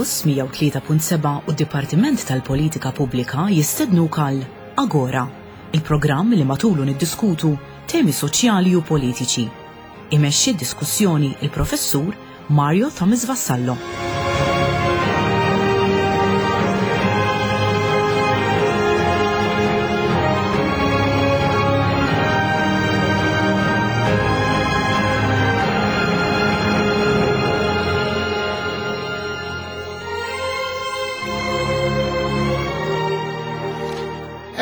Campus 103.7 u d-Dipartiment tal-Politika Pubblika jistednuk għal Agora, il-programm li matulu niddiskutu temi soċjali u politiċi. Imexxi d-diskussjoni il-Professur Mario Thomas Vassallo.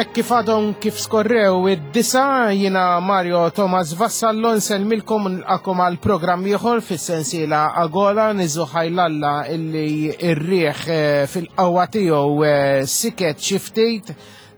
Hekk kif għadhom kif skorrew id-disa jiena Mario Thomas Vassallo nsellmilkom nilqakom għal programm ieħor fis-sensiela Agola niżu ħajlalla illi r-riħ eh, fil-qawwa tiegħu eh, siket xi ftit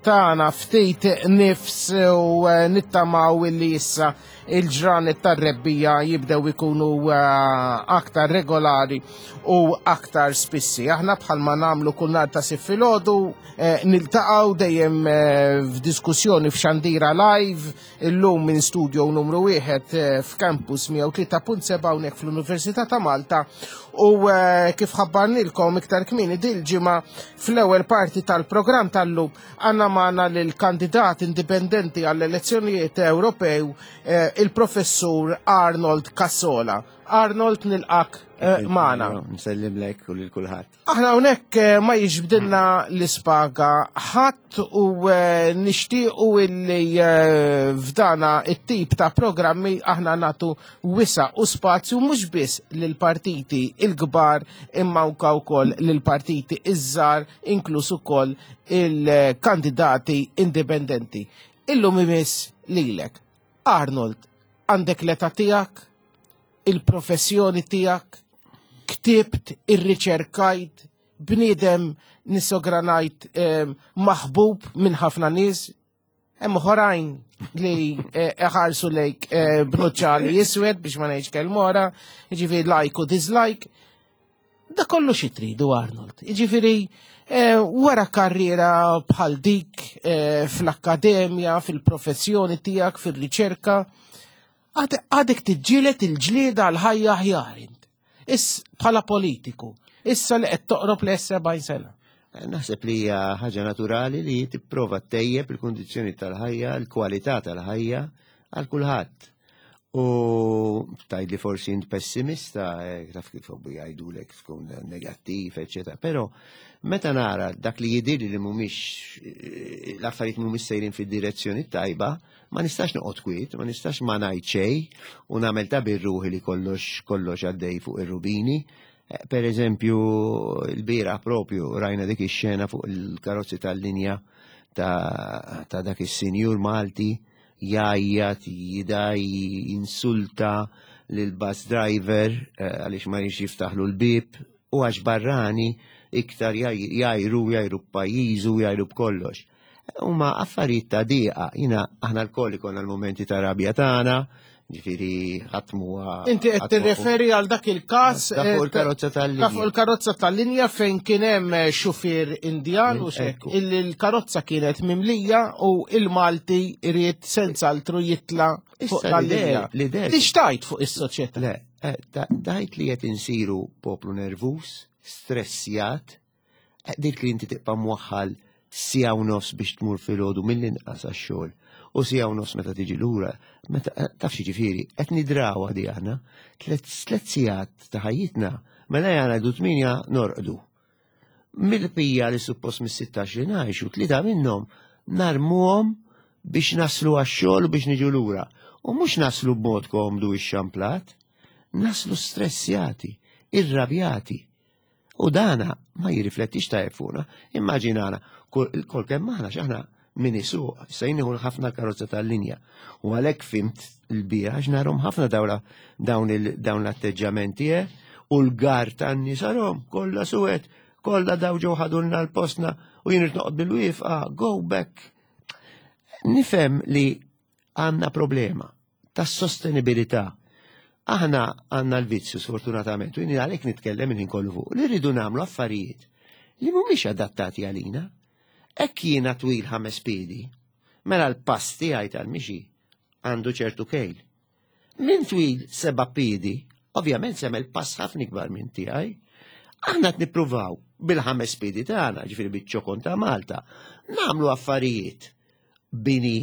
tagħna ftit nifs u eh, nittamaw illi issa il-ġranet tar-rebbija jibdew ikunu eh, aktar regolari u aktar spissi. Aħna bħalma nagħmlu kull nhar ta' sif filgħodu eh, niltaqgħu dejjem eh, f'diskussjoni f'xandira live illum minn studio numru wieħed f'campus 103.7 hawnhekk fl-Università ta' Malta u kif ħabbarnilkom iktar kmieni dil-ġimgħa fl-ewwel parti tal-programm tal-lum Għanna magħna lill-kandidat indipendenti għall-elezzjonijiet Ewropew eh, il-professur Arnold Cassola. Arnold nilqak eh, magħna. Nsellimlek u lil kulħadd. Aħna hawnhekk eh, ma jiġbdilna l-ispaga ħadd u nixtiequ illi f'dana it-tip ta' programmi aħna nagħtu wisa u spazju mhux biss lill-partiti il-kbar imma anke wkoll lill-partiti iż-żgħar inkluż ukoll il-kandidati indipendenti. Illum imiss lilek. Arnold, għandek l-età tiegħek, il-professjoni tiegħek, ktibt, irriċerkajt, bniedem nisogranajt eh, maħbub minn ħafna nies, Hemm oħrajn li eh, iħarsu lejk eh, b'nuċċali jiswed biex ma ngħidx kelma oħra, jiġifieri like u dislike. Da kollu xi tridu Arnold. Jiġifieri eh, wara karriera bħal dik fl-akkademja, fil-professjoni tiegħek, fir-riċerka, għadek tiġġieled il-ġlieda għal ħajja aħjar int. Is bħala politiku, issa li qed toqrob l 70 sena. Eh, naħseb li hija ħaġa naturali li tipprova tejjeb il-kundizzjoni tal-ħajja, il-kwalità tal-ħajja għal kulħadd. U tajd li forsi int pessimista, eh, taf kif hobbu jgħidulek tkun negattiv, eċetera. Però meta nara dak li jidhirli li mhumiex eh, l-affarijiet mhumiex sejrin fid-direzzjoni tajba, Ma nistax noqgħod kwiet, ma nistax ma ngħid xejn u nagħmel ta' birruħi li kollox kollox għaddej fuq ir-rubini. Eh, per eżempju, l-bira propju rajna dik ix-xena fuq il-karozzi tal-linja ta', ta dak is-sinjur Malti jgħajjat, jidaj, insulta lil bus driver eh, għaliex ma jix jiftaħlu l-bib u għax barrani iktar jajru, jajru b'pajjiżu, jajru b'kollox. Huma affarijiet ta' diqa, jina aħna l-koll ikonna l-momenti ta' rabja tagħna, ġifieri ħadd huwa. Inti qed tirreferi għal dak il-każ ta' fuq eh, il-karozza tal-linja. Ta' fuq il-karozza tal-linja fejn kien hemm eh, xufier Indjan u xek illi l-karozza kienet mimlija u il-Malti ried senz'altru jitla fuq tal-linja. Tixtajt fuq is-soċjetà. Le, eh, tajt li qed insiru poplu nervus, stressjat, Eh, dik li inti tibqa' mwaħħal siegħa u nofs biex tmur filgħodu mill-inqas għax-xogħol u siegħa u nofs meta tiġi lura, meta eh, taf xi ġifieri, qed nidrawha di aħna, tliet sigħat ta' ħajjitna, mela jara du tminja norqdu. Mill-pija li suppost mis-16 li ngħixu, tlieta minnhom narmuhom biex naslu għax-xogħol u biex niġu lura. U mhux naslu b'mod komdu ix-xamplat, naslu stressjati, irrabjati. U dana ma jirriflettix tajjeb fuqna. Immaġinana, kol kemm aħna x'aħna min isuq, issa jien nieħu ħafna karozza tal-linja. U għalhekk fimt l-bieraħ għax narhom ħafna dawla dawn dawn l-atteġġamenti eh? u l-gar tan-nies arhom kollha suwed, kollha daw ġew ħadulna l-postna u jien irid noqgħod bil-wieqfa, go back. Nifhem li għandna problema tas-sostenibilità. Aħna għandna l-vizzju sfortunatament, u jien għalhekk nitkellem il-ħin kollu fuq, li rridu nagħmlu affarijiet li mhumiex adattati għalina. Hekk jiena twil ħames piedi, mela l-pass tiegħi tal-mixi għandu ċertu kejl. Min twil seba' piedi, ovvjament semel pass ħafna ikbar minn tiegħi. Aħna qed nippruvaw bil-ħames pidi tagħna, ġifieri biċ-ċokon ta' Malta, nagħmlu affarijiet bini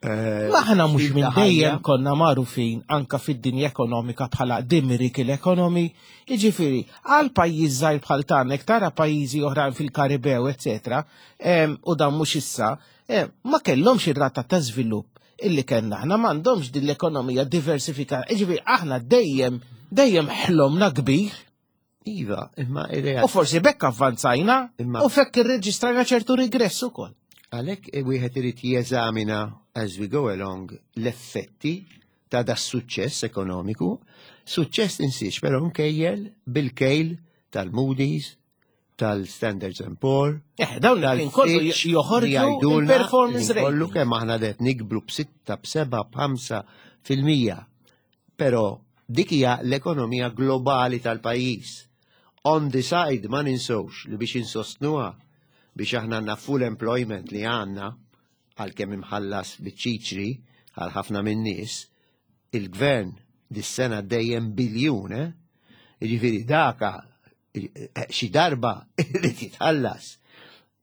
eh, Aħna mhux minn dejjem konna magħrufin anka fid-dinja ekonomika bħala the miracle economy, jiġifieri għal pajjiż żgħir bħal tagħna tara pajjiżi oħrajn fil-Karibew, eċetera, u dan mhux issa, ma kellhomx ir-rata ta' żvilupp illi kellna aħna m'għandhomx din l-ekonomija diversifikata. Jiġifieri aħna dejjem dejjem ħlomna kbir. Iva, imma ir-realtà. U forsi bekk avvanzajna u fekk irreġistrajna ċertu regress ukoll. Għalhekk wieħed irid jeżamina as we go along l-effetti ta' da suċċess ekonomiku. Suċċess insiex, però nkejjel bil-kejl tal-Moody's, tal-Standards and Poor. Eh, dawn li kollu joħorġu il-performance rate. Kollu kemm aħna qed nikbru b'sitta, b'seba', b'ħamsa fil-mija. Però dik hija l-ekonomija globali tal-pajjiż. On the side ma ninsewx li biex insostnuha biex aħna għandna full employment li għandna għalkemm imħallas biċ-ċiċri għal ħafna min-nies, il-gvern dis-sena dejjem biljun, eh? Jiġifieri daka xi darba irid jitħallas.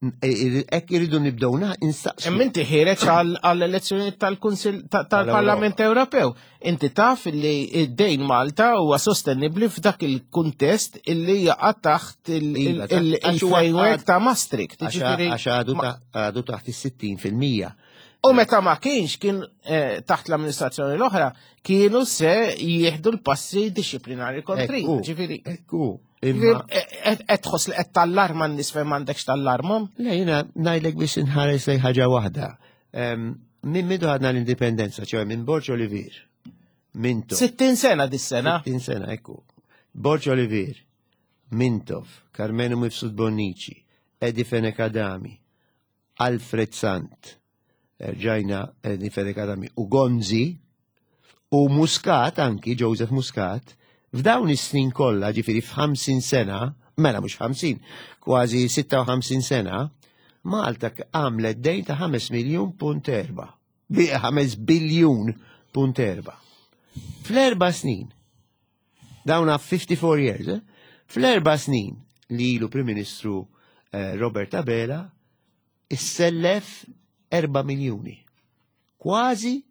Hekk iridu nibdew instaqsu. Imma inti ħiereġ għall-elezzjoni tal-Kunsill tal-Parlament Ewropew. Inti taf li id-dejn Malta huwa sostenibbli f'dak il-kuntest illi jaqa' taħt iva, il-framework ta' Maastricht. Għax għadu taħt is-60%. U meta ma kienx kien eh, taħt l-amministrazzjoni l-oħra, kienu se jieħdu l-passi disciplinari kontri. Ġifieri. Ekku. Eh, qed tħoss li qed tallarma n-nies fejn m'għandekx tallarmhom? Le jiena ngħidlek biex inħares lejn ħaġa waħda. Minn midu għadna l-indipendenza, ċoħe minn Borġ Olivier. Mintoff. 60 sena dis-sena. 60 sena, ekku. Borġ Olivier, Mintoff, Karmenu Mifsud Bonnici, Edi Fenech Adami, Alfred Sant, rġajna Eddie Fenech Adami u Gonzi u Muscat anki Joseph Muscat f'dawn is-snin kollha ġifieri f'50 sena, mela mhux 50, kważi 56 sena, Malta għamlet dejn ta' 5 miljun punt erba'. 5 biljun punt erba'. Fl-erba' snin, dawna 54 years, eh? fl-erba' snin li ilu Prim Ministru eh, Robert Abela, issellef 4 miljuni. Kważi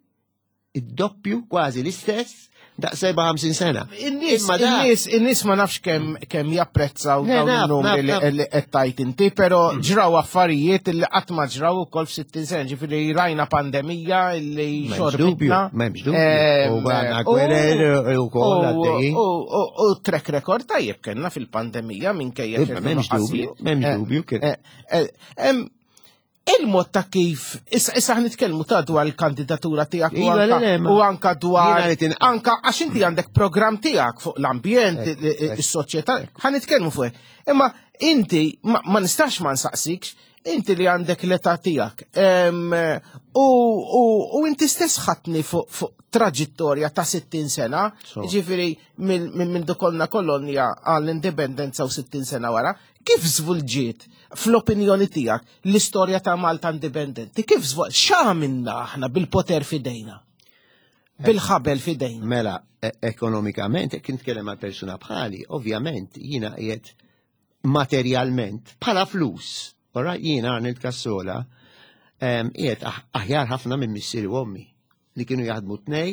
id-doppju, kważi l-istess, daqs 57 sena. In-nies, in-nies, in-nies ma nafx kemm kemm japprezzaw dawn il-numri li qed tajt inti, però mm. ġraw affarijiet li qatt ma ġraw ukoll f'60 sena, ġifieri rajna pandemija li xorbitna. M'hemmx dubju. U għandna gwerer ukoll għaddejjin. U track record tajjeb kellna fil-pandemija minkejja. M'hemmx dubju, m'hemmx eh, dubju. Eh, eh, Il-mod ta' kif, issa issa nitkellmu ta' dwar il-kandidatura tiegħek u iva, anka, u anka dwar anka għax inti għandek programm tiegħek fuq l-ambjent, is-soċjetà, ħa nitkellmu fuq. Imma inti ma nistax ma nsaqsikx, inti li għandek l-età tiegħek. U inti stess ħatni fuq traġittorja ta' 60 sena, ġifieri minn dukolna kolonja għall-indipendenza u 60 sena wara, Kif żvolġiet, fl-opinjoni tiegħek, l-istorja ta' Malta indipendenti? Kif żvol x'għamilna aħna bil-poter f'idejna? Bil-ħabel f'idejna. Mela, e, ekonomikament, kien tkellem għal persuna bħali, ovvjament jiena qiegħed materjalment bħala flus. Ora jiena Arnold Cassola qiegħed aħjar ħafna minn missieri u ommi. li kienu jaħdmu tnej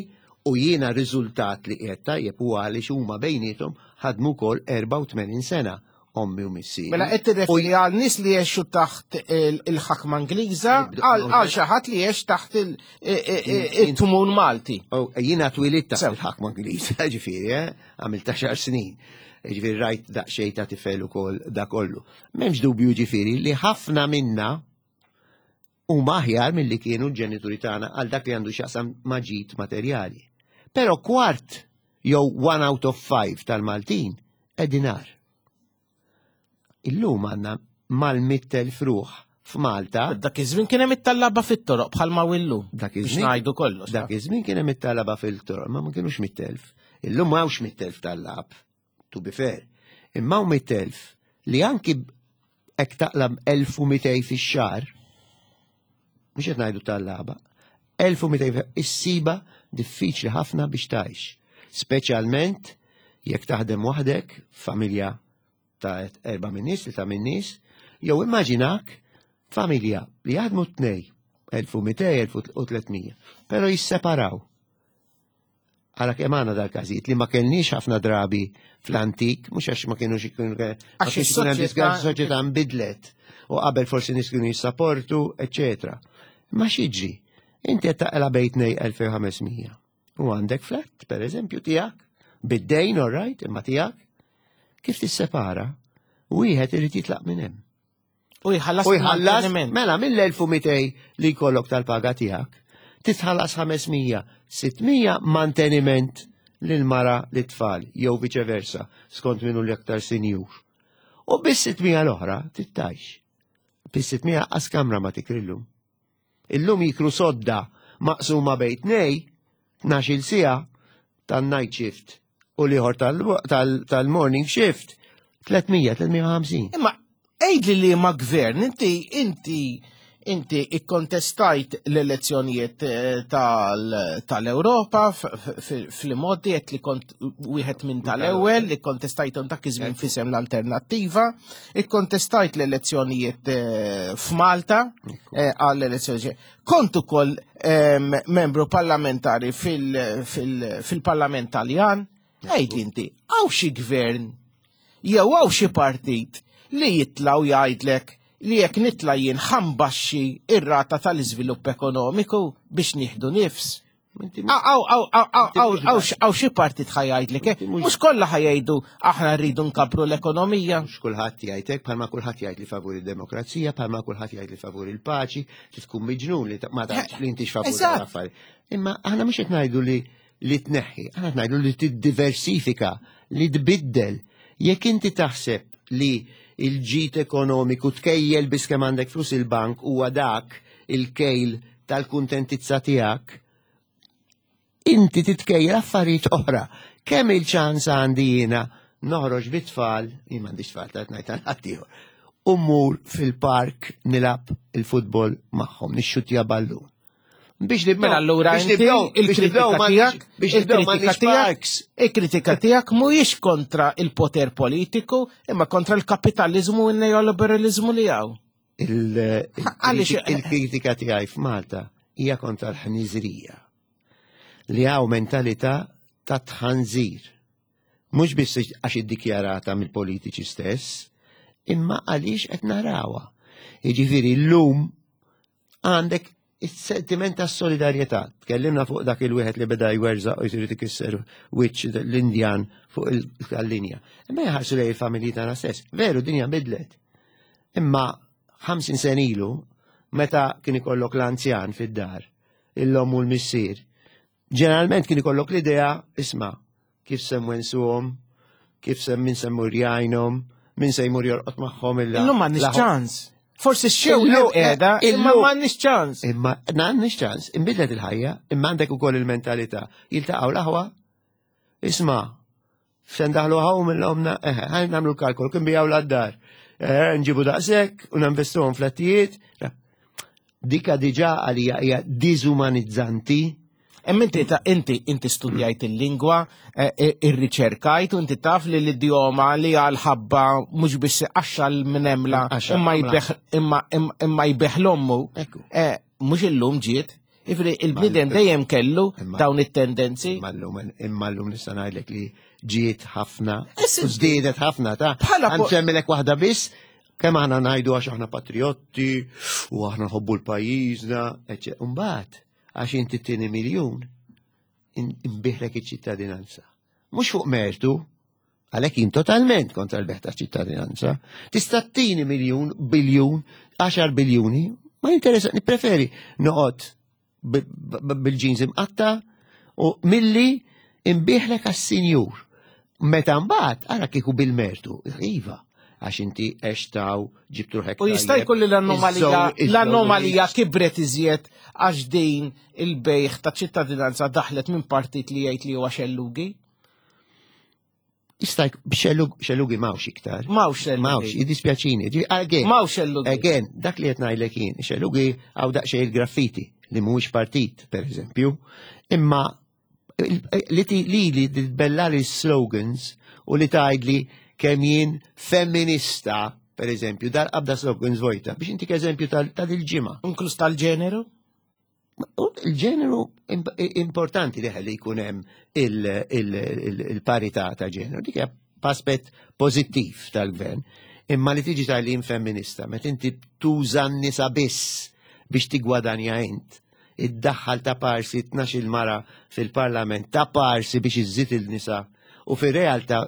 u jiena riżultat li qiegħed tajjeb huwa għaliex huma bejniethom ħadmu wkoll 84 sena ommi u missieri. Mela qed tirreferi għal nies li jgħixu taħt il-ħakma Ingliża għal xi ħadd li jgħix taħt il-tmun Malti. Oh, jiena twilit taħt il-ħakma Ingliża, ġifieri, eh, għamilt ta' xar snin. Ġifieri rajt daqsxejn ta' tifel ukoll da kollu. M'hemmx dubju ġifieri li ħafna minna huma aħjar milli kienu l-ġenituri tagħna għal dak li għandu x'jaqsam ma' ġid materjali. Però kwart jew one out of five tal-Maltin qegħdin agħar. Illum għandna mal-100,000 ruħ f'Malta. Dak iż-żmien kien hemm it-tallaba fit-toroq bħalma hu illum. Dak iż-żmien. Ngħidu kollox. Dak iż-żmien kien hemm it-tallaba fil-toroq, ma ma kienux 100,000. Illum m'hawnx 100,000 tallab. to be fair. Imma hawn 100,000 li anki hekk taqla 1200 fix-xahar, mhux qed ngħidu tal-laba, 1200 issiba diffiċli ħafna biex tgħix. Speċjalment jekk taħdem waħdek, familja ta' erba' min-nies, li ta' min-nies, jew immaġinak familja li jaħdmu tnej, 1200, 1300, però jisseparaw. Għara kemm għandna dal-każijiet li ma kellniex ħafna drabi fl-antik, mhux għax ma kienux ikunu għax is-soċjetà nbidlet u qabel forsi nies kienu jissaportu, eċetera. Ma xiġri, inti qed taqla bejt 2500 u għandek flat, per eżempju, tiegħek, bid-dejn, all right, imma tiegħek, kif tissepara, wieħed irid jitlaq minn hemm. U jħallas. U jħallas, mela mill-1200 li jkollok tal-paga tiegħek, titħallas 500, 600 manteniment lil mara li tfal jew viċeversa skont minnu l-aktar sinjur. U bis 600 l-oħra tittajx. Bis 600 qas kamra ma tikrillu. Illum jikru sodda maqsuma bejn tnej, 12-il siegħa tan-night shift u l-ieħor tal-morning shift 300, 350. Imma għidli li ma gvern, inti inti inti ikkontestajt l-elezzjonijiet eh, tal-Ewropa fl-modi qed li kont wieħed minn tal-ewwel li kontestajthom dak iż-żmien fisem l-alternattiva, ikkontestajt l-elezzjonijiet eh, f'Malta eh, għall-elezzjoni. Kont ukoll membru parlamentari fil-Parlament Taljan, għid inti, għaw xi gvern jew għaw xi partit li jitlaw jgħidlek li jekk nitla jien ħambaxxi ir-rata tal-iżvilupp ekonomiku biex nieħdu nifs. Għaw xi partit ħajajdlek, eh? mhux kollha ħajajdu aħna rridu nkabru l-ekonomija. Mhux kulħadd jgħidlek, bħalma kulħadd jgħid li favur id-demokrazija, bħalma kulħadd jgħid li favur il-paċi, li tkun miġnun li ma tafx li intix favur l-affarijiet. Imma aħna mhux qed ngħidu li li tneħħi, aħna qed ngħidu li tiddiversifika, li tbiddel. Jekk inti taħseb li il-ġid ekonomiku tkejjel biss kemm għandek flus il-bank huwa dak il-kejl tal-kuntentizza tiegħek, inti titkejjel affarijiet oħra. Kemm il-ċans għandi jiena noħroġ bit-tfal, jien m'għandix tfal ta' ngħid għal ħaddieħor, u mmur fil-park nilgħab il-futbol magħhom, nixxutja ballun. Biex nibdew. Mela allura inti il-kritika tiegħek, biex nibdew tiegħek, il-kritika tiegħek mhuwiex kontra il-poter politiku, imma kontra l-kapitaliżmu u n-neoliberalizmu li hawn. Il-kritika tiegħi f'Malta hija kontra l-ħniżrija li hawn mentalità ta' tħanżir. Mhux biss għax iddikjarata mill-politiċi stess, imma għaliex qed narawha. Jiġifieri llum għandek is-sentiment ta' solidarjetà. Tkellimna fuq dak il-wieħed li beda jwerżaq u jrid ikisser wiċċ l-Indjan fuq il-linja. Imma jħarsu lejn il-familji tagħna stess. Veru dinja bidlet. Imma 50 sen ilu, meta kien ikollok l-anzjan fid-dar, il-lom u l-missier, Ġeneralment kien ikollok l-idea, isma' kif se mwensuhom, kif se min se mmur jgħinhom, min se jmur jorqod magħhom illa. Illum m'għandniex ċans. Forsi x-xew qiegħda, imma m'għandniex ċans. Imma m'għandniex ċans, inbidlet il-ħajja, imma għandek ukoll il-mentalità. Jiltaqgħu l-aħwa, isma' Se ndaħlu ħaw mill-omna, eħe, ħan namlu l-kalkol, kien bijaw l-addar. Eh, nġibu daqsek u ninvestuhom flettijiet. Dika diġa għalija hija diżumanizzanti. Hemm inti ta' inti inti studjajt il-lingwa, eh, eh, irriċerkajt u inti taf li l-idjoma li għal ħabba mhux biss iqaxxa l-minemla imma jbeħ imma imma jbeħ l-ommu. Mhux illum ġiet. Ifri, il-bniedem dejjem kellu dawn it-tendenzi. Imma llum nista' ngħidlek li ġiet ħafna, żdiedet ħafna ta' Għansemmilek waħda biss, kemm aħna ngħidu għax aħna patriotti u aħna nħobbu l-pajjiżna, eċċ. Mbagħad għax inti tieni miljun inbiħlek iċ-ċittadinanza. Mhux fuq mertu, Għalhekk jien totalment kontra l-beħ ta' ċittadinanza. Tista' tini miljun, biljun, 10 biljuni, ma jinteressa, nippreferi noqgħod bil-ġinż imqatta u milli imbiħlek għas-sinjur. Meta mbagħad ara kieku bil-mertu, iva, għax inti għextaw ġibtu ruħek. U jista' jkun li l-anomalija l-anomalija kibret iżjed għax din il-bejħ ta' ċittadinanza daħlet minn partit li jgħid li huwa xellugi? Jista' xellugi mawx iktar. Mawx xellugi. Mawx, jiddispjaċini. Again, mawx xellugi. Again, dak li qed ngħidlek jien, xellugi għaw daqsxejn il-graffiti li mhuwiex partit, per eżempju, imma li li li tbella li slogans u li tgħidli kemm jien femminista, per eżempju, dal-qabda slogans vojta, biex intik eżempju tal-ġimgħa. Inkluż tal-ġeneru? Il-ġeneru importanti li ħalli jkun hemm il-parità ta' ġeneru, dik hija aspett pożittiv tal-gvern. Imma li tiġi tal-jien femminista, meta inti tuża n-nisa biss biex tigwadanja int, iddaħħal ta' parsi 12 mara fil-parlament ta' parsi biex iżżid il-nisa u fir-realtà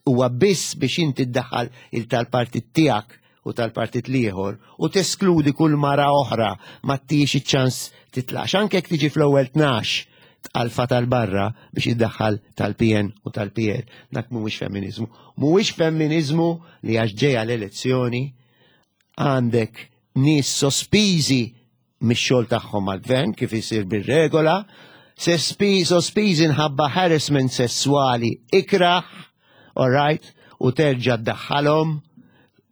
huwa biss biex inti ddaħħal il tal-partit tiegħek u tal-partit l-ieħor u teskludi kull mara oħra ma ttix iċ-ċans titlax. Anke jekk tiġi fl-ewwel 12 tqalfa tal-barra biex iddaħħal tal-PN u tal-PL. Dak mhuwiex femminizmu. Mhuwiex femminizmu li għax ġejja l-elezzjoni għandek nies sospiżi mix-xogħol tagħhom mal-gvern kif isir bir-regola, sospiżi nħabba harassment sesswali ikraħ, all right, u terġa' ddaħħalhom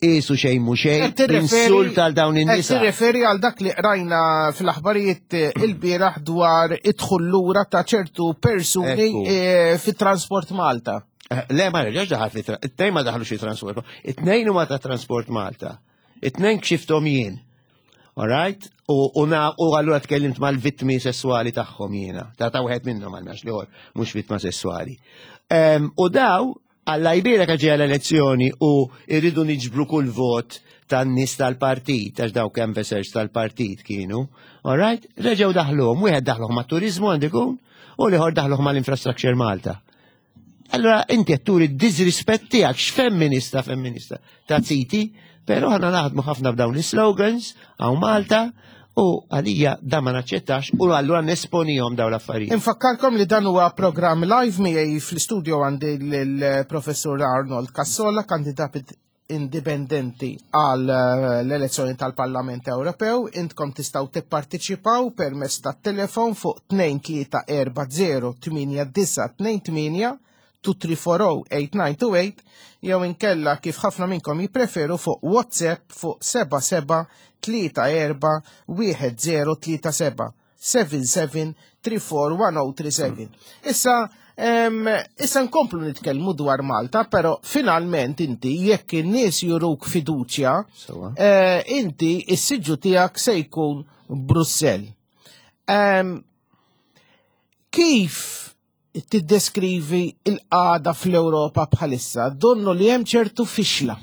isu xejn mhu xejn, insult għal dawn in-nisa. Tirreferi għal dak li qrajna fl-aħbarijiet eh, il-bieraħ dwar idħul lura ta' ċertu persuni eh, fit-Transport Malta. Eh, le, ma reġax daħal fit it-tnejn ma daħlu xi Transport. It-tnejn huma ta' Transport Malta. It-tnejn kxifthom jien. Alright? U, u, na, u allura tkellimt mal-vittmi sessuali tagħhom jiena. Ta' ta' wieħed minnhom għal li mhux vittma sessuali. Um, u daw, Alla jbierek għax ġejja l-elezzjoni u irridu niġbru kull vot tan-nies tal-partit, għax daw canvassers tal-partit kienu. Alright? Reġgħu daħluhom, wieħed daħluhom mat-turiżmu għandu jkun, u l-ieħor daħluhom mal-Infrastructure Malta. Allora inti qed turi d-disrispett tiegħek x'femminista femminista ta' ziti, però aħna naħdmu ħafna b'dawn is-slogans hawn Malta u għalija da ma naċċettax u allura nesponihom dawn l-affarijiet. Infakkarkom li dan huwa programm live miegħi fl-istudio għandi l-professur Arnold Cassola, kandidat indipendenti għal eh, l-elezzjoni tal-Parlament Ewropew. Intkom tistgħu tipparteċipaw permezz tat-telefon fuq 2340 8928 2340-8928 jew inkella kif ħafna minnkom jippreferu fuq WhatsApp fuq 77 34 1037. 77341037. Issa, issa nkomplu nitkellmu dwar Malta, pero finalment inti jekk in-nies juruk fiduċja, eh, inti is-siġġu tiegħek se jkun Brussell. Kif tiddeskrivi il-qagħda fl-Ewropa bħalissa, donnu li hemm ċertu fixla.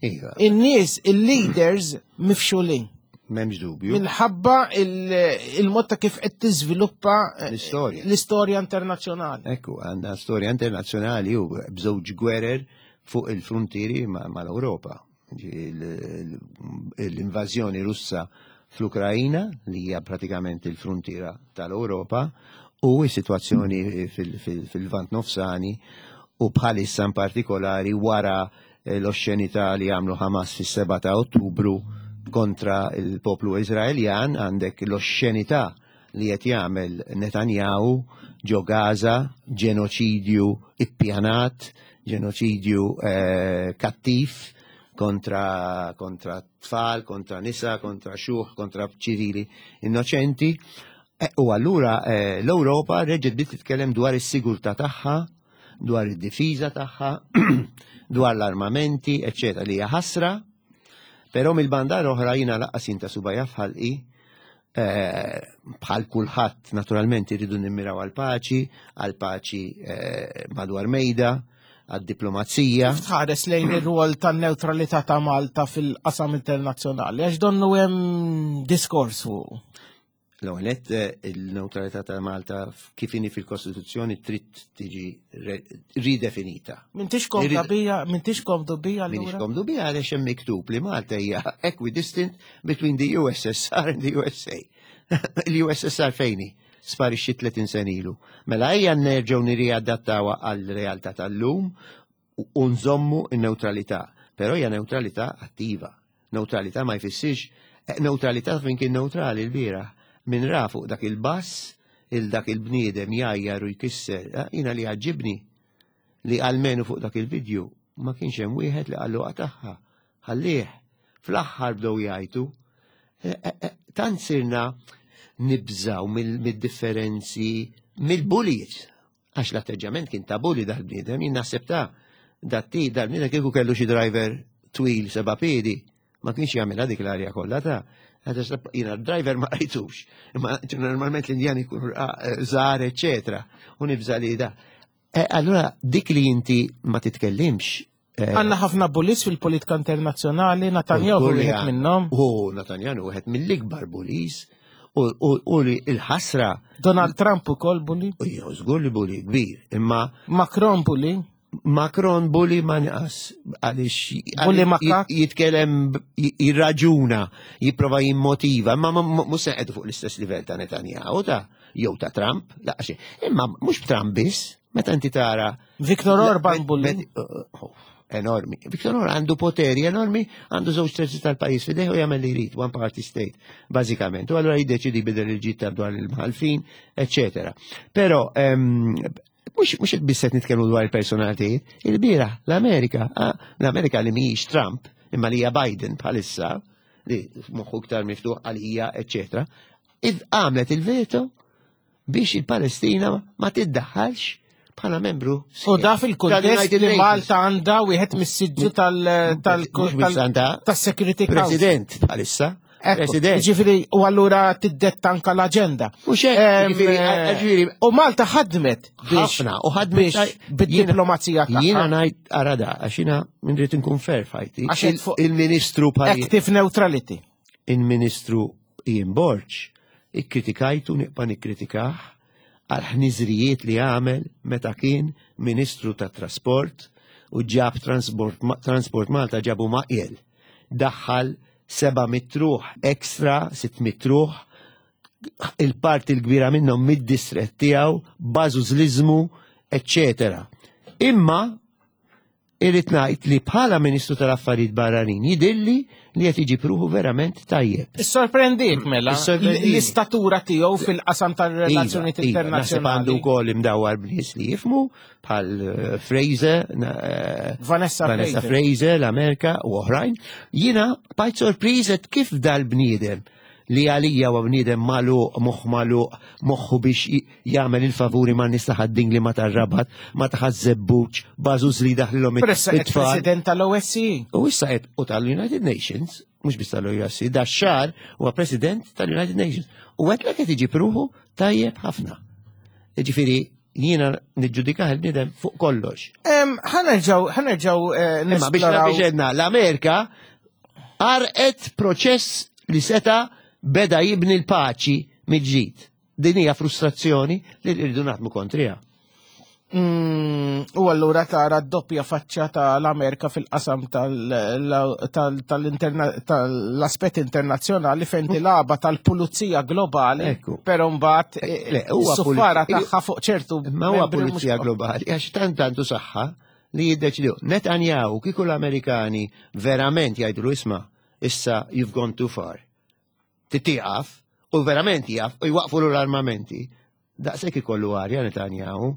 Iva. In-nies, il-leaders mifxulin. M'hemmx dubju. Minħabba il-mod ta' kif qed tiżviluppa eh, l-istorja. L-istorja internazzjonali. Ekku, għandna storja internazzjonali u b'żewġ gwerer fuq il-frontieri mal-Ewropa. L-invażjoni Russa fl-Ukrajina, li hija pratikament il-frontiera tal-Ewropa, u s-sitwazzjoni fil-Lvant Nofsani u bħalissa in partikolari wara eh, l-oxxenità li għamlu Hamas fis-7 ta' Ottubru kontra il-poplu Izraeljan għandek l-oxxenità li qed jagħmel Netanyahu ġo Gaza, ġenoċidju ippjanat, ġenoċidju eh, kattiv kontra, kontra tfal, kontra nisa, kontra xuħ, kontra ċivili innoċenti. Eh, u allura eh, l-Ewropa reġgħet bdiet titkellem dwar is-sigurtà tagħha, dwar id-difiża tagħha, dwar l-armamenti, eċċetera, li hija ħasra, però mill-banda l-oħra jiena laqqas jinta subajja f'ħalqi Eh, bħal kulħadd naturalment irridu nimmiraw għal paċi, għal paċi eh, madwar mejda, għad diplomazija. Kif tħares lejn ir-rwol tan-newtralità ta' Malta fil-qasam internazzjonali, għax donnu hemm diskors fuq. L-ewwel eh, il-newtralità ta' Malta kif inhi fil-Kostituzzjoni trid tiġi ridefinita. M'intix komdu bija, m'intix komdu bija allura? M'intix komdu bija għaliex hemm miktub li Malta hija equidistant between the USSR and the USA. Il-USSR fejni sparixxi 30 sen ilu. Mela ejja nerġgħu nirriadattawha għal-realtà tal-lum u nżommu n-neutralità. Però hija neutralità attiva. Neutralità ma jfissirx eh, neutralità fejn kien neutrali l-bieraħ. Min ra fuq dak il-bass il dak il-bniedem jajjar u jkisser, eh, jina li għaġibni li għalmenu fuq dak il-vidju ma kienx hemm wieħed li qallu qatagħha. Ħallih. Fl-aħħar bdew jgħajtu. Eh, eh, eh, tant sirna nibżaw mid-differenzi mill-bullies. Għax l-atteġġament kien ta' bulli dal-bniedem, jien naħseb ta' Datti, dal-mina kieku kellu xi driver twil seba' piedi, ma kienx jagħmilha dik l-arja kollha ta' Jiena driver ma rajtux, imma normalment l-Indjani jkunu żgħar, eċetera, u nibża' li da. Eh, allura dik li inti ma titkellimx eh, Għanna ħafna bulis fil-politika internazzjonali, Netanyahu wieħed minnhom. U Netanyahu wieħed mill-ikbar bulis u li l-ħasra. Donald Trump ukoll bully. U jew żgur li bully kbir, imma Macron bully. Macron bully ma nqas għaliex bully makak jitkellem jirraġuna, jipprova jimmotiva, imma mhux se fuq l-istess livell ta' Netanyahu ta' jew ta' Trump, laqax. Imma mhux Trump biss, meta inti tara Viktor Orban bully. Oh, oh, enormi. Viktor Orban għandu poteri enormi, għandu żewġ terzi tal-pajjiż fideh u jagħmel li jrid, one party state, bażikament. U allura jiddeċidi bidel il-ġid dwar il-mħalfin, eccetera. Però ehm, Mux mux biss qed nitkellmu dwar il-personalitajiet, il-bira l-Amerika, ah, l-Amerika li mhijiex Trump, imma li hija Biden bħalissa, li moħħu iktar miftuħ għalija, eċetera, għamlet il-veto biex il-Palestina ma tiddaħħalx bħala membru. U da fil-kuntest li Malta għandha wieħed mis-siġġu tal-Security Council. President bħalissa. President. Ġifiri, u allura tiddetta anka l-agenda. U eh, U Malta ħadmet ħafna u ħadmet bid-diplomazija tagħha. Jiena ngħid arada għax jiena rrid inkun fair fajti. Il-Ministru Active neutrality. Il-Ministru Ian Borg ikkritikajtu nibqa' nikkritikah għal ħniżrijiet li għamel meta kien Ministru tat-Trasport u ġab Transport Malta ġabu maqjel. Daħħal 700 ruħ ekstra, 600 ruħ, il-parti l-kbira minnhom mid-distret tiegħu, bażużliżmu, eċċetera. Imma irrid ngħid li bħala Ministru tal-Affarijiet Barranin jidilli li qed iġib ruħu verament tajjeb. Issorprendik mela l-istatura tiegħu fil-qasam tar-relazzjonijiet iva, iva, internazzjonali. Għandu wkoll imdawwar b'nies li jifmu bħal eh, Fraser, eh, Vanessa, Vanessa Fraser, l-Amerika u oħrajn. Jiena bajt sorpriżet kif dal-bniedem li għalija huwa bniedem magħluq, moħħ magħluq, moħħu biex jagħmel il-favuri ma' nies ta' ħadding li ma tar-Rabat, ma ta' Ħaż-Żebbuġ, bażuż li jdaħlilhom it-tfal. President tal-OSCE. U issa qed u tal-United Nations, mhux biss tal-OSCE, da xahar huwa President tal-United Nations. U qed qed iġib ruħu tajjeb ħafna. Jiġifieri jiena niġġudikah il-bniedem fuq kollox. Ħanerġaw, ħanerġaw eh, Imma biex biex l-Amerika għarqet proċess li seta beda jibni l-paċi mill-ġdid. Din hija frustrazzjoni li rridu naħdmu kontriha. Mm, u allura tara d-doppja faċċa tal-Amerika fil-qasam tal-aspett internazzjonali fejn tilaba tal-pulizija globali, però mbagħad eh, eh, is-suffara tagħha fuq ċertu. Ma huwa pulizija globali għax tant għandu saħħa li jiddeċidu. Netanyahu kieku l-Amerikani verament jgħidulu isma' issa you've gone too far. Titieqaf u verament jaf u jwaqfu l-armamenti. Daqshekk ikollu arja Netanyahu.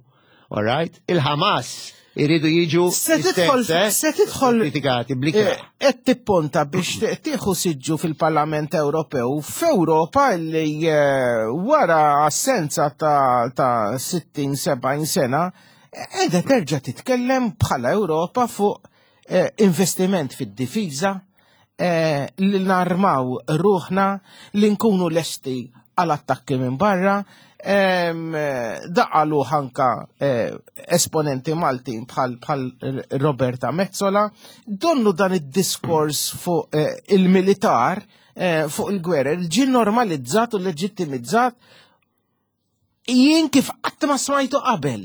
All right? Il-Hamas iridu jiġu Se tidħol eh? se tidħol kritikati bl-ikrah. Eh, qed tipponta biex tieħu siġġu fil-Parlament Ewropew f'Ewropa li eh, wara assenza ta' 60-70 sena qiegħda terġa' titkellem bħala Ewropa fuq eh, investiment fid-difiża, eh, li narmaw ruħna, li nkunu lesti għal attakki minn barra, daqalu ħanka eh, esponenti Maltin bħal bħal Roberta Mezzola, donnu dan id-diskors fuq eh, il-militar, fuq il-gwerer, ġi normalizzat u leġittimizzat Jien kif qatt ma smajtu qabel.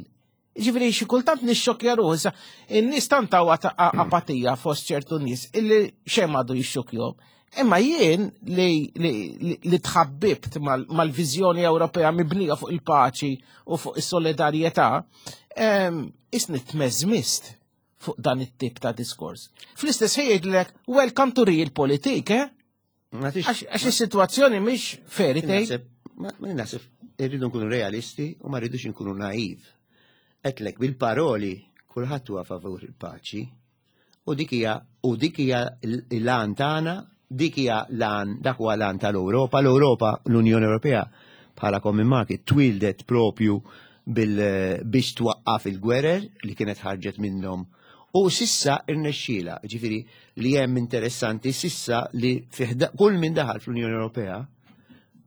Ġifieri xi kultant nixxokkja ruħi sa in-nies tant hawn apatija fost ċertu nies illi xejn m'għadu jixxokkjhom. Imma jien li, li, li tħabbibt mal-viżjoni Ewropea mibnija fuq il-paċi u fuq is-solidarjetà, isni tmeżmist fuq dan it-tip ta' diskors. Fl-istess ħin jgħidlek welcome to real politik, eh? Għax is-sitwazzjoni mhix fairy tale. Ma naħseb irridu nkunu realisti u ma rridux nkunu naiv. Etlek bil-paroli kulħadd huwa favur il-paċi u dik hija u dik hija l-għan tagħna, dik hija l-għan dak huwa l-għan tal-Ewropa, l-Ewropa, l-Unjoni Ewropea bħala common market twildet propju bil biex twaqqaf il-gwerer li kienet ħarġet minnhom. U sissa irnexxiela, ġifieri li hemm interessanti sissa li kull min daħal fl-Unjoni Ewropea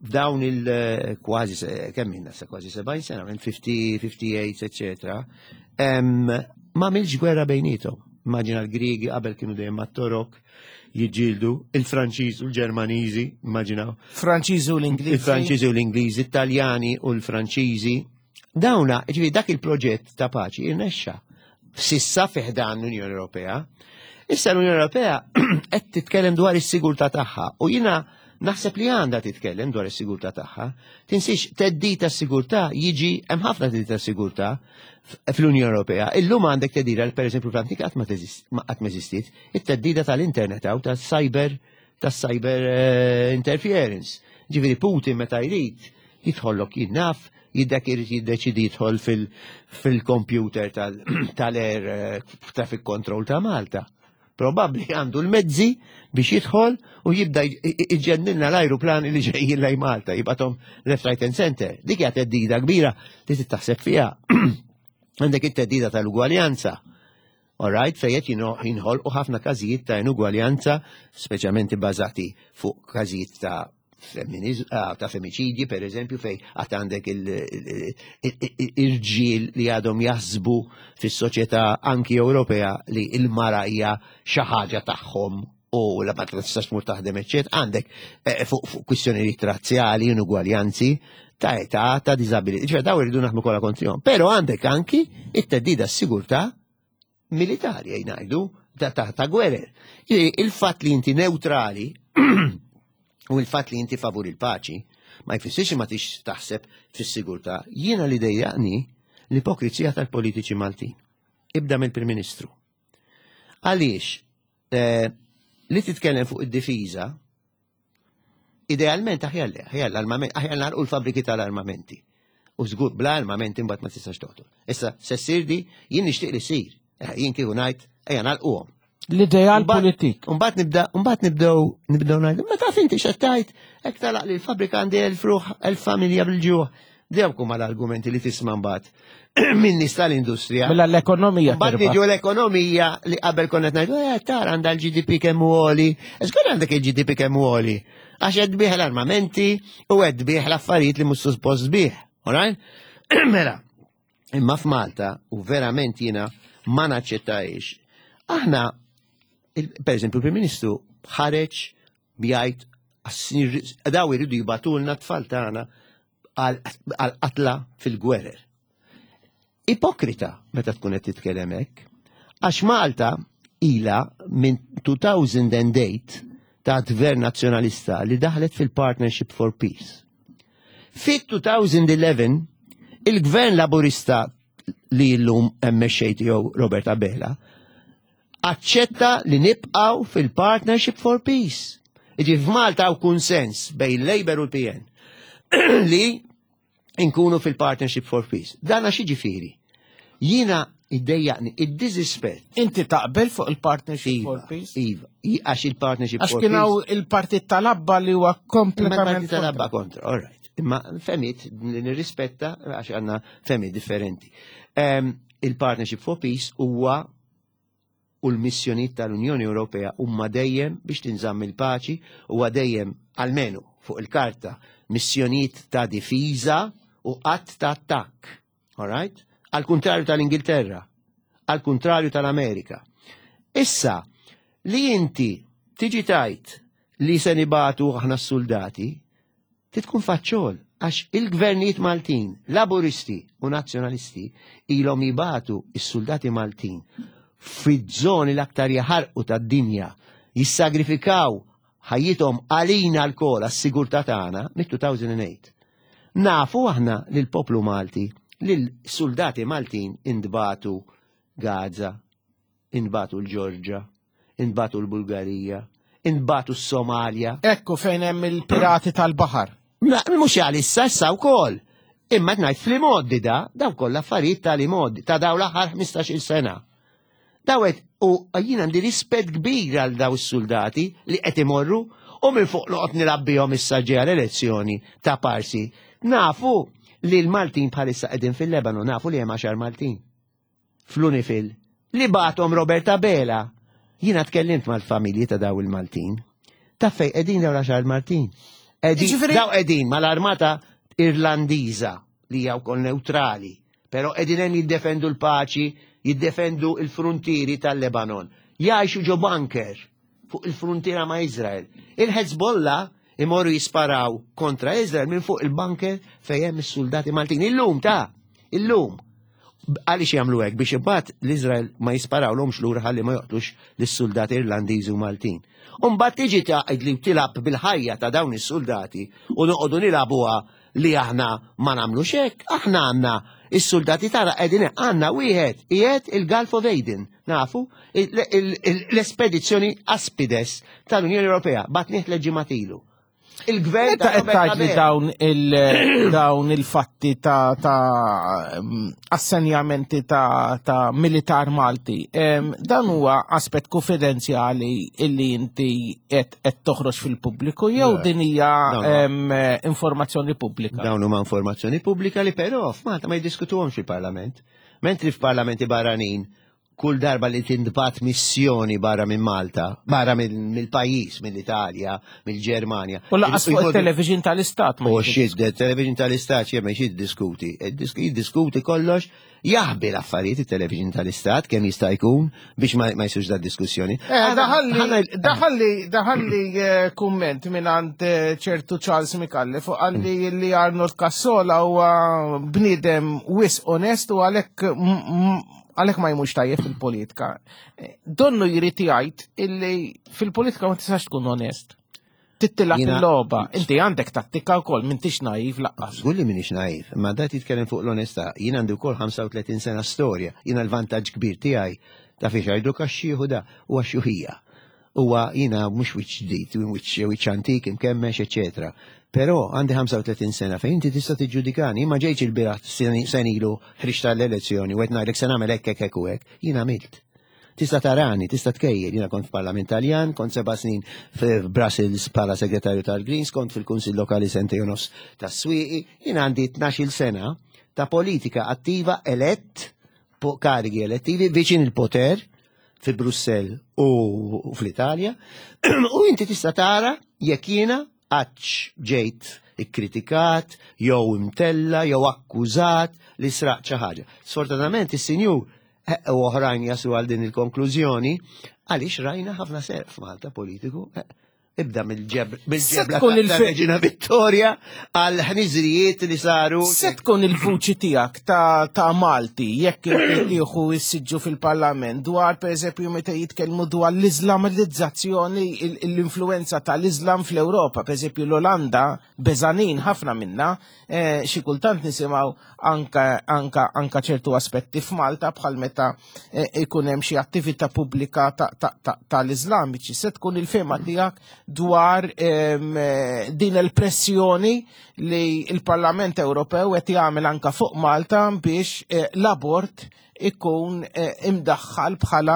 f'dawn il-kważi eh, kemm minna sa kważi 70 sena, minn 50, 58, eccetera, ma għamilx gwerra bejnietom. Immaġina l-Griegi qabel kienu dejjem mat-Torok jiġġieldu, il-Franċiż u l-Ġermaniżi, immaġinaw. Franċiżi u l-Ingliżi. Il-Franċiżi u l-Ingliżi, Italjani u l-Franċiżi. Dawna, ġifieri dak il-proġett ta' paċi irnexxa. Sissa fiħdan l-Unjoni Ewropea. Issa l-Unjoni Ewropea qed titkellem dwar is-sigurtà tagħha u jiena naħseb li għandha titkellem dwar is-sigurtà tagħha. Tinsiex theddid tas-sigurtà jiġi hemm ħafna theddid tas-sigurtà fl-Unjoni Ewropea. Illum għandek theddida li pereżempju fl-antik qatt ma qatt ma eżistiet, it-theddida tal-internet hawn tas-cyber tas-cyber eh, interference. Ġifieri Putin meta jrid jidħollok jinnaf, jiddak irid jiddeċidi jidħol fil-computer tal-air eh, traffic control ta' Malta. Probabbli għandu l-mezzi biex jidħol u jibda iġenninna l-ajruplani li ġejjin lej Malta, jibgħathom left, right and center. Dik hija teddida kbira li taħseb fiha. Għandek it-teddida tal-ugwaljanza. All right, fejn qed jinħolqu ħafna każijiet ta' inugwaljanza, speċjalment ibbażati fuq każijiet ta' ah, ta' femiċidji, per eżempju, fej għat għandek il-ġil li għadhom jaħsbu fis-soċjetà anki Ewropea li il-mara hija xi ħaġa tagħhom u la ma tistax tmur taħdem eċċet, għandek eh, fuq kwistjonijiet razzjali, inugwaljanzi, ta' età, ta' diżabilità. Ġifier daw irridu naħdmu kollha kontrihom. Però għandek anki it-teddida s-sigurtà militari ngħidu ta' ta', ta gwerer. Il-fatt li inti neutrali u il-fatt li inti favur il-paċi ma jfissirx ma tix taħseb fis-sigurtà. Jiena li dejjaqni l-ipokrizija tal-politiċi Maltin. Ibda mill-Prim Ministru. Għaliex eh, li titkellem fuq id-difiża Idealment aħjar le, aħjar l-armament, aħjar nagħlqu l-fabriki tal-armamenti. U żgur bla armamenti mbagħad ma tistax toqtol. Issa se ssir di jien nixtieq li ssir. Eh, jien kieku ngħid ejja nagħlquhom. L-ideal politik. Mbagħad nibda mbagħad nibdew nibdew ngħidu, ma taf inti x'qed hekk talaq li l-fabrika għandi elf ruħ, elf familja bil-ġuħ. Dewk huma l-argumenti li tisma' mbagħad minn nies tal-industrija. Mela l-ekonomija. Mbagħad niġu l-ekonomija li qabel konna ngħidu, eh tara għandha l-GDP kemm hu għoli. Żgur għandek il-GDP kemm hu għoli. Għax qed tbih l-armamenti u qed tbih l-affarijiet li mhux suppost tbih. Alright? Mela, imma f'Malta u verament jiena ma naċċettajx. Aħna, per eżempju, il-Prim Ministru ħareġ bjajt daw iridu jibatulna tfal tagħna għal-qatla fil-gwerer. Ipokrita meta tkun qed titkellem hekk, għax Malta ila minn 2008 ta' gvern nazzjonalista li daħlet fil-Partnership for Peace. Fit-2011 il-gvern laburista li llum hemm mexxej tiegħu Robert Abela aċċetta li nibqgħu fil-Partnership for Peace. Iġi f'Malta hawn kunsens bejn Labour u l-PN li nkunu fil-Partnership for Peace. Dan għax jiġifieri. Jiena iddejjaqni id-diżispett. Inti taqbel fuq il-Partnership iva, for Peace? Iva, għax il-Partnership għax for Peace. Għax kien hawn il-Partit tal-Abba li huwa kompletament. Il-Partit tal-Abba kontra, all right. Imma femit li nirrispetta għax għandna femit differenti. Ehm, il-Partnership for Peace huwa u l-missjonijiet tal-Unjoni Ewropea huma dejjem biex tinżamm il-paċi, huwa dejjem almenu fuq il-karta missjonijiet ta' difiża u qatt ta' attakk. All right? Al kuntrarju tal-Ingilterra, al kuntrarju tal-Amerika. Issa, li inti tiġi tajt li se nibatu aħna s-soldati, Trid tkun faċċol għax il-gvernijiet Maltin, Laburisti u Nazzjonalisti ilhom jibatu is-soldati Maltin fiż-żoni l-aktar jaħarqu tad-dinja, jissagrifikaw ħajjithom għalina lkoll għas-sigurtà tagħna mit-2008. Nafu aħna li l-poplu Malti, li l-soldati Maltin intbagħtu Gaza, intbagħtu l-Ġorġa, intbagħtu l-Bulgarija, intbagħtu s-Somalja. Ekku fejn hemm il-pirati tal-baħar. Mhux għal issa issa wkoll. Imma qed ngħid fl-imgħoddi da, daw kollha affarijiet tal-imgħoddi ta' daw l-aħħar 15-il sena. Dawet u jien għandi rispett kbir għal daw is-soldati li qed imorru u minn fuq noqgħod nilgħab bihom issa ġejja l-elezzjoni ta' parsi. Nafu li l-Maltin bħalissa qegħdin fil-Lebanon, nafu li hemm għaxar Maltin. Fl-Unifil Li bagħathom Robert Abela. Jiena tkellimt mal-familji ta' daw il-Maltin. Taf fejn qegħdin daw l-għaxar Maltin? Daw qegħdin mal-armata Irlandiża li hija wkoll neutrali, però qegħdin hemm jiddefendu l-paċi, jiddefendu l-fruntieri tal-Lebanon. Jgħixu ġo bunker fuq il-fruntiera ma' Izrael. Il-Hezbollah imorru jisparaw kontra Izrael minn fuq il-bunker fejn hemm is-soldati Maltin. Illum ta' illum. Għaliex jagħmlu hekk biex imbagħad l-Iżrael ma jisparawlhomx lura ħalli ma joqtlux lis-suldati Irlandiżi u Maltin. U mbagħad tiġi tgħid li tilgħab bil-ħajja ta' dawn is-suldati u noqogħdu nilagħbuha li aħna ma nagħmlux hekk, aħna għandna is-suldati tagħna qegħdin għandna wieħed qiegħed il-Gulf of Aden, nafu, l-espedizzjoni Aspides tal-Unjoni Ewropea batnieh tliet ilu. Il-gvern ta' qed tgħid li dawn il dawn il-fatti ta' ta' mm, assenjamenti ta' ta' militar Malti. Dan huwa aspett konfidenzjali illi inti qed qed toħroġ fil-pubbliku jew din hija informazzjoni pubblika? Dawn huma informazzjoni pubblika li però f'Malta ma jiddiskutuhomx fil-Parlament. Mentri f'parlamenti barranin kull darba li tintbagħat missjoni barra minn Malta, barra mill-pajjiż, mill-Italja, mill-Ġermanja. U laqas fuq il-television tal-Istat. U xid, television tal-Istat xie xid diskuti. Jiddiskuti kollox, jaħbi l-affarijiet il-television tal-Istat kemm jista' jkun biex ma jsirx da diskussjoni. Eh, daħalli daħalli eh, kumment minn għand eh, ċertu Charles Mikalli fuq għalli li Arnold Cassola huwa bniedem wis onest u għalhekk għalhekk ma jmux tajjeb fil-politika. Eh, donnu jrid jgħid illi fil-politika ma tistax tkun onest. Tittilab il-logħba. Inti għandek tattika wkoll m'intix naiv laqqas. Żgur li m'iniex naiv, imma dat jitkellem fuq l-onestà. Jien għandi wkoll 35 sena storja. Jiena l-vantaġġ kbir tiegħi ta' fiex għajdu kaxxieħu da huwa xuħija. Huwa jiena mhux wiċċ ġdid, wiċċ wiċċ antik, imkemmex, eċetera. Però għandi 35 sena fejn inti tista' tiġġudikani, jien ma ġejtx ilbieraħ sena ilu ħriġt għall-elezzjoni u qed ngħidlek se nagħmel hekk hekk hekk u hekk. Jien għamilt. Tista' tarani, tista' tkejjel, jiena kont f'Parlament Taljan, kont seba' snin f'Brussels bħala segretarju tal-Greens, kont fil-Kunsill Lokali sentejn u nofs tas-Swieqi, jien għandi 12-il sena ta' politika attiva elett fuq karigi elettivi viċin il-poter fi Brussell u fl-Italja u inti tista' tara jekk jiena għadx ġejt ikkritikat jew imtella jew akkużat li sraqt xi ħaġa. Sfortunatament is-sinjur eh, u oħrajn jaslu għal din il-konklużjoni għaliex rajna ħafna serq f'Malta politiku. Eh, Ibda mill-ġebla ta' Vittoria għal ħniżrijiet li saru. Se tkun il-vuċi tiegħek ta' Malti jekk tieħu s-siġġu fil-Parlament dwar pereżempju meta jitkellmu dwar l-Iżlamizzazzjoni l-influenza tal-Iżlam fl-Ewropa, pereżempju l-Olanda beżanin ħafna minna, eh, xi kultant nisimgħu anka anka anka ċertu aspetti f'Malta bħal meta eh, ikun hemm xi attività pubblika tal-Iżlamiċi. Se tkun il-fema tiegħek dwar ehm, eh, din il-pressjoni li il-Parlament Ewropew qed jagħmel anka fuq Malta biex eh, l-abort ikun imdaħħal bħala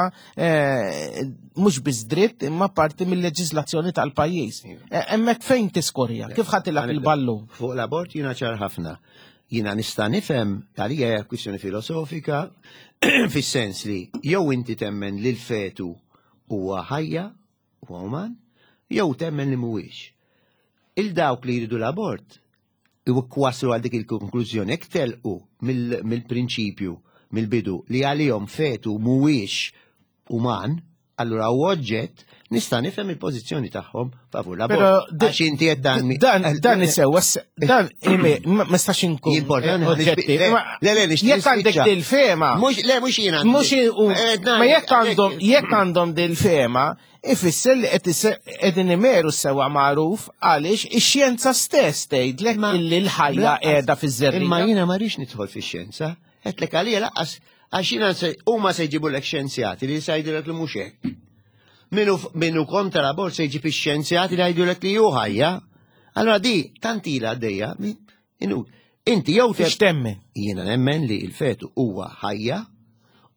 mhux biss dritt imma parti mill-leġiżlazzjoni tal-pajjiż. Hemmhekk fejn tiskorja? Kif ħatilab il-ballun? Fuq l-abort jiena ċar ħafna. Jiena nista' nifhem għalija hija kwistjoni filosofika fis-sens li jew inti temmen li l-fetu huwa ħajja huwa uman, jew temmen li mhuwiex. Il dawk li jridu l-abort waslu għal dik il-konklużjoni jekk telqu mill-prinċipju mill-bidu li għalihom fetu mhuwiex uman, allura u oġġett nista' nifhem il-pożizzjoni tagħhom favur l-abort. Għax inti qed dan dan dan isewwa dan ma nistax inkun oġġetti. Le le jekk għandek dil-fema. Mhux le mhux jiena. Mhux eh, ma jekk għandhom jekk għandhom dil-fema, ifisser li qed qegħdin imeru sewa magħruf għaliex ix-xjenza stess tgħidlek illi l-ħajja qiegħda fiż-żerriegħa. Imma jiena ma rridx nidħol fix-xjenza. Għedtlek għalija laqqas għax jiena huma se jġibulek xjenzjati li se jgħidulek li mhux hekk. Minu, minu kontra l-abort se jġib ix-xjenzjati li jgħidulek li hu ħajja. Allora di tant ilha għaddejja, inti jew temmen. Jiena nemmen li l-fetu huwa ħajja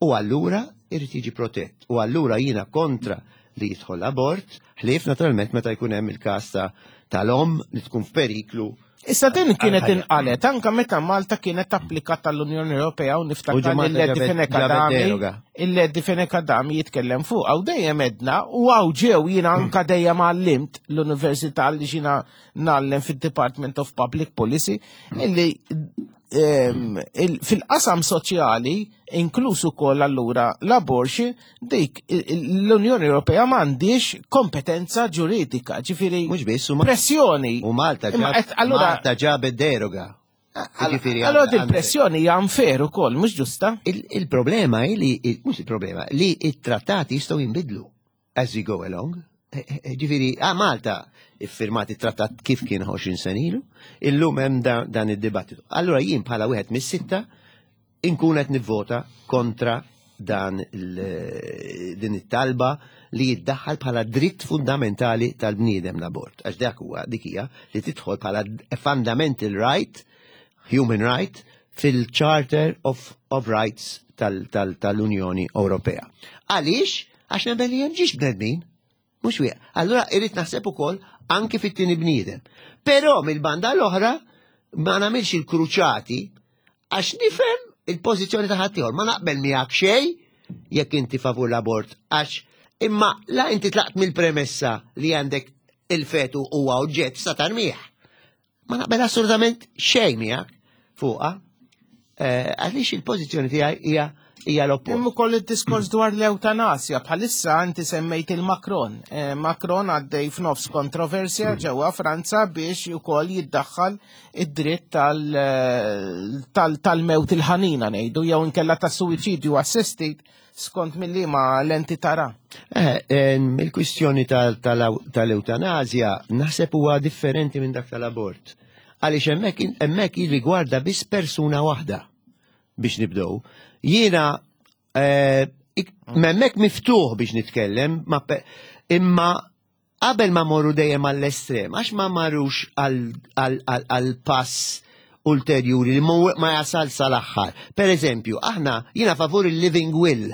u allura irid jiġi protett. U allura jiena kontra li jidħol l-abort, ħlief naturalment meta jkun hemm il-każ tal-omm li tkun f'periklu. Issa din kienet inqalet anka meta Malta kienet applikat tal-Unjoni Ewropea u niftakar il-Ledi Fenech Adami il-Ledi Fenech Adami jitkellem fuq għaw dejjem edna u għaw ġew jiena anka dejjem għallimt l-Università li xina ngħallem fid-Department of Public Policy illi fil-qasam soċjali inkluż ukoll allura l-abortion dik l-Unjoni Ewropea m'għandix kompetenza ġuridika, ġifieri mhux biss pressjoni. U Malta ġab Malta ġabet deroga. Ġifieri allura din pressjoni hija unfair ukoll, mhux ġusta. Il-problema hi li mhux il-problema li it-trattati jistgħu jinbidlu as we go along. Eh, eh, eh, ġifiri, ah, Malta iffirmat it-trattat kif kien 20 sen ilu, illum hemm dan id-dibattitu. Allura jien bħala wieħed mis-sitta inkun qed nivvota kontra dan din it-talba li jiddaħħal bħala dritt fundamentali tal-bniedem l-abort. Għax dak huwa dik hija li tidħol bħala fundamental right, human right, fil-Charter of, of Rights tal-Unjoni tal, tal Ewropea. Għaliex? Għax nemmen li hemm ġiex bnedmin. Mhux wieħed. Allura irrid naħseb ukoll anki fit-tieni bniedem. Però mill-banda l-oħra ma nagħmilx il-kruċati għax nifhem il-pożizzjoni ta' ħaddieħor. Ma naqbel miegħek xejn jekk inti favur l-abort għax imma la inti tlaqt mill-premessa li għandek il-fetu huwa oġġett sa tarmih. Ma naqbel assolutament xejn miegħek fuqha. Eh, għaliex il-pożizzjoni tiegħi hija hija l-oppost. Hemm ukoll id-diskors dwar l-eutanasja bħalissa inti semmejt il-Macron. Eh, Macron għaddej f'nofs kontroversja mm. ġewwa Franza biex ukoll jiddaħħal id-dritt eh, tal-mewt il-ħanina ngħidu jew inkella tas-suwiċidju assistit skont mill-liema lenti tara. Eh, il-kwistjoni tal-eutanazja naħseb huwa differenti minn dak tal-abort. Għaliex hemmhekk hemmhekk jirrigwarda biss persuna waħda biex nibdew. Jiena eh, hemmhekk miftuħ biex nitkellem, imma Qabel ma morru dejjem għall-estrem, għax ma marrux għall-pass ulterjuri li ma jasal sal-aħħar. Per eżempju, aħna jiena favur il-living will,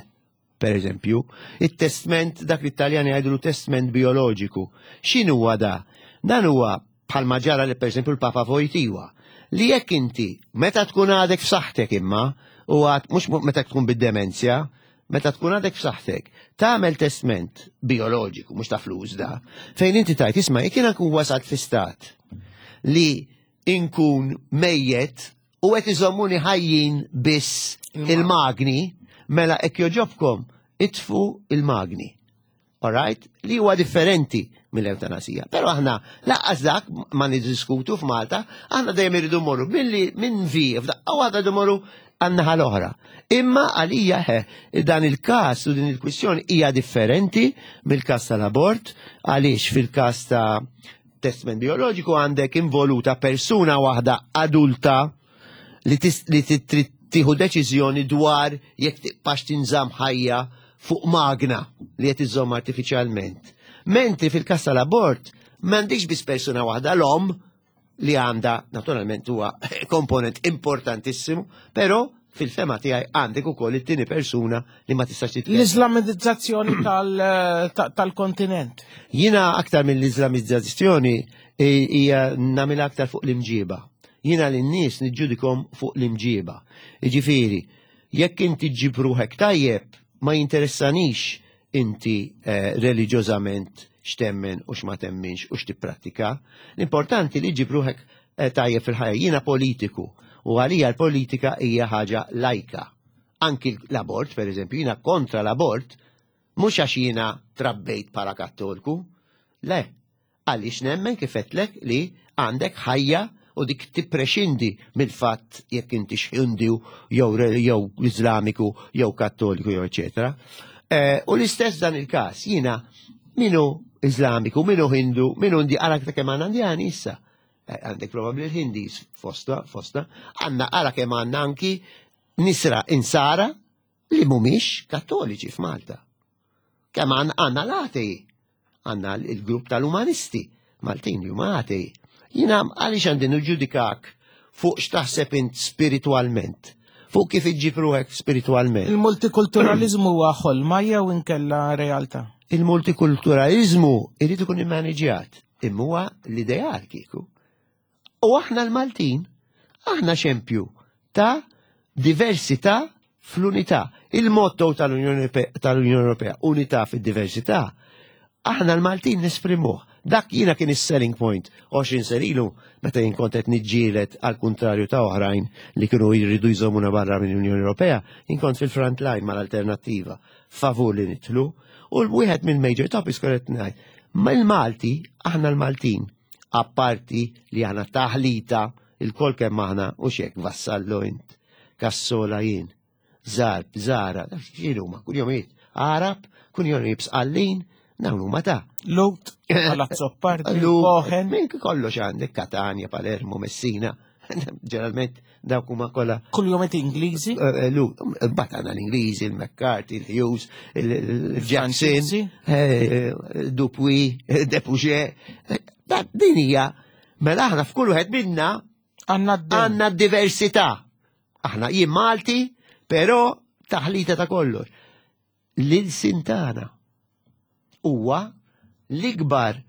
per eżempju, it-testment dak li t-Taljani jgħidulu testment bioloġiku. X'inhuwa da? Dan huwa bħalma ġara li per eżempju l-Papa Wojtyła, li jekk inti meta tkun għadek f'saħħtek imma u għad mhux meta tkun bid-demenzja, Meta tkun għadek f'saħħtek, tagħmel testment bioloġiku, mhux ta' flus da, fejn inti tajt isma' jekk jiena nkun wasalt fi stat li inkun mejjet u qed iżommuni ħajjin biss il-magni, mela hekk joġobkom itfu il-magni. Alright? Li huwa differenti mill-eutanasija. Però aħna laqqas dak ma niddiskutu f'Malta, aħna dejjem irridu morru billi minn vi, f'daqqa waħda rridu morru għan-naħa l-oħra. Imma għalija he, dan il-każ u din il-kwistjoni hija differenti mill-każ tal-abort, għaliex fil-każ ta' testment bioloġiku għandek involuta persuna waħda adulta li trid tieħu deċiżjoni dwar jekk tibqax tinżamm ħajja fuq magna li qed iżżomm artifiċjalment. Mentri fil-każ tal-abort m'għandix biss persuna waħda l-omm li għandha naturalment huwa komponent importantissimu, però fil-fema tiegħi għandek ukoll it-tieni persuna li ma tistax titkellem. L-Islamizzazzjoni tal-kontinent. Jiena aktar mill-Islamizzazzjoni hija nagħmilha aktar fuq l-imġiba. Jiena lin-nies niġġudikhom fuq l-imġiba. Jiġifieri, jekk inti ġġib ruħek tajjeb, ma jinteressanix inti eh, reliġjożament x'temmen u x'ma temminx u x'tipprattika. L-importanti li ġġib ruħek eh, tajjeb fil-ħajja. Jiena politiku u għalija l-politika hija ħaġa lajka. Anki l-abort, per eżempju, jiena kontra l-abort, mhux għax jiena trabbejt bħala kattolku, le, Għaliex nemmen kif għedtlek li għandek ħajja u dik tipprexindi mill-fatt jekk inti Hindu jew jew Iżlamiku jew Kattoliku jew eċetera. Eh, u l-istess dan il-każ jiena minu Iżlamiku, minu Hindu, minu Indi, ara kemm għandna Indjani issa. Eh, għandek probabbli l-Hindis fosta, fosta, għandna ara kemm għandna anki nisra insara li mhumiex kattoliċi f'Malta. Kemm għandna l-atei, għandna il-grupp tal-umanisti Maltin li huma atei. Jiena għaliex għandi niġġudikak fuq x'taħseb int spiritwalment, fuq kif iġġib ruħek spiritwalment. Il-multikulturalizmu huwa ħolma jew inkella realtà? Il-multikulturalizmu irid ikun immaniġjat, imma huwa l-ideal kieku. U aħna l-Maltin, aħna xempju ta' diversità fl-unità. Il-motto tal-Unjoni Ewropea, unità fid-diversità, aħna l-Maltin nesprimuh. Dak jiena kien is-selling point 20 sena ilu meta jien kont qed niġġieled għal kuntrarju ta' oħrajn li kienu jridu jżommuna barra mill-Unjoni Ewropea, jien kont fil-front line mal-alternattiva favur li nidħlu u l-wieħed mill-major topics kont qed ngħid. Ma l-Malti, aħna l-Maltin, apparti li aħna taħlita il-kol kemm aħna u xek Vassallo int, Cassola jien, Zarb, Zara, x'inhu ma kunjomijiet Arab, kunjomijiet Sqallin, dawn huma ta' Lut, Palazzo Pardi, Lu, Cohen. Minn kollox għandek Katania, Palermo, Messina, ġeneralment dawk huma kollha Kull Ingliżi. Lu, mbagħad għandna l-Ingliżi, il-McCarthy, il-Hughes, il-Jackson, Franċiżi. Dupuy, Depuget. Din hija mela aħna f'kull wieħed minna Għandna d-dem. għandna diversità. Aħna jien Malti, però taħlita ta' kollox. L-ilsien tagħna huwa l-ikbar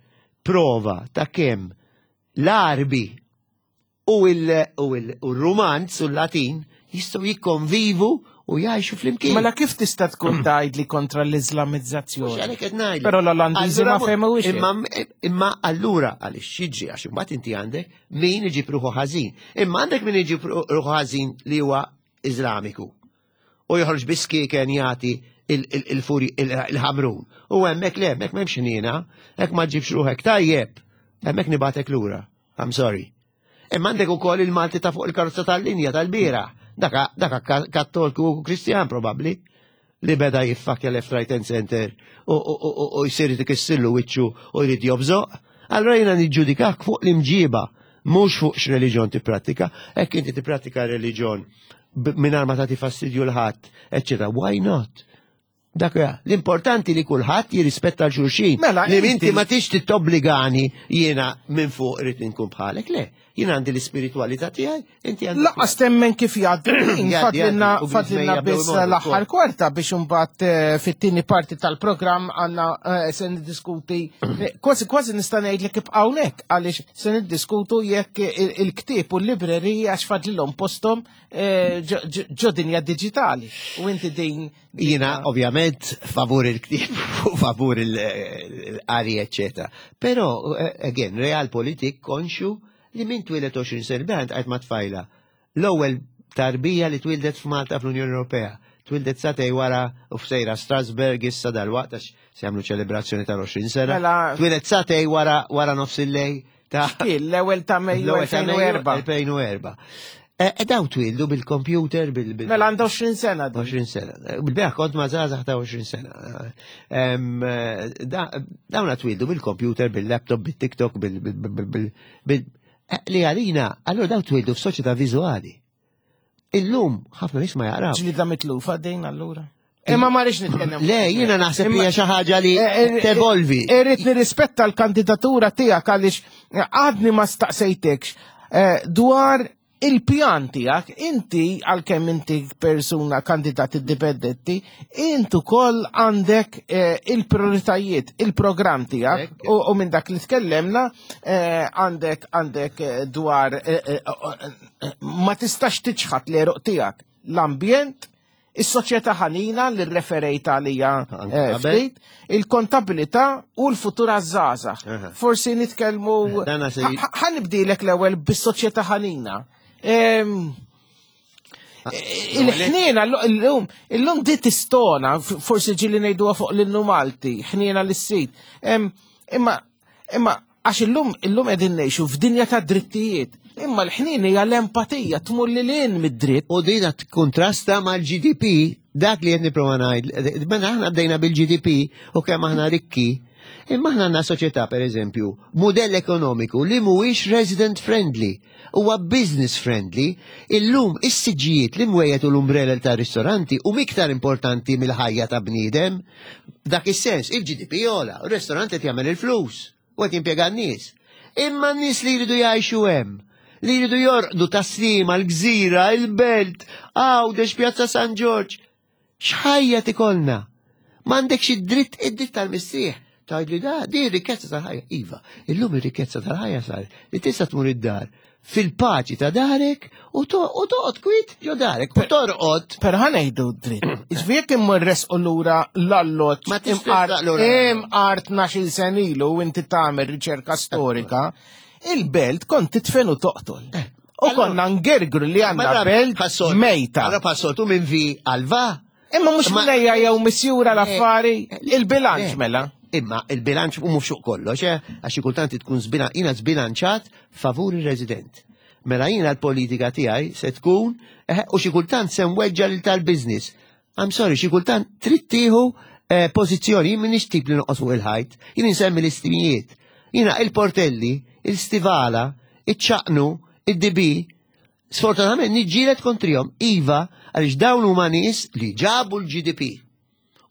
prova ta' kemm l-Arbi u il-Romanz u l-Latin jistgħu jikkonvivu u jgħixu flimkien. Mela kif tista' tkun tgħid li kontra l-Islamizzazzjoni? Mhux għalhekk qed ngħidlek. Però l-Olandiżi ma Allura, fehmuhiex. Imma, imma allura għaliex xiġri għax imbagħad inti għandek min iġib ruħu ħażin. Imma għandek min iġib ruħu ħażin li huwa Iżlamiku. U joħroġ biskieken jagħti il-furi il-ħamrun. U hemmhekk le, hemmhekk m'hemmx ħniena, hekk ma ġibx ruħek tajjeb, hemmhekk nibatek lura. I'm sorry. Imma għandek ukoll il-Malti ta' fuq il-karozza tal-linja tal-bira. Daka, daka kattolku u Kristjan probabbli li beda jiffakja left, right and center u jsir ikissillu wiċċu u jrid jobżoq. Allora jiena niġġudikak fuq l-imġiba, mhux fuq x'reliġjon tipprattika. Hekk inti tipprattika reliġjon mingħajr ma tagħti fastidju 'l ħadd, eċċetera. Why not? Dak huwa. L-importanti li kulħadd jirrispetta l xulxin. Mela, li inti inti ma tix tittobbligani jiena minn fuq irid inkun bħalek, le. Jiena għandi l-ispiritualità tiegħi, inti għandek. Lanqas temmen kif jgħaddi, Jgħaddi, fadlilna jgħaddi, u fadlilna bil-żmejja biss bdew imorru l-aħħar wkoll. kwarta biex imbagħad fit-tieni parti tal-programm għandna se niddiskuti kważi kważi nista' ngħidlek ibqa' hawnhekk għaliex se niddiskutu jekk il-ktieb u l-librerija għax fadlilhom posthom ġo dinja diġitali. U inti din Jiena ovvjament favur il-ktieb u favur il-qari, eccetera. Però, again, realpolitik konxju li min twieled 20 sena, bħant għajt ma tfajla. L-ewwel tarbija li twildet f'Malta fl-Unjoni Ewropea. Twildet sagħtejn wara u f'sejra Strasburg issa dal-waqt għax se jagħmlu ċelebrazzjoni tal-20 sena. Mela Twildet sagħtejn wara nofs il-lejl ta' X'kien l-ewwel ta' Mejju l-ewwel ta' Mejju 2004. 2004. E daw twildu bil-computer, bil- Mela għandha 20 sena din. 20 sena. Bil-beħ kont ma' żgħażagħ ta' 20 sena. Dawna twildu bil-computer, bil-laptop, bil-TikTok, bil- bil- bil- bil- bil- li għalina, allora daw twildu f'soċjetà viżwali. Illum ħafna nies ma jaqraw. Ġlida mitlufa din allura. Imma ma rridx nitkellem. Le, jiena naħseb li hija xi ħaġa li tevolvi. Irrid nirrispetta l-kandidatura tiegħek għaliex għadni ma staqsejtekx dwar il-pjan tiegħek, inti għalkemm inti persuna kandidat indipendenti, inti ukoll għandek il-prioritajiet, il-programm tiegħek Ekk. u minn dak li tkellemna għandek dwar ma tistax tiċħat l-għeruq tiegħek l-ambjent, is-soċjetà ħanina li referejt għalija Anke qabel. ftit, il-kontabilità u l-futur għaż-żgħażagħ. Aha. Forsi nitkellmu Dana se- ħa nibdilek l-ewwel bis-soċjetà ħanina. Il-ħniena l-lum, illum di tistona, forsi ġieli ngħiduha fuq l-innu Malti, ħniena l-sit. Imma, imma, għax illum, illum qegħdin ngħixu f'dinja ta' drittijiet. Imma l-ħnien hija l-empatija, tmur lil hinn mid-dritt. U dina kontrasta mal-GDP, dak li qed nipprova ngħid, mela aħna bdejna bil-GDP u kemm aħna rikki, imma aħna għandna soċjetà pereżempju, mudell ekonomiku li mhuwiex resident friendly, huwa business friendly, illum is-siġġijiet li mwejjed u l-umbrella ta' ristoranti huma iktar importanti mill-ħajja ta' bniedem. Dak is-sens, il-GDP jola, u r-ristorant qed jagħmel il-flus u qed jimpjega n-nies. Imma n-nies li jridu jgħixu hemm, li jridu jorqdu Tas-Sliema, l-Gżira, il-Belt, Għawdex, Pjazza San Ġorġ. X'ħajja tikolna? M'għandekx id-dritt, id-dritt tal-mistrieħ. Tgħidli da, di rikkezza tal-ħajja. Iva, illum ir-rikkezza tal-ħajja sar li tista' tmur id-dar fil-paċi ta' darek u toqgħod kwit ġo darek u torqod. Però ħa ngħidu dritt. Iġifieri jekk immur resqu lura l-alloġġ Ma tistax lura. Imqar 12-il sen ilu u inti tagħmel riċerka storika, il-belt kont titfen u toqtol. Eh. U konna ngergru li għandna belt mejta. Allora passoltu minn vi għal va. Imma mhux minnejja jew misjura l-affari, il-bilanċ mela. Imma il-bilanċ u mhux fuq kollox, eh, għax xi kultant tkun jiena żbilanċat favur ir-resident. Mela jiena l-politika tiegħi se tkun eh, u xi kultant se nweġġa lil tal-business. I'm sorry, xi kultant trid tieħu eh, pożizzjoni, jien m'iniex tip li noqgħod fuq il-ħajt, jien insemmi l-istimijiet. Jiena il-portelli, il-stivala, iċ-ċaqnu, id-dibi, Sfortunatament niġġieled kontrihom, iva, għaliex dawn huma nies li ġabu l-GDP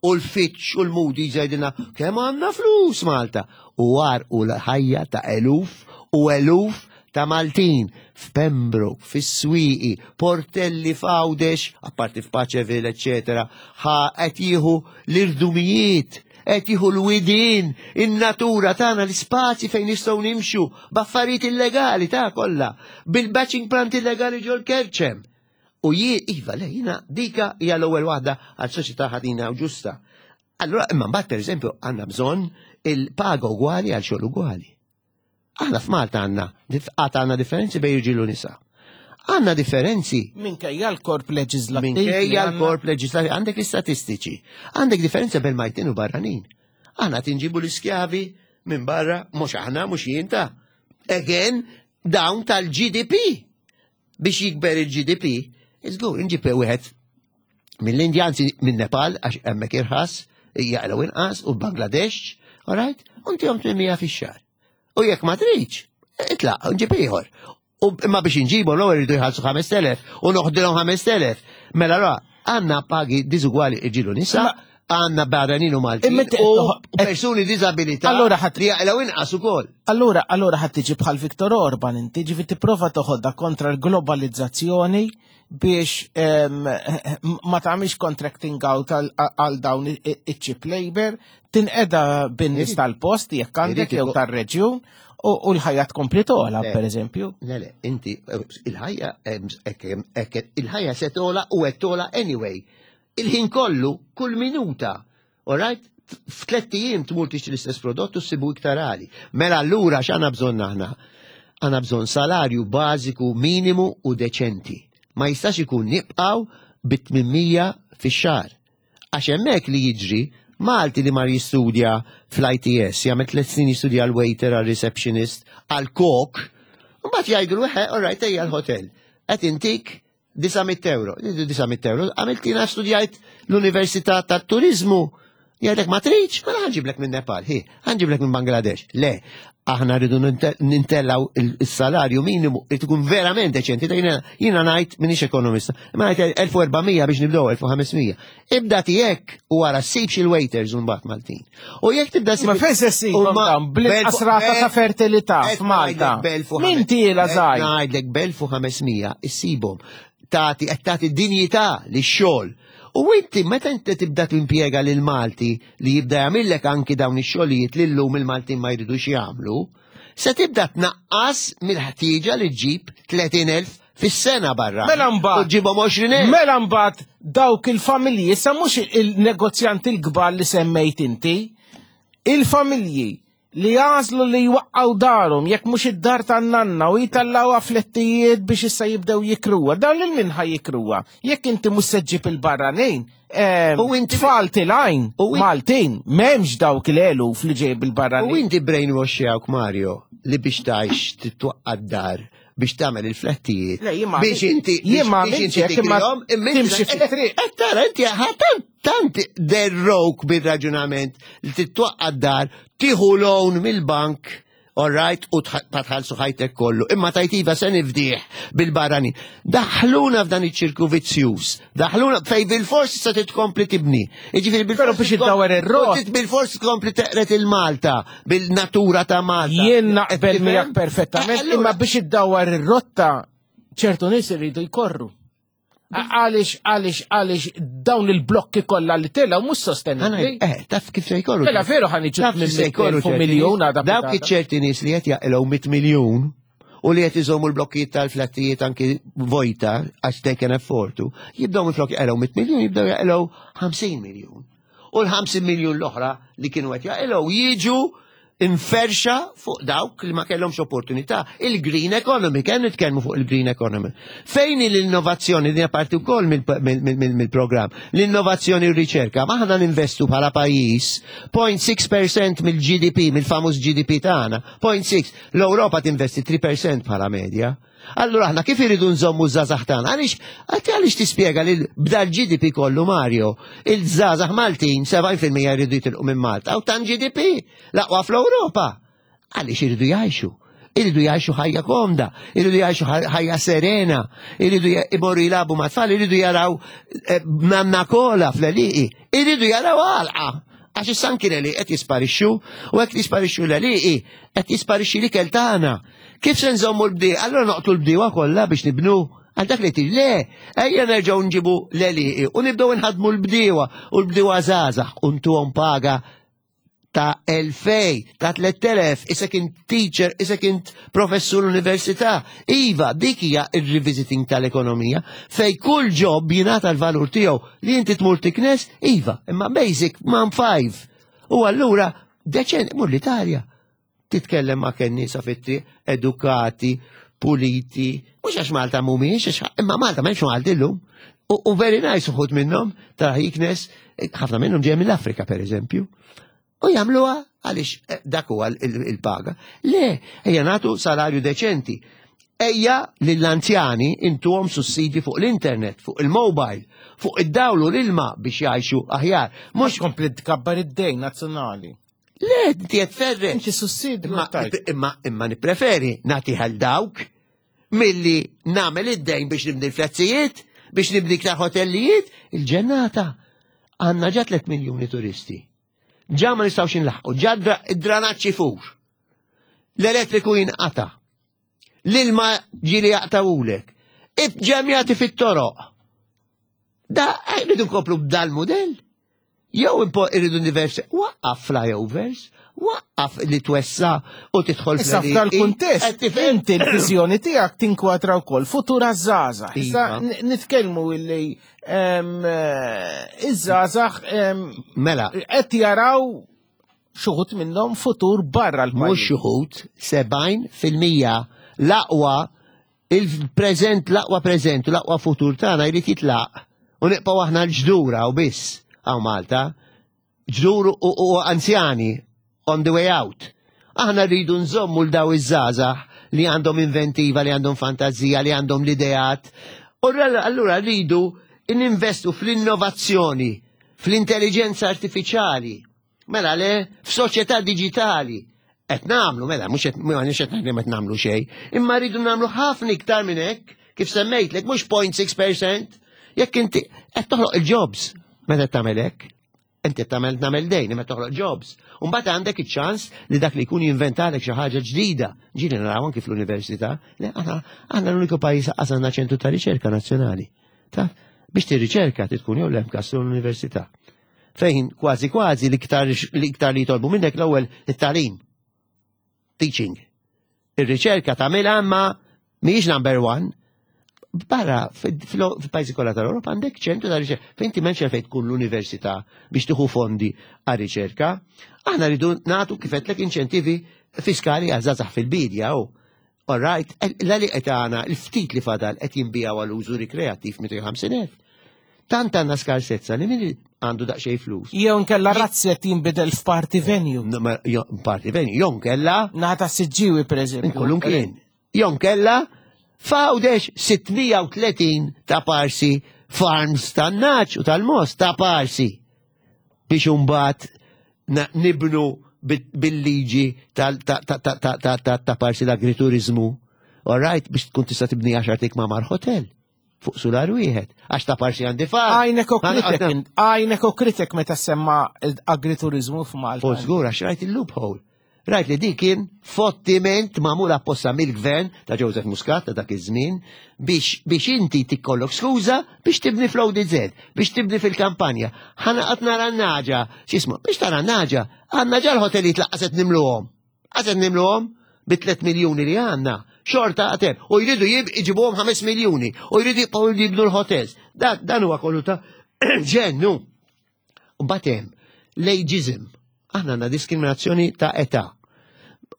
u l-Fitch u l-Moody's jgħidilna kemm għandna flus Malta u għarqu l-ħajja ta' eluf u eluf ta' Maltin f'Pembroke, fis-Swieqi, Portelli f'Għawdex, apparti f'Paċeville, eċetera, ħa qed jieħu l-irdumijiet qed jieħu l-widien, in-natura tagħna, l-ispazji fejn nistgħu nimxu, b'affarijiet illegali ta' kollha, bil-batching plant illegali ġol kerċem. U jien, iva, le, jiena dika hija l-ewwel waħda għal soċjetà ħadina u ġusta. Allura, imma mbagħad pereżempju għandna bżonn il-paga ugwali għal xogħol ugwali. Aħna f'Malta għandna għad għandna differenzi bejn irġiel u nisa. Għandna differenzi. Minkejja l-korp leġislattiv. Minkejja l-korp leġislattiv, għandek l-istatistiċi. Għandek differenza bejn Maltin u barranin. Aħna tinġibu l-iskjavi minn barra, mhux aħna, mhux jien ta'. Again, dawn tal-GDP. Biex jikber il-GDP, iżgur, inġib wieħed mill-Indja, anzi minn Nepal, għax hemmhekk irħas, jaqlaw inqas, u Bangladesh, all right, u ntihom 800 fix-xahar. U jekk ma tridx, itlaq, nġib ieħor. U imma biex inġibu l-ewwel iridu jħallsu 5000 u noħdilhom 5000. Mela ra, għandna pagi diżugwali irġiel u nisa, għandna barranin u Maltin u persuni disabilità Allura ħadd li jaqilgħu inqas ukoll. Allura, allura ħadd tiġi bħal Viktor Orban inti, ġifi tipprova toħodha kontra l-globalizzazzjoni biex ma tagħmilx contracting out għal dawn iċ-cheap labor, tinqeda bin-nies tal-post jekk għandek jew tar-reġjun u l-ħajja tkompli tola, per eżempju. Le, le, inti il-ħajja il-ħajja se tola u qed tola anyway. Il-ħin kollu, kull minuta, all right? F'tlett ijiem tmur tixtri l-istess prodott u ssibu iktar għali. Mela allura x'għandna bżonn aħna? Għandna bżonn salarju bażiku minimu u deċenti. Ma jistax ikun nibqgħu bi 800 fix-xahar. Għax hemmhekk li jiġri Malti li mar jistudja fl-ITS, jagħmel tliet snin jistudja għal waiter, għal receptionist, għal kok, mbagħad jgħidu l all right, ejja l-hotel. Qed intik 900 euro. 900 euro. Għamiltina studjajt l-Università tat-Turizmu. Jgħidlek ma tridx, mela ħanġiblek minn Nepal, hi, ħanġiblek minn Bangladesh. Le, aħna rridu nintellaw il-salarju minimu, irid ikun verament deċenti. Jiena ngħid minix ekonomista, imma ngħid 1400 biex nibdew 1500. Ibda tiegħek u wara ssibx il-waiters u mbagħad Maltin. U jekk tibda Ma fejn se ssibhom dawn bl-inqas rata ta' fertilità f'Malta. Min tiela żgħir? Ngħidlek b'1500 issibhom. Tagħti qed tagħti dinjità lix-xogħol. U inti meta inti tibda timpjega lil Malti li jibda jagħmillek anki dawn ix-xogħlijiet li llum il-Maltin ma jridux jagħmlu, se tibda tnaqqas mill-ħtieġa li ġġib 30,000 fis-sena barra. Mela mbagħad. U ġibhom 20,000. Mela mbagħad dawk il-familji, issa mhux il-negozjanti l-kbar li semmejt inti, il-familji li jagħżlu li jwaqqgħu darhom jekk mhux id-dar tan-nanna u jitellgħuha flettijiet biex issa jibdew jikruha. Dawn lil min ħa jikruha? Jekk inti mhux se ġġib il-barranin, U inti- tfal tilgħin U in- Maltin, m'hemmx dawk l-eluf li ġej bil-barranin. U inti brainwashjawk Mario li biex tgħix titwaqqa' d-dar biex tagħmel il-flettijiet. Le, jien ma Biex inti jien ma biex inti għamiltx hekk, imma tikrihom, imma inti- timxi fit-triq. Qed tara inti tant tant derrok bir-raġunament li titwaqqa' d-dar, tieħu loan mill-bank, all right, u tħallsu ħajtek kollu. Imma tajtiva se nifdih bil-barrani. Daħluna f'dan iċ-ċirku vizzjuż. Daħluna fej bil-fors se titkompli tibni. Jiġifieri bil-fors Però biex iddawwar ir-rot. Bil-fors tkompli teqret il-Malta, bil-natura ta' Malta. Jien naqbel Qed miegħek tifhem? perfettament, Allura- imma biex iddawwar ir-rotta ċertu nies iridu jkorru. Għaliex, għaliex, għaliex dawn il-blokki kollha li telgħu mhux sostenibbli. Eh, taf kif se jkollu. Mela veru ħan iġu Taf kif se jkollu fuq miljun għadha. Dawk iċ-ċerti nies li qed jaqilgħu 100 miljun u li qed iżommu l-blokkijiet tal-flattijiet anki vojta għax they can afford to, jibdew minflok jaqilgħu 100 miljun, jibdew jaqilgħu 50 miljun. U l-50 miljun l-oħra li kienu qed jaqilgħu jiġu inferxa fuq dawk li ma kellhomx opportunità. Il-green economy, kemm nitkellmu fuq il-green economy. Fejn l-innovazzjoni din parti wkoll mill-programm, l-innovazzjoni u r-riċerka, ma aħna ninvestu bħala pajjiż 0.6% mill-GDP, mill-famuż GDP tagħna, 0.6. L-Ewropa tinvesti 3% bħala medja. Allura aħna kif iridu nżommu żgħażagħ tagħna? Għaliex għalti għaliex tispjega li b'dal GDP kollu Mario, il-żgħażagħ Maltin 70% jridu jitilqu minn Malta u tan GDP l-aqwa fl-Ewropa. Għaliex iridu jgħixu? Iridu jgħixu ħajja komda, iridu jgħixu ħajja serena, iridu imorru jilagħbu ma' tfal, iridu jaraw eh, nanna kola fl-għeliqi, iridu jaraw għalqa. Għax issa anki l-għeliqi qed jisparixxu u hekk jisparixxu l-għeliqi qed jisparixxi l-ikel tagħna. Kif se nżommu l-bdiewa? Allura noqtlu l-bdiewa kollha biex nibnu għal dak li tir le, ejja nerġgħu nġibu l-għeliqi u nibdew inħadmu l-bdiewa u l-bdiewa żgħażagħ u ntuhom paga ta' 2000, ta' 3000, isek int teacher, isek int professur università. Iva, dik hija il-revisiting tal-ekonomija, fej kull job jingħata l-valur tiegħu li inti tmur tiknes, iva, imma basic man five. U allura, deċen, mur l-Italja, titkellem ma' kennisa fit-triq, edukati, puliti, mhux għax Malta mhumiex, imma Malta m'hemmx Malti llum. U very nice uħud minnhom, ta' jiknes, ħafna minnhom ġej mill-Afrika per eżempju. U jagħmluha għaliex eh, dak huwa il-paga. Le, ejja nagħtu salarju deċenti. Ejja lill-anzjani intuhom sussidji fuq l-internet, fuq il-mobile, fuq id-dawl u l-ilma biex jgħixu aħjar. Mhux kompli tkabbar id-dejn nazzjonali. Le, inti qed ferreġ. Inti sussidju. Imma, imma, imma nippreferi nagħti għal dawk milli nagħmel id-dejn biex nibni l-flazzijiet, biex nibni iktar hotellijiet, il-ġennata. Għandna ġa 3 miljuni turisti. Ġa ma nistgħux inlaħqu, ġa id-dranaċ ifur. L-elettriku jinqata. L-ilma ġieli jaqtawulek. Ġemjati fit-toroq. Da, rridu nkomplu b'dal mudell. Jew irridu diversi, waqqaf flyovers, waqqaf li twessa u tidħol Issa f'dal kuntest, inti l-viżjoni tiegħek tinkwadra wkoll futura żgħażagħ. Issa Iva. nitkellmu illi eh, iż-żgħażagħ Mela, qed jaraw xuħut minnhom futur barra mhux l-pajjiż. xuħut, 70% l-aqwa il-preżent, l-aqwa preżent u l-aqwa futur tagħna jrid jitlaq u nibqgħu aħna l-ġdura u biss hawn Malta. Ġdur u, u anzjani on the way out. Aħna rridu nżommu l daw iż-żgħażagħ li għandhom inventiva, li għandhom fantazija, li għandhom l-ideat. U allura rridu ninvestu fl-innovazzjoni, fl-intelligenza artificiali, mela le, f'soċjetà digitali. Qed nagħmlu, mela, mhux qed mhux qed ngħid li qed nagħmlu xejn, imma rridu nagħmlu ħafna iktar minn hekk, kif semmejtlek, mhux 0.6%, jekk inti qed toħloq il-jobs meta tagħmel hekk. Inti qed tagħmel tagħmel dejn imma toħloq jobs. U mbagħad għandek iċ-ċans li dak li jkun jinventalek xi ħaġa ġdida. Ġieli naraw anki fl-università, le aħna aħna l-uniku pajjiż qas għandna ċentru ta' riċerka nazzjonali. Taf, biex tirriċerka tkun jew l-MCAST u l-università. Fejn kważi kważi l-iktar l-iktar li jitolbu minnek l-ewwel it-tagħlim. Teaching. Ir-riċerka tagħmilha imma mhijiex number one. Barra, fil-pajjiżi kollha tal-Ewropa għandek ċentru ta' riċerka. Fejn inti m'hemmx fejn tkun l-università biex tieħu fondi għal riċerka. Aħna rridu nagħtu kif għedtlek inċentivi fiskali għal żgħażagħ fil-bidja u All right, l-għalieq qed għana, il-ftit li fadal qed jinbijaw għal użu rikreattiv 250,000. Tant għandna skarsezza li min għandu daqsxejn flus. Jew nkella razzett jinbidel f'party venue. No, ma- jo- Party venue, jew nkella Naħa ta' Siġġiewi per eżempju. Kullum kien. Jew nkella f'Għawdex 630 ta' parsi farms tan-nagħaġ u tal-mogħoż ta' parsi biex imbagħad nibnu bil-liġi ta' parsi l-agriturizmu. All right, biex tkun tista' tibni 10 ikmamar hotel fuq sular wieħed, għax ta' parsi għandi farm. Għajnek u kritek, għajnek u kritek meta semma agriturizmu f'Malta. U żgur għax rajt il-loophole. Rajt li dik kien fottiment magħmul apposta mill-gvern ta' Joseph Muscat ta' dak iż-żmien biex biex inti tikollok skuża biex tibni fl-ODZ, biex tibni fil-kampanja. Ħana qatt nara n-naġa, x'ismu, biex tara n-naġa, għandna ġa l-ħotelijiet laqqas qed nimluhom. Qas qed nimluhom bi 3 miljuni li għandna. Xorta għatem. U jridu jġibuhom 5 miljuni. U jridu jibqgħu jibnu l-hotels. Dan huwa kollu ta' ġennu. U batem, l-ageism. Aħna għandna diskriminazzjoni ta' età.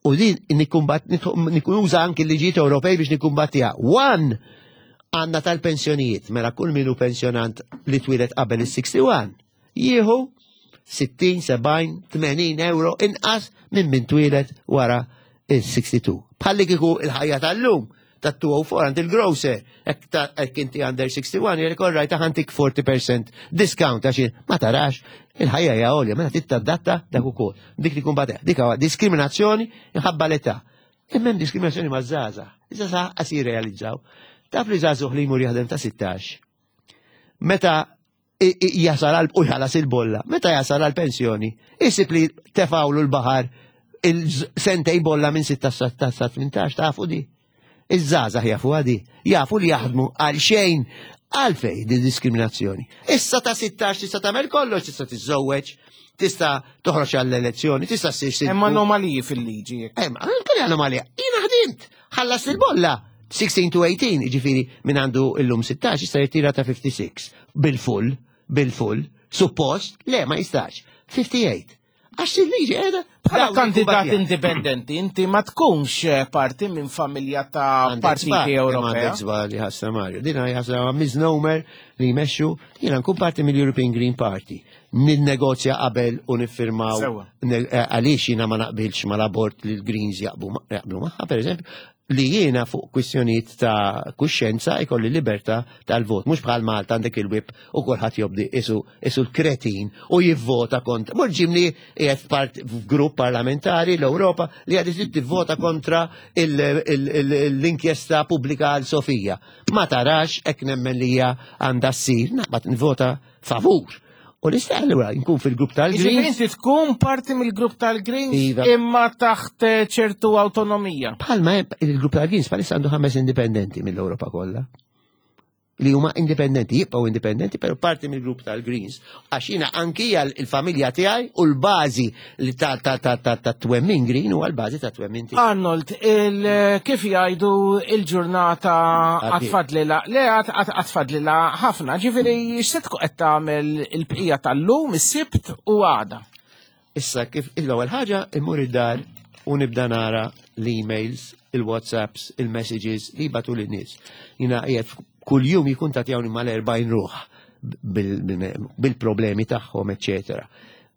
U din nikkumbat, nikkuża anki l-liġijiet Ewropej biex nikkumbattiha. One, għandna tal-pensjonijiet, mela kull min hu pensjonant li twieled qabel is-61, jieħu 60, 70, 80 euro inqas minn min twieled wara il-62. Bħalli kieku il-ħajja tal-lum ta' 204 għand il-grocer, hekk inti under 61, jgħidlek all right, ħantik 40% discount għax ma tarax il-ħajja hija għolja, mela trid tadatta dak ukoll. Dik li kumbat dik huwa diskriminazzjoni inħabba l-età. Imma hemm diskriminazzjoni maż-żgħażagħ. Iż-żgħażagħ qas jirrealizzaw. Taf li żagħżugħ li jmur jaħdem ta' 16. Meta jasal għal u jħallas il-bolla, meta jasal għal pensjoni, isib li tefawlu l-baħar il-sentej bolla minn 6 sa 18 tafu di. Iż-żgħażagħ jafu għadi, jafu li jaħdmu għal xejn għalfej di diskriminazzjoni. Issa ta' 16 tista' tagħmel kollox, tista' tiżżewweġ, tista' toħroġ għall-elezzjoni, tista' ssir sindku. Hemm anomaliji fil-liġi. Hemm anke anomalija. Jiena ħdimt, ħallas il-bolla. 16 to 18, ġifiri minn għandu illum 16, jista' jirtira ta' 56. Bil-full, bil-full, suppost, le ma jistax. 58. Għax il-liġi qiegħda Bħala kandidat indipendenti, inti ma tkunx eh, parti minn familja ta' partiti Ewropea. Għandek żball li ħassa Mario. Dina ħassa misnomer li jmexxu, jiena nkun parti mill-European Green Party. Ninnegozja qabel u niffirmaw eh, għaliex jiena ma naqbilx mal-abort li l-Greens jaqblu magħha, pereżempju, li jiena fuq kwistjonijiet ta' kuxjenza ikolli libertà tal-vot. Mhux bħal Malta għandek il-whip u kulħadd jobdi isu isu l-kretin u jivvota kontra. Mhux ġimli qiegħed f'part f'grupp parlamentari l-Ewropa li għad trid tivvota kontra l-inkjesta pubblika għal Sofija. Ma tarax hekk nemmen li hija għandha ssir, naqbad nvota favur. U nista' allura nkun fil-grupp Jiġifieri tal-Greens. inti tkun parti mill-grupp tal-Greens Iva. imma taħt eh, ċertu awtonomija. Bħalma il-grupp tal-Greens bħalissa għandu ħames indipendenti mill-Ewropa kollha. Li huma indipendenti, jibqgħu indipendenti, però parti mill-grupp tal-Greens. Għax jiena anki il-familja tiegħi u l-bażi li ta' ta' ta' ta' ta' twemmin Green huwa l-bażi ta' twemmin tiegħi. Arnold, il, kif jgħidu il-ġurnata Għaddiet. għatfadlila, le għatfadlila ħafna, ġifiri x'se tkun qed tagħmel il-bqija tal-lum, is-sibt u għada. Issa kif l-ewwel ħaġa immur id-dar u nibda nara l-emails, il-WhatsApps, il-messages li jibatu lin-nies. Jiena qiegħed kuljum jikkuntattjawni mal-40 ruħ bil-problemi tagħhom, eċetera.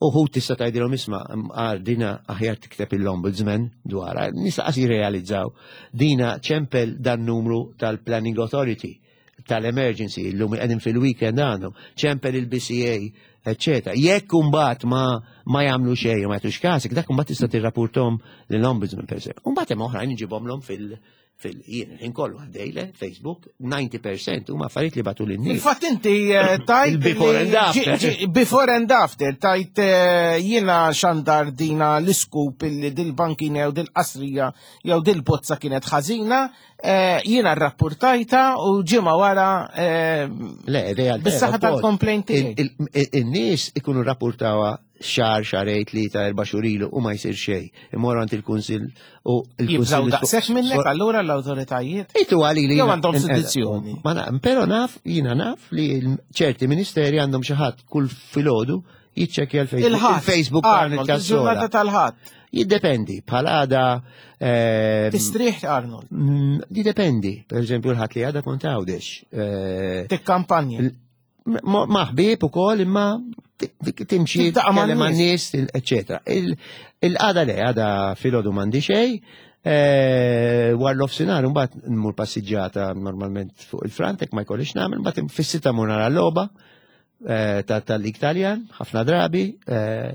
Uħud tista' tgħidilhom isma' għar dina aħjar tikteb il-ombudsman dwarha, nisa qas jirrealizzaw. Dina ċempel dan numru tal-Planning Authority tal-emergency, illum qegħdin fil-weekend għandhom, ċempel il-BCA, eccetera. Jekk imbagħad ma ma jagħmlu xejn ma jagħtux kasek, dak imbagħad tista' tirrapportom lill-ombudsman per se. Imbagħad hemm oħrajn iġibhomlhom fil fil jien il-ħin kollu għaddejle Facebook 90% huma affarijiet li batu lin-nies. Infatti inti eh, tajt Il-before li and after. ġi- ġi- Before and after tajt eh, jiena xandar dina l-iskup illi dil-bankina jew dil-qasrija jew dil-bozza kienet ħażina, eh, jiena rrapportajta u ġimgħa wara eh, Le, realtà. Bis-saħħa tal-complaint tiegħi. In-nies ikunu rapportawa xar, xarejt, tlieta, erba' xhur ilu u ma jsir xejn. Imorru għand il-kunsill u jibżaw il-kunsill. daqshekk minnek allura l-awtoritajiet. Itu għali li. Jew jiena- għandhom sedizzjoni. Ma na, pero naf, jina naf li ċerti ministeri għandhom xi ħadd kull filgħodu jiċċekkja l-Facebook. Il-ħadd. Il-Facebook Arnold, Arnold il-ġurnata tal-ħadd. Jiddependi, bħal għada. ehm, Tistrieħ Arnold. Jiddependi, per eżempju l-ħadd li għada kont għawdex. Eh, Tikkampanja. Maħbib u kol imma timxi Tiltaqa' man tkellem man nies. nies, eccetera. Il-għada le, għada filgħodu m'għandi xejn, eh, war l-ofsinar, mbagħad nmur passiġġata normalment fuq il-Frantek, ma jkollix nagħmel, mbagħad fis-sitta mur nara l-logħba eh, tal-Lig Taljan, ħafna drabi, eh,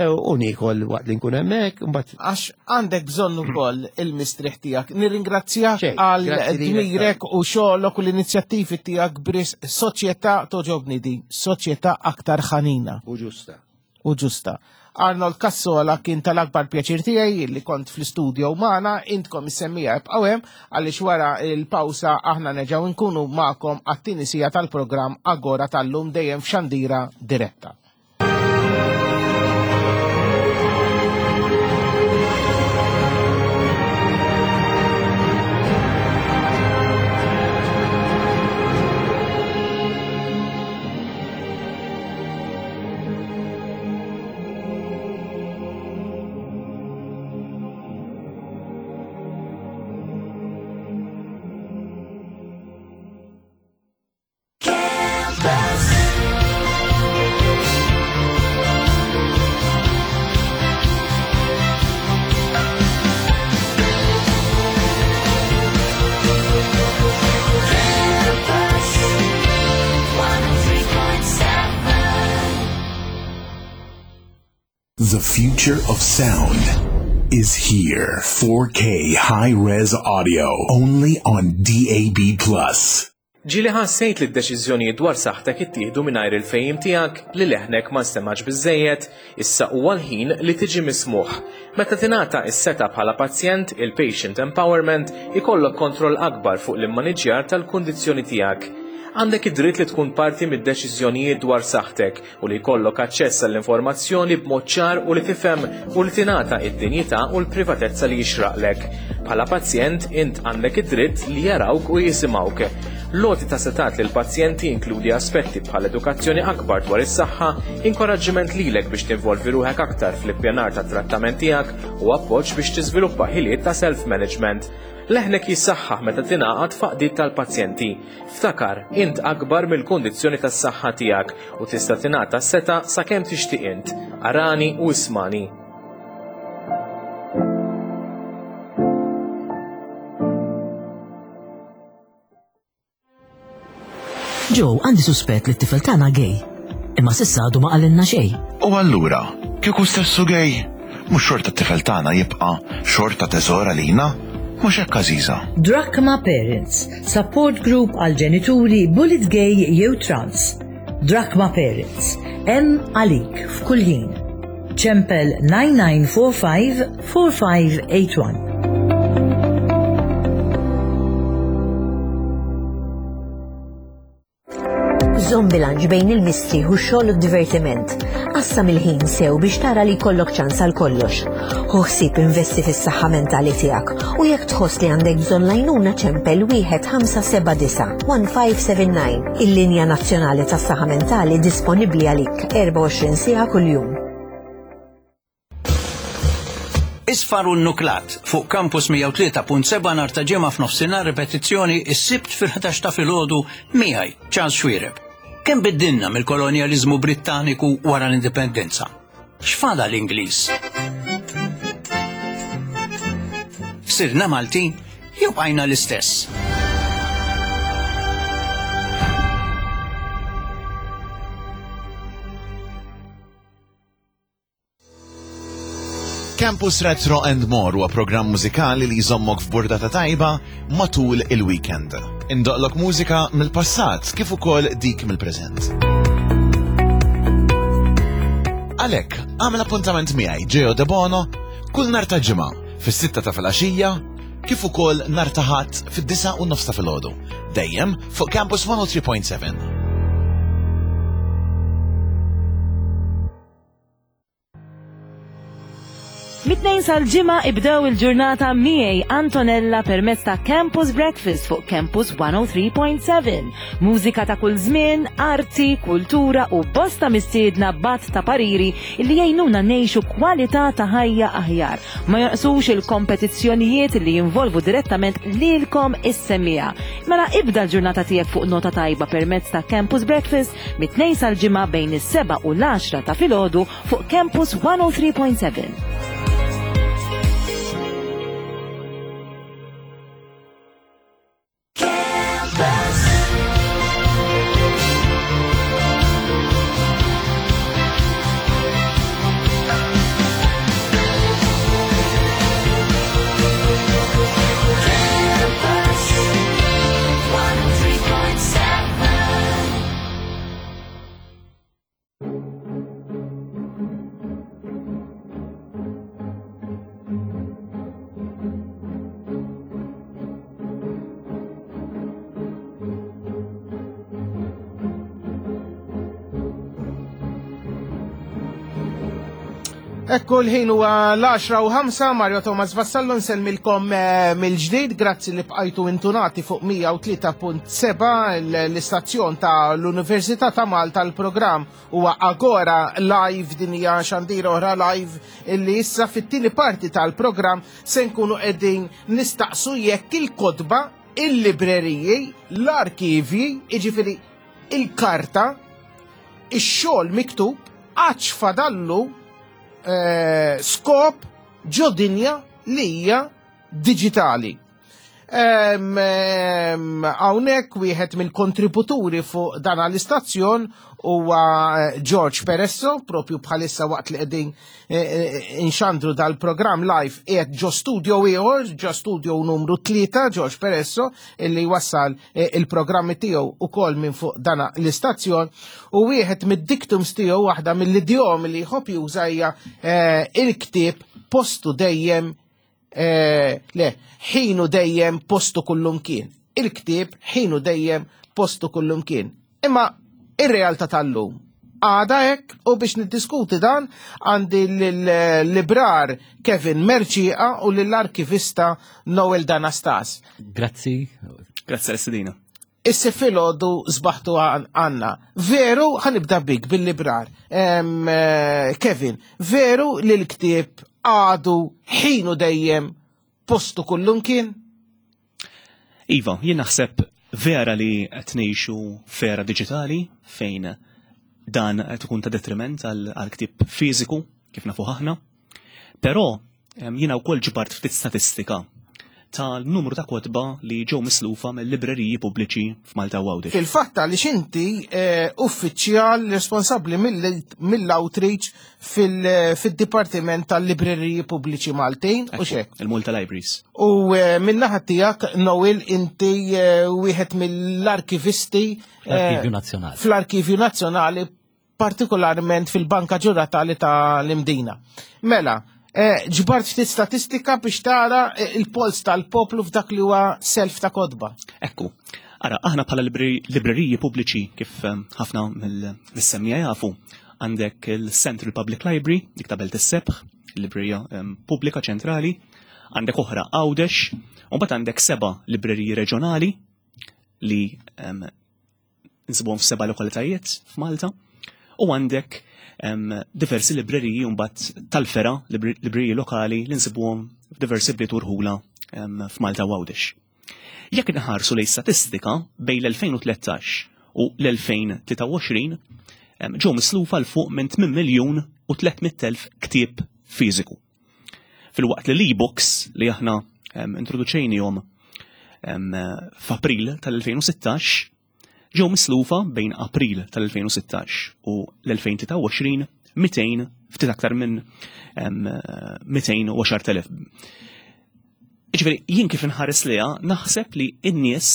u nikol waqt li nkun hemmhekk, mbagħad Għax għandek bżonn ukoll il-mistrieħ tiegħek. Nirringrazzjak Xejn, għal grazzi lilek. dmirek u xogħlok u l-inizjattivi tiegħek bris soċjetà toġobni di, soċjetà aktar ħanina u ġusta. u ġusta. Arnold Cassola kien tal-akbar pjaċir tiegħi li kont fl-istudio magħna, intkom is-semmija ibqgħu hemm għaliex wara l-pawsa aħna nerġgħu nkunu magħkom għat-tieni siegħa tal-programm Agora tal-lum dejjem f'xandira diretta. The future of sound is here. 4K high-res audio only on DAB+. Ġieli ħassejt li d-deċiżjonijiet dwar saħħtek ittieħdu mingħajr il-fehim tiegħek, li leħnek ma nstemgħax biżżejjed? Issa huwa l-ħin li tiġi mismugħ. Meta tingħata s-setgħa bħala pazjent, il-patient empowerment, ikollok kontroll akbar fuq l-immaniġġjar tal-kundizzjoni tiegħek. Għandek id-dritt li tkun parti mid-deċiżjonijiet dwar saħħtek u li jkollok aċċess għall-informazzjoni b'mod ċar u li tifhem u li tingħata id-dinjità u l-privatezza li jixraqlek. Bħala pazjent, int għandek id-dritt li jarawk u jisimgħuk. L-għoti ta' setgħat lill-pazjenti jinkludi aspetti bħal edukazzjoni akbar dwar is-saħħa, inkoraġġiment lilek biex tinvolvi ruħek aktar fl-ippjanar tat-trattament tiegħek u appoġġ biex tiżviluppa ħiliet ta' self-management. Leħnek jissaħħaħ meta tingħaqad f'għaqdiet tal-pazjenti. Ftakar, int akbar mill-kundizzjoni tas-saħħa tiegħek u tista' tingħata s-setgħa sakemm tixtieq int. Arani u ismani. Joe, għandi suspett li t-tifel tagħna gay. Imma s'issa għadu ma qalilna xejn. U allura, kieku stessu gay, mhux xorta t-tifel tagħna jibqa' xorta teżor għalina? Mhux hekk Għażiża? Drachma Parents, support group għal ġenituri bullied gay jew trans. Drachma Parents, hemm għalik f'kull ħin. Ċempel 9945 4581. Żomm bilanċ bejn il-mistrieħ u x-xogħol u d-divertiment. Qassam il-ħin sew biex tara li jkollok ċans għal kollox. Ħu ħsieb investi fis-saħħa mentali tiegħek u jekk tħoss li għandek bżonn l-għajnuna ċempel 1579 1579. Il-linja nazzjonali tas-saħħa mentali disponibbli għalik 24 siegħa kuljum. Isfar u Nuklat fuq Campus 103.7 nhar ta' Ġimgħa f'nofsinhar ripetizzjoni s-Sibt fil-11 ta' filgħodu miegħi Charles Xuereb. Kemm biddilna mill-kolonjaliżmu Brittaniku wara l-Indipendenza? X'fadal Ingliż? Sirna Maltin jew bqajna l-istess? Campus Retro and More huwa programm mużikali li jżommok f'burdata tajba matul il-weekend. Indoqlok mużika mill-passat kif ukoll dik mill-preżent. Għalhekk, għamel appuntament miegħi Geo De Bono kull nhar ta' Ġimgħa fis-sitta ta' filgħaxija kif ukoll nhar ta' Ħadd fid-disgħa u nofs ta' filgħodu. Dejjem fuq Campus 103.7. Mit-Tnejn sal-Ġimgħa ibdew il-ġurnata miegħi Antonella permezz ta' Campus Breakfast fuq Campus 103.7. Mużika ta' kull żmien, arti, kultura u bosta mistiedna b'għadd ta' pariri li jgħinuna ngħixu kwalità ta' ħajja aħjar. Ma jonqsux il-kompetizzjonijiet li jinvolvu direttament lilkom is-semmiegħa. Mela ibda l-ġurnata tiegħek fuq nota tajba permezz ta' Campus Breakfast mit-Tnejn sal-Ġimgħa bejn is-sebgħa u l-għaxra ta' filgħodu fuq Campus 103.7. Ekku l-ħin huwa l-10 u 5, Mario Thomas Vassallo nsellmilkom eh, mill-ġdid, grazzi li bqajtu intunati fuq 103.7 l-istazzjon ta' l-Università ta' Malta l-programm huwa Agora Live din hija xandira oħra live illi issa fit-tieni parti tal-programm se nkunu qegħdin nistaqsu jekk il-kotba, il-libreriji, l-arkivji, jiġifieri il-karta, ix-xogħol miktub għadx fadallu eh, skop ġo dinja li hija diġitali. Hawnhekk wieħed mill-kontributuri fuq dan l-istazzjon huwa eh, George Peresso, propju bħalissa waqt li qegħdin eh, eh, inxandru dal-programm live qiegħed ġo studio ieħor, ġo studio numru 3 George Peresso, illi wassal il-programmi tiegħu ukoll minn fuq dana l-istazzjon u wieħed mid-dictums tiegħu waħda mill-idjomi li jħobb juża hija il-ktieb postu dejjem eh, le ħinu dejjem postu kullumkien. Il-ktieb ħinu dejjem postu kullumkien. Imma ir-realtà tal-lum għada hekk u biex niddiskuti dan għandi l-librar Kevin Merċieqa u lill-arkivista Noel Danastas. Grazzi. Grazzi għal-istedina. Issa filgħodu sbaħtu għanna. Veru, ħanibda bik bil-librar. Eh, Kevin, veru li l-ktieb għadu ħinu dejjem postu kullumkien? Iva, jien naħseb vera li qed ngħixu f'era diġitali fejn dan qed ikun ta' detriment għal ktieb fiżiku kif nafu aħna. Però jiena wkoll ġbart ftit statistika tal-numru ta' kotba li ġew mislufa mill-libreriji pubbliċi f'Malta u Għawdex. Fil-fatt għaliex inti eh, uffiċjal responsabbli mill-outreach fil-Dipartiment tal-Libreriji Pubbliċi Maltin u xek. Il-Malta Libraries. U eh, minnaħa tiegħek Noel inti eh, wieħed mill-arkivisti Fl-Arkivju Nazzjonali. Fl-Arkivju Nazzjonali partikolarment fil-Banka Ġuratali ta' l-Imdina. Mela, ġbart ftit statistika biex tara il-pols tal-poplu f'dak li huwa self ta' kotba. Ekku, ara, aħna bħala libreriji pubbliċi kif ħafna mill-semmija jafu, għandek il-Central Public Library, dik ta' Belt is-Sebħ, librerija pubblika ċentrali, għandek oħra Għawdex, u mbagħad għandek seba' libreriji reġjonali li nsibuhom f'seba' lokalitajiet f'Malta, u għandek diversi libreriji mbagħad tal-fera, libreriji lokali li nsibuhom f'diversi bliet u rħula f'Malta u Għawdex. Jekk inħarsu lejn statistika bejn l-2013 u l-2023 ġew mislufa 'l fuq minn 8 miljun u 300,000 ktieb fiżiku. Filwaqt li l-e-books li aħna introduċejnihom f'April tal-2016 ġew mislufa bejn April tal-2016 u l-2023 200 ftit aktar minn 210,000. Ġifieri jien kif inħares liha naħseb li n-nies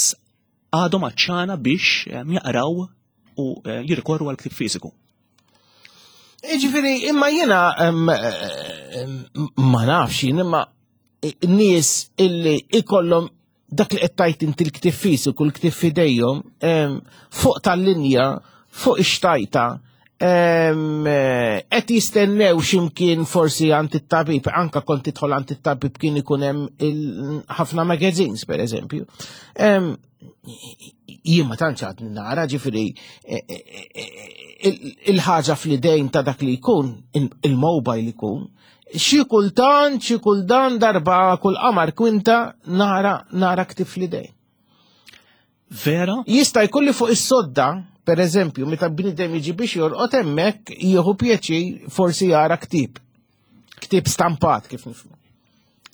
għadhom għatxana biex jaqraw u eh, jirrikorru għal ktieb fiżiku. Ġifieri imma jiena ma nafx jien imma nies illi ikollhom dak li qed tgħid inti l-ktieb fiżiku, l-ktieb f'idejhom, fuq tal-linja, fuq ix-xtajta, qed jistennew x'imkien forsi għand it-tabib, anka kont tidħol għand it-tabib kien ikun hemm ħafna magazines pereżempju. Jien ma tantx għadni nara, ġifieri e, e, e, il-ħaġa fl-idejn ta' dak li jkun, il-mobile ikun, xi kultant, xi kultan darba kull qamar kwinta nara nara ktieb fl-idejn. Vera? Jista' jkun li fuq is-sodda, per eżempju, meta bniedem jiġi biex jorqod hemmhekk jieħu pjaċir forsi jara ktieb. Ktieb stampat kif nifhmu.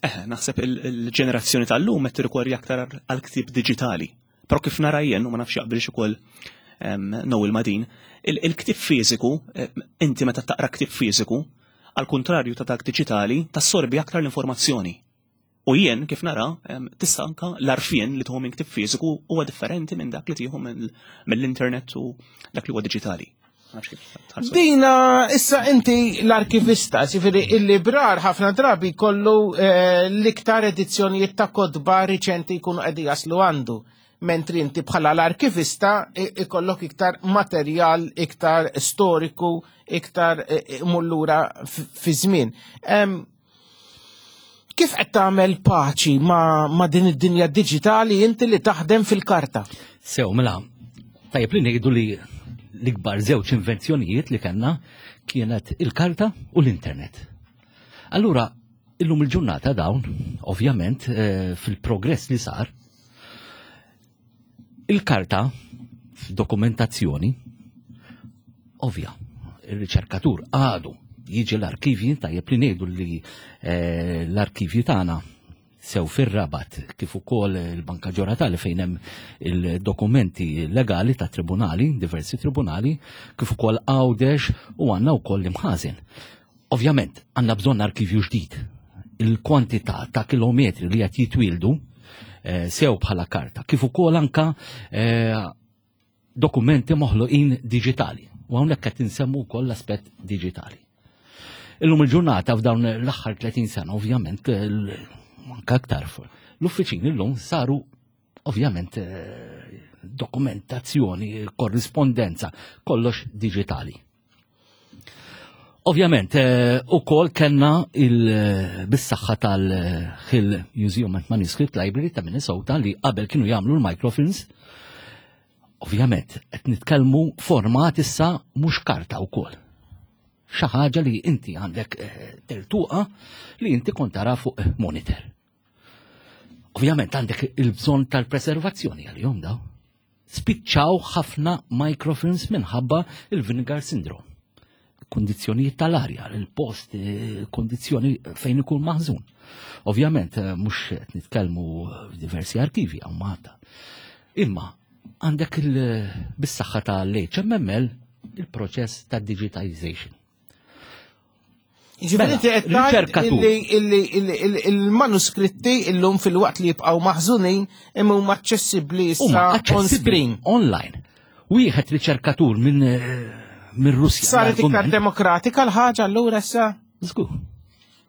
Eh, naħseb il-ġenerazzjoni tal-lum qed tirrikorri aktar għal ktieb diġitali. Però kif nara jien, u ma nafx jaqbilx ukoll Noel ma' din, il-ktieb fiżiku, inti meta taqra ktieb fiżiku, għal kuntrarju ta' dak diġitali, tassorbi aktar l-informazzjoni. U jien, kif nara, tista' anka l-għarfien li tieħu minn ktieb fiżiku huwa differenti minn dak li tieħu mill-internet u dak li huwa diġitali. Dina, issa inti l-arkivista, ġifieri il-librar ħafna drabi kollu eh, l-iktar edizzjonijiet ta' kotba riċenti jkunu qegħdi jaslu għandu. mentri inti bħala l-arkivista ikollok iktar materjal, iktar storiku, iktar mullura fi żmien. Kif qed tagħmel paċi ma, ma din id-dinja diġitali inti li taħdem fil-karta? Sew, mela, tajjeb li ngħidu li l-ikbar żewġ invenzjonijiet li kellna kienet il-karta u l-internet. Allura, illum il-ġurnata dawn, ovvjament, eh, fil-progress li sar, il-karta f'dokumentazzjoni, ovvja, il-riċerkatur għadu jiġi l-arkivji, tajjeb li ngħidu li eh, l-arkivji tagħna sew fir-Rabat kif ukoll il-Banka Ġoratali fejn hemm il-dokumenti legali ta' tribunali, diversi tribunali, kif ukoll Għawdex u għandna wkoll l-imħażen. Ovvjament, għandna bżonn arkivju ġdid. Il-kwantità ta' kilometri li qed jitwieldu eh, sew bħala karta, kif ukoll anka eh, dokumenti moħluqin diġitali. U hawnhekk qed insemmu wkoll l-aspett diġitali. Illum il-ġurnata f'dawn l-aħħar 30 sena ovvjament anke aktar l-uffiċini llum saru ovvjament eh, dokumentazzjoni, korrispondenza, kollox diġitali. Ovvjament, eh, u kol kena il-bissaxħa tal-Hill Museum and Manuscript Library ta' Minnesota li qabel kienu jagħmlu l-microfilms. Ovvjament, qed nitkellmu format issa mhux karta wkoll. Xi ħaġa li inti għandek eh, tertuqa li inti kont tara fuq monitor. Ovvjament għandek il-bżonn tal-preservazzjoni għal-jom daw. Spiċċaw ħafna microfilms minħabba il-vinegar syndrome. Kondizjonijiet tal-arja, il-post, eh, kondizjoni fejn ikun maħżun. Ovvjament, eh, mhux qed nitkellmu f'diversi arkivi hawn Malta. Imma għandek bis-saħħa tal-HMML il-proċess ta' digitization. Ġifieri inti qed tgħid il-manuskritti illum fil-waqt li jibqgħu maħżunin imma huma aċċessibbli issa on screen. Online. Wieħed riċerkatur minn eh, minn Russja. Saret iktar demokratika l-ħaġa allura issa? Żgur.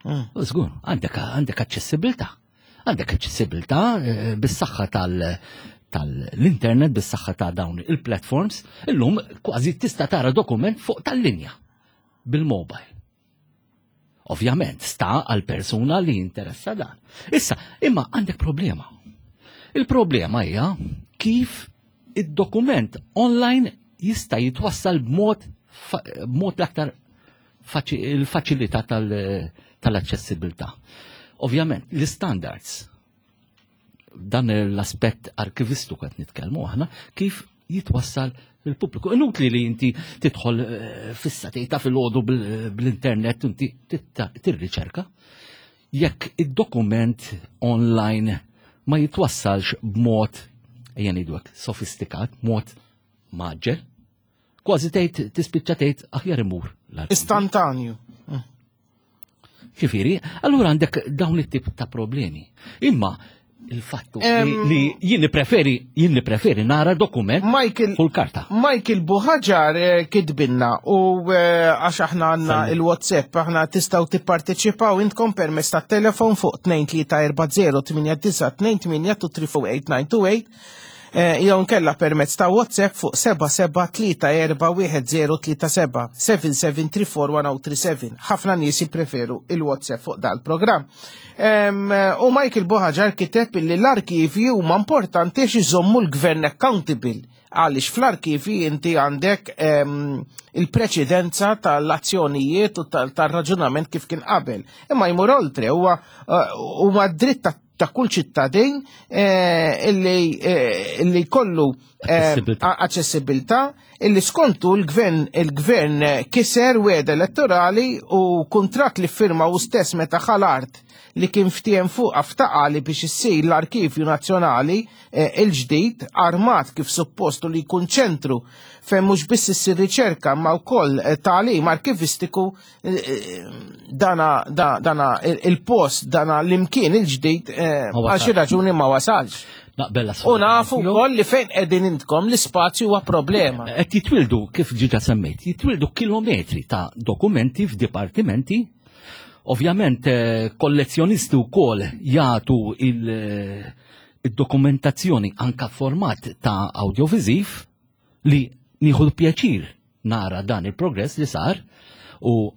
Mm. Żgur, għandek għandek aċċessibilità. Għandek aċċessibilità eh, bis-saħħa tal- tal-internet bis-saħħa ta' dawn il-platforms, illum kważi tista' tara dokument fuq tal-linja bil-mobile. Ovvjament, sta għal persuna li jinteressa dan. Issa, imma għandek problema. Il-problema hija kif id-dokument online jista' jitwassal b'mod b'mod l-aktar il-faċilità tal-aċċessibilità. Ovvjament, l-standards dan l-aspett arkivistu qed nitkellmu aħna kif jitwassal il-pubbliku. Inutli li inti tidħol eh, fissa tejta fil-ħodu bl-internet inti tirriċerka. Jekk id-dokument online ma jitwassalx b'mod ejja ngħidu sofistikat, mod maġġel, kważi tgħid tispiċċa tgħid aħjar imur. Istantanju. Ġifieri, allura għandek dawn it-tip ta' problemi. Imma il-fattu li jien preferi jien preferi nara dokument Michael, fuq karta. Michael Buħaġar eh, kitbinna u eh, għax aħna għandna il-WhatsApp aħna tistgħu tipparteċipaw intkom permezz tat-telefon fuq 2340 8928 234 8928 Eh, jew nkella permezz ta' WhatsApp fuq 77341037 77341037. Ħafna nies jippreferu il-WhatsApp fuq dal-programm. U Michael Boħaġar kiteb li l-arkivi huma importanti għax iżommu l-gvern accountable għaliex fl-arkivi inti għandek il-preċedenza tal-azzjonijiet u tal-raġunament kif kien qabel. Imma jmur oltre huwa eh, huma dritt ta' kull ċittadin eh, illi eh, illi kollu eh, aċċessibilità illi skontu l-gvern il-gvern kiser weda elettorali u kuntratt li firma u stess meta ħal-art li kien ftiem fuq ftaqali biex issir l-Arkivju Nazzjonali il-ġdid armat kif suppostu li jkun ċentru fejn mhux biss issir riċerka ma wkoll tagħlim arkivistiku dana dana il-post dana l-imkien il-ġdid eh, għal xi raġuni ma wasalx. Naqbel U nafu wkoll li fejn qegħdin intkom l-ispazju huwa problema. Eh, qed jitwildu kif ġiġa semmejt, jitwildu kilometri ta' dokumenti f'dipartimenti. Ovvjament eh, kollezzjonisti wkoll jagħtu il- id-dokumentazzjoni anka format ta' audiovisiv li nieħu pjaċir nara dan il-progress li sar u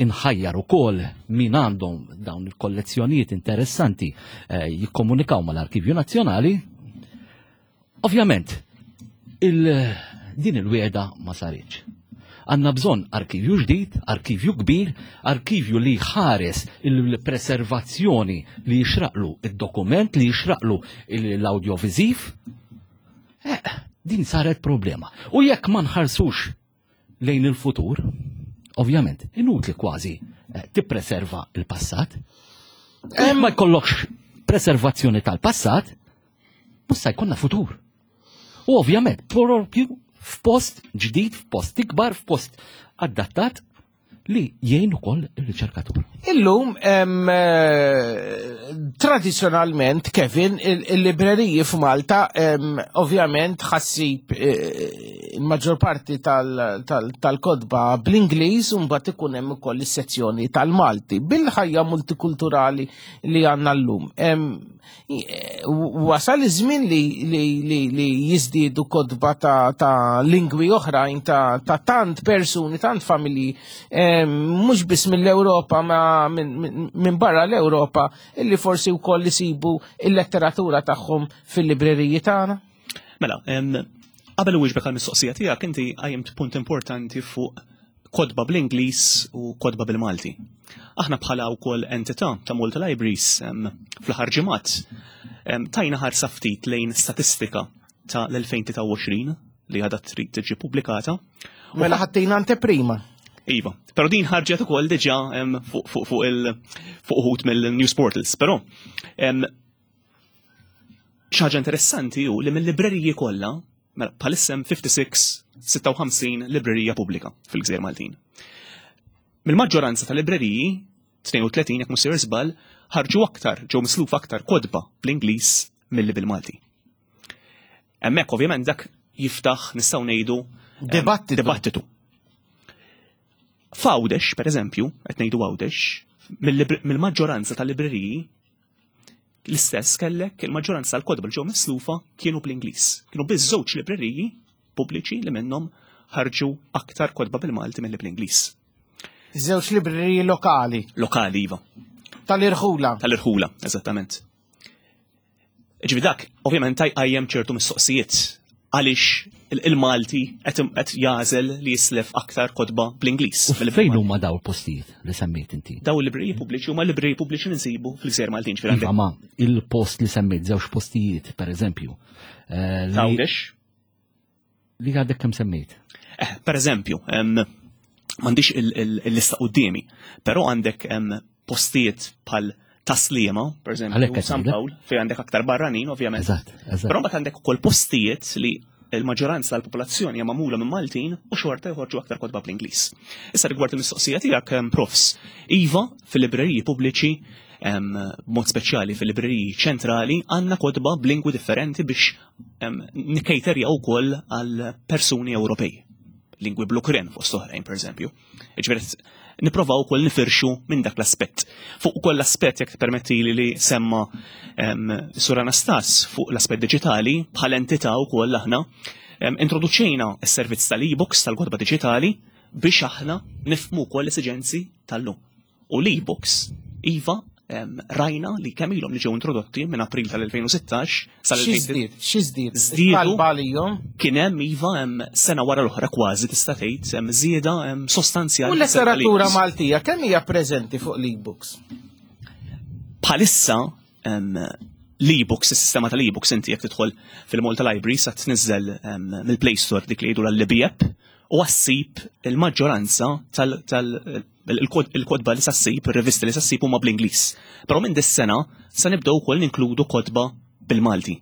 inħajjar ukoll min għandhom dawn il-kollezzjonijiet interessanti eh, jikkomunikaw mal-Arkivju Nazzjonali. Ovvjament, il, din il-wieda ma saritx. Għanna bżonn arkivju ġdid, arkivju kbir, arkivju li ħares il-preservazzjoni li jixraqlu id-dokument, li jixraqlu l-audiovisiv. Eh, din saret problema. U jekk ma nħarsux lejn il-futur, ovvjament, inutli kważi eh, tippreserva il-passat. Ma jkollokx preservazzjoni tal-passat, mhux se jkollna futur. U ovvjament, propju f'post ġdid, f'post ikbar, f'post adattat li jgħin ukoll ir-riċerkatur. Illum eh, tradizzjonalment Kevin il-libreriji f'Malta ovvjament ħassib eh, il-maġġor parti tal-kodba bl-Ingliż u mbagħad ikun hemm ukoll is-sezzjoni tal-Malti bil-ħajja multikulturali li għandna llum. Wasal iż-żmien li, li, li, li jiżdiedu kotba ta', ta lingwi oħrajn ta', ta tant persuni, tant familji, eh, mhux biss mill-Ewropa ma minn min barra l-Ewropa, illi forsi wkoll isibu il-letteratura tagħhom fil-libreriji tagħna. Mela, qabel wieġbek għal-mistoqsija tiegħek inti qajjimt punt importanti fuq kotba bl-Ingliż u kotba bil-Malti. Aħna bħala wkoll entità ta' Malta Libraries fl-aħħar ġimgħat tajna ħarsa ftit lejn statistika ta' l-2023 li għadha trid tiġi pubblikata. Mela ħattejna anteprima. Iva, pero din ħarġet ukoll diġà fuq fuq il fuq uħud mill-news portals, però ħaġa interessanti hu li mill-libreriji kollha Mela, bħalissa hemm 56, 56 librerija pubblika fil-Gżejjer Maltin. Mill-maġġoranza ta' libreriji, 32 jekk mhux żball, ħarġu aktar, ġew misluf aktar kodba bl-Ingliż milli bil-Malti. Hemmhekk ovvjament dak jiftaħ nistgħu ngħidu dibattitu. dibattitu. F'Għawdex, per eżempju, qed ngħidu Għawdex, mill-maġġoranza tal-libreriji L-istess kellek il-maġġoranza tal-kotba li ġew mislufa kienu bl-Ingliż. Kienu biss żewġ libreriji pubbliċi li minnhom ħarġu aktar kotba bil-Malti milli bl-Ingliż. Żewġ libreriji lokali. Lokali, iva. Tal-irħula. Tal-irħula, eżattament. Ġifi dak, ovvjament, tajqajjem ċertu mistoqsijiet għaliex il-Malti qed jagħżel li jislef aktar kotba bl-Ingliż. Fejn huma daw il-postijiet li semmejt inti? Daw il-libreriji pubbliċi huma libreriji pubbliċi li nsibu fil-Gżejjer Maltin. Iva, ma il-post li semmejt żewġ postijiet, per eżempju. Eh, Għawdex? Li għadek kemm semmejt? Eh, per eżempju, m'għandix il-lista qudiemi, però għandek postijiet bħal taslima, per eżempju, San Pawl, fej għandek aktar barranin, ovvjament. Però mbagħad għandek ukoll postijiet li il-maġġoranza tal-popolazzjoni hija magħmula minn Maltin u xorta joħorġu aktar kotba bl-Ingliż. Issa rigward il-mistoqsija tiegħek, profs, iva fil-libreriji pubbliċi b'mod speċjali fil-libreriji ċentrali għandna kotba b'lingwi differenti biex nikkejterja wkoll għal persuni Ewropej. Lingwi bl-Ukren fost oħrajn, per eżempju. Ġifieri nipprovaw ukoll nifirxu minn dak l-aspett. Fuq ukoll l-aspett jekk permettili li semma Sur Anastas fuq l-aspett diġitali bħal entità wkoll aħna introduċejna s-servizz tal-e-books tal-kotba diġitali biex aħna nifhmu wkoll l-esiġenzi tal-lum. U l-e-books, iva, rajna li kemm ilhom li ġew introdotti minn April tal-2016 sal-2000. Xi żdied? Żdiedu. Kien hemm iva hemm sena wara l-oħra kważi tista' tgħid hemm żieda hemm sostanzjali. U l-letteratura Maltija kemm hija preżenti fuq l-e-books? Bħalissa l-e-books, is-sistema tal-e-books inti jekk tidħol fil-Malta Library sa tniżżel mill-Play Store dik li jgħidu l-Libby app u għassib il-maġġoranza tal-kodba li sassib, il-rivisti li sassib huma bl-Ingliż. Però minn dis-sena sa nibdew ukoll ninkludu kodba bil-Malti.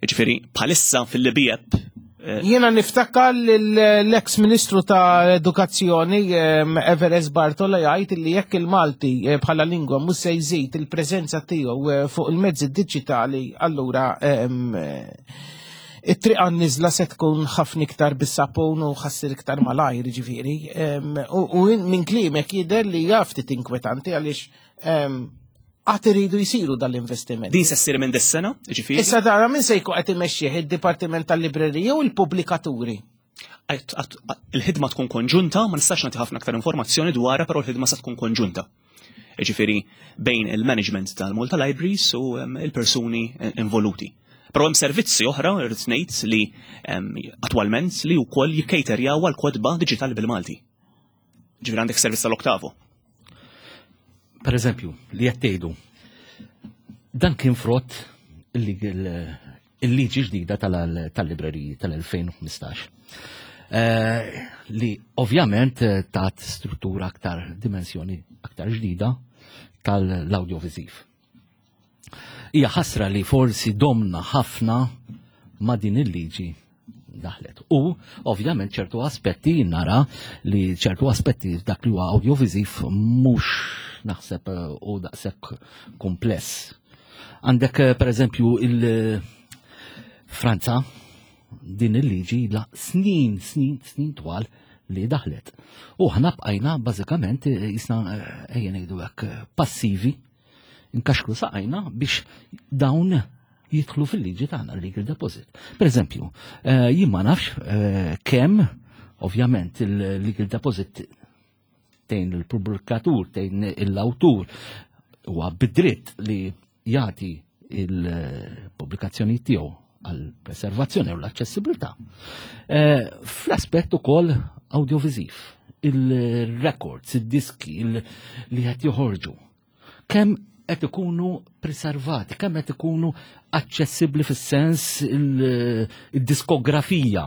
Ġifieri bħalissa fil-Libby app eh, Jiena niftakar l-ex ministru ta' edukazzjoni Everest Bartola jgħid li jekk il-Malti eh, bħala lingwa mhux se jżid il-preżenza tiegħu eh, fuq il-mezzi diġitali, allura it-triq għan-niżla se tkun ħafna iktar bis-sapun u ħassir iktar malajr ġifieri. U minn kliemek jidher li jaf ftit inkwetanti għaliex. Għad iridu jsiru dal-investimenti. Din se ssir minn dis-sena, ġifieri. Issa dara min se jkun qed imexxih id-Dipartiment tal-Librerija u l-pubblikaturi. Il-ħidma tkun konġunta, ma nistax nagħti ħafna aktar informazzjoni dwarha, però l-ħidma se tkun konġunta. Ġifieri bejn il-management tal-Malta Libraries u il-persuni involuti. Però hemm servizzi oħra, irrid ngħid li attwalment li wkoll jikkejterjaw għal kotba diġitali bil-Malti. Ġifieri għandek servizz tal-Oktavo. Per eżempju, li qed tgħidu, dan kien frott il-liġi ġdida tal-libreriji tal-2015. Eh, li ovvjament eh, tat struttura aktar dimensjoni aktar ġdida tal-audiovisiv. Hija ħasra li forsi domna ħafna ma' din il-liġi daħlet. U ovvjament ċertu aspetti nara li ċertu aspetti dak li huwa audiovisiv mhux naħseb eh, u daqshekk kumpless. Għandek eh, per eżempju il-Franza din il-liġi la snin, snin, snin twal li daħlet. U ħna bqajna bażikament eh, jisna ejja ngħidu hekk passivi nkaxkru saqajna biex dawn jidħlu fil-liġi tagħna legal deposit. Per eżempju, eh, jien ma nafx eh, kemm ovvjament il-legal deposit tejn il-pubblikatur, tejn l-awtur huwa bidritt li jagħti il-pubblikazzjoni tiegħu għal preservazzjoni u l-aċċessibilità. Eh, fl-aspett ukoll audiovisiv, il-records, id-diski li qed joħorġu. Kemm qed ikunu preservati, kemm qed ikunu aċċessibbli fis-sens il-diskografija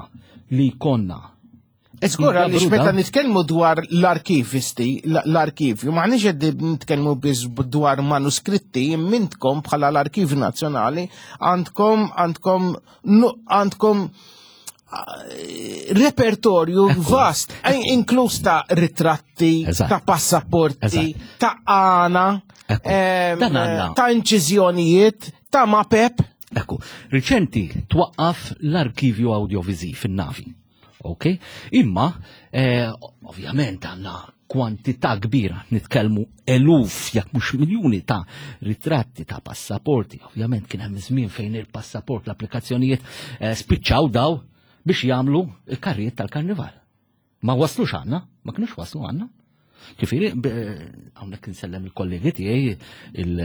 li jkollna. Żgur għaliex meta nitkellmu dwar l-arkivisti, l-arkivju, maħniex qed nitkellmu biss dwar manuskritti, mintkom bħala l-Arkivju Nazzjonali għandkom għandkom għandkom eh, repertorju vast, eh, inkluż ta' ritratti, ta' passaporti, ta' għana, ta' inċiżjonijiet, ta' mapep. Ekku, riċenti twaqqaf l-arkivju audiovisiv fin-navi. Ok? Imma, eh, ovvjament għandna kwantità kbira, nitkellmu eluf, jekk mhux miljuni ta' ritratti ta' passaporti. Ovvjament kien hemm żmien fejn il-passaport, l-applikazzjonijiet eh, spiċċaw daw biex jagħmlu il-karrijiet tal-karnival. Ma waslux għandna, ma kinux waslu għandna. Ġifieri, hawnhekk insellem il-kollegi tiegħi il-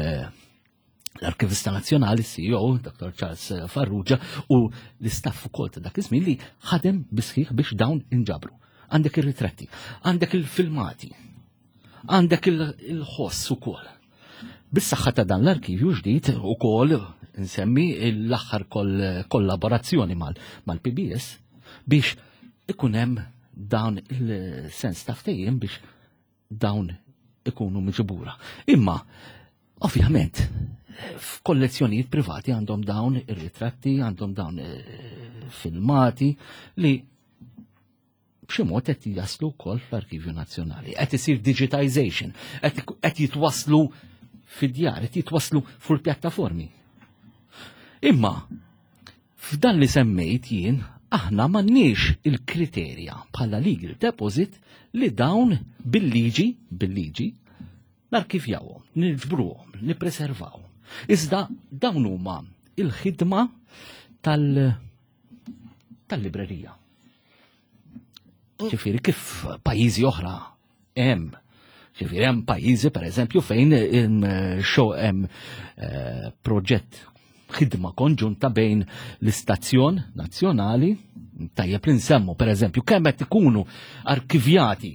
l-Arkivista Nazzjonali, CEO, Dr. Charles Farrugia, u l-istaff ukoll ta' dak iż-żmien li ħadem bisħiħ biex dawn inġabru. Għandek ir-ritratti, għandek il-filmati, għandek il-ħoss ukoll. Bis-saħħa ta' dan l-arkivju ġdid ukoll nsemmi l-aħħar kollaborazzjoni mal-PBS biex ikun hemm dan il-sens ta' ftehim biex dawn ikunu miġbura. Imma, ovvjament, f'kollezzjonijiet privati għandhom dawn ir-ritratti, għandhom dawn eh, filmati li b'xi mod qed jaslu wkoll fl-Arkivju Nazzjonali. Qed isir digitization, qed jitwaslu fid-djar, qed jitwaslu fuq pjattaformi. Imma F'dan li semmejt jien, aħna m'għandniex il-kriterja bħala legal deposit li dawn bil-liġi, bil-liġi, narkivjawhom, niġbruhom, nippreservawhom. Iżda dawn huma il-ħidma tal tal-librerija. Ġifieri kif pajjiżi oħra hemm. Ġifieri hemm pajjiżi pereżempju fejn xo hemm eh, proġett ħidma konġunta bejn l-istazzjon nazzjonali, tajjeb li nsemmu pereżempju kemm qed ikunu arkivjati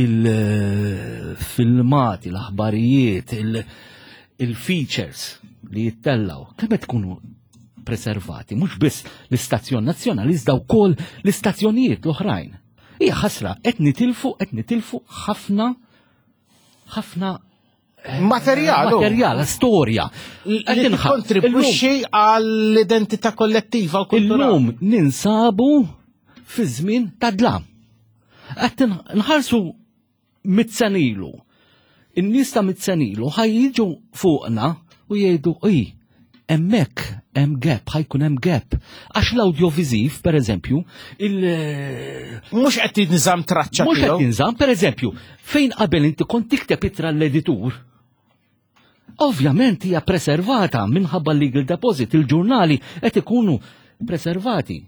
il-filmati, l-aħbarijiet, il-features li jittellaw, kemm qed ikunu preservati, mhux biss l-istazzjon nazzjonali iżda wkoll l-istazzjonijiet l-oħrajn. Hija ħasra, qed nitilfu, qed nitilfu ħafna ħafna eh, materjal, materjal, storja. Qed kontribwixxi għall-identità kollettiva u kulturali. Illum ninsabu fi żmien ta' dlam. Qed nħarsu mit-senilu. In-nies ta' mit-senilu ħaj jiġu fuqna u jgħidu ij, hemmhekk hemm gap, ħajkun hemm gap. Għax l-audiovisiv, per eżempju, il Mhux qed tinżamm traċċa Mhux qed tinżamm, per eżempju, fejn qabel inti kont tikteb ittra l-editur. Ovvjament hija preservata minħabba legal deposit, il-ġurnali qed ikunu preservati.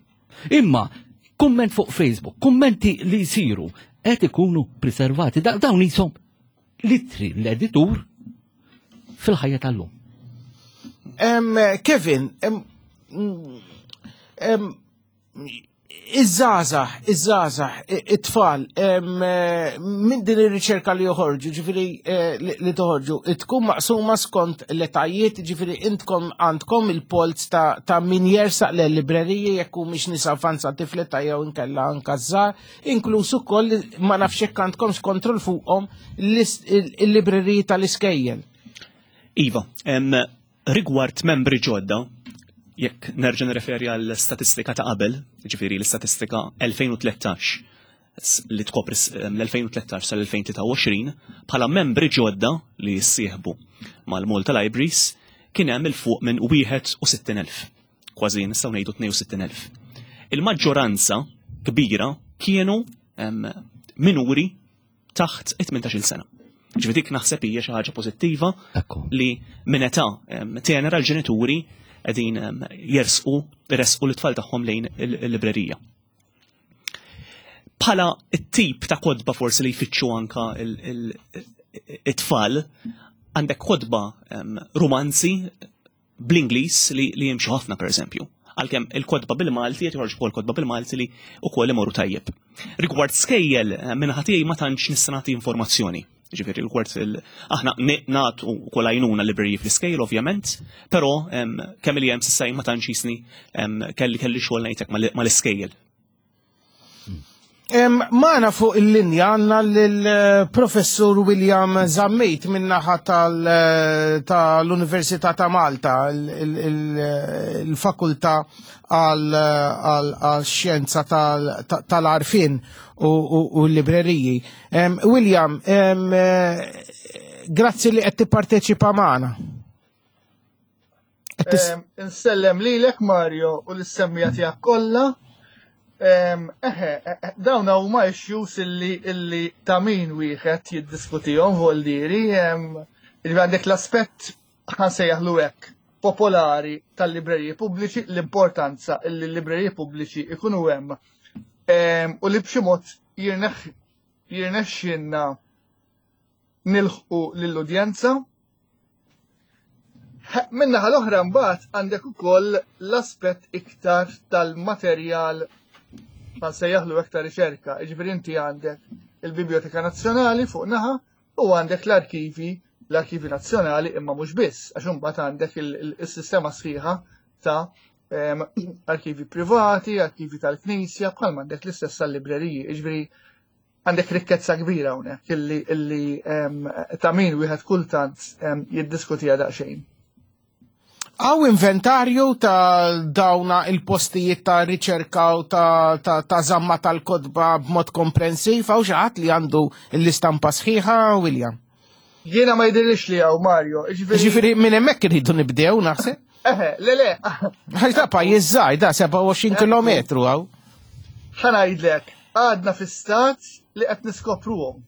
Imma kumment fuq Facebook, kummenti li jsiru qed ikunu preservati. Dawn jisom litri l-editur fil-ħajja tal-lum. Kevin, iż-żgħażagħ, iż-żgħażagħ, it-tfal, minn din ir-riċerka li joħorġu, ġifieri eh, li toħorġu, tkun maqsuma skont l-etajiet, ġifieri intkom għandkom il-polz ta' min jersaq l-libreriji jekk mhix nies avvanzati fl-età jew inkella anka żgħar, inkluż ukoll ma nafx jekk għandkomx kontroll fuqhom il-libreriji tal-iskejjel. Iva, Rigward membri ġodda, jekk nerġa' nirreferi għal statistika ta' qabel, ġifieri l-istatistika 2013 li tkopri l-2013 sal-2023, bħala membri ġodda li jissieħbu mal-Malta Libraries kien hemm il fuq minn 61,000, kważi nistgħu ngħidu 62,000. Il-maġġoranza kbira kienu minuri taħt it-18-il sena. Ġifieri dik naħseb hija xi ħaġa pożittiva li minn età tenera l-ġenituri qegħdin jersqu resqu l-tfal tagħhom lejn il-librerija. Bħala t-tip ta' kodba forsi li jfittxu anka it-tfal, għandek kodba romanzi bl-Ingliż li, li jimxu ħafna pereżempju. Għalkemm il-kotba bil-Malti qed joħorġu wkoll kotba bil-Malti li wkoll imorru tajjeb. Rigward skejjel eh, minn ħatijaj ma tantx nista' nagħti informazzjoni. Ġifieri rigward aħna nagħtu wkoll għajnuna libreriji fl-iskejjel ovvjament, però kemm li hemm s'issa ma tantx jisni kelli kelli xogħol ngħidlek mal-iskejjel. Maħna fuq il-linja għanna l-professur William Zammit minnaħa eh, tal-Università ta' Malta, il-fakultà għal-xjenza tal-arfin u l-libreriji. William, eh, grazzi li qed tipparteċipa magħna. Insellem lilek Mario u l-semmija tiegħek kollha. Eħe, e, e, dawn huma issues illi illi ta' min wieħed jiddiskutihom voldieri. Li għandek l-aspett ħansejjaħlu hekk popolari tal-libreriji pubbliċi, l-importanza illi l-libreriji pubbliċi ikunu hemm u li b'xi mod jirnexxinna nilħqu lill-udjenza. Minnaħa l-oħra mbagħad għandek ukoll l-aspett iktar tal-materjal nsejjaħlu iktar riċerka, jiġifieri inti għandek il-Biblioteka Nazzjonali fuq naħa u għandek l-arkivi, l-arkivi nazzjonali imma mhux biss, għax imbagħad għandek il-sistema sħiħa ta' arkivi privati, arkivi tal-Knisja, bħal għandek l-istess tal-libreriji, jiġifieri għandek rikkezza kbira hawnhekk illi illi ta' min wieħed kultant jiddiskutiha daqsxejn. Għaw inventarju ta' dawna il-postijiet ta' riċerka u ta', ta, ta zamma tal-kodba b'mod komprensiv, għaw xaħat li għandu l-istampa sħiħa, William? Jiena ma jidhirlix li hawn Mario. Ġifieri minn hemmhekk irridu nibdew naħseb. Eħe, le le. Għax da pajjiż żgħir da 27 kilometru hawn. Ħa ngħidlek, għadna fi stat li qed niskopruhom.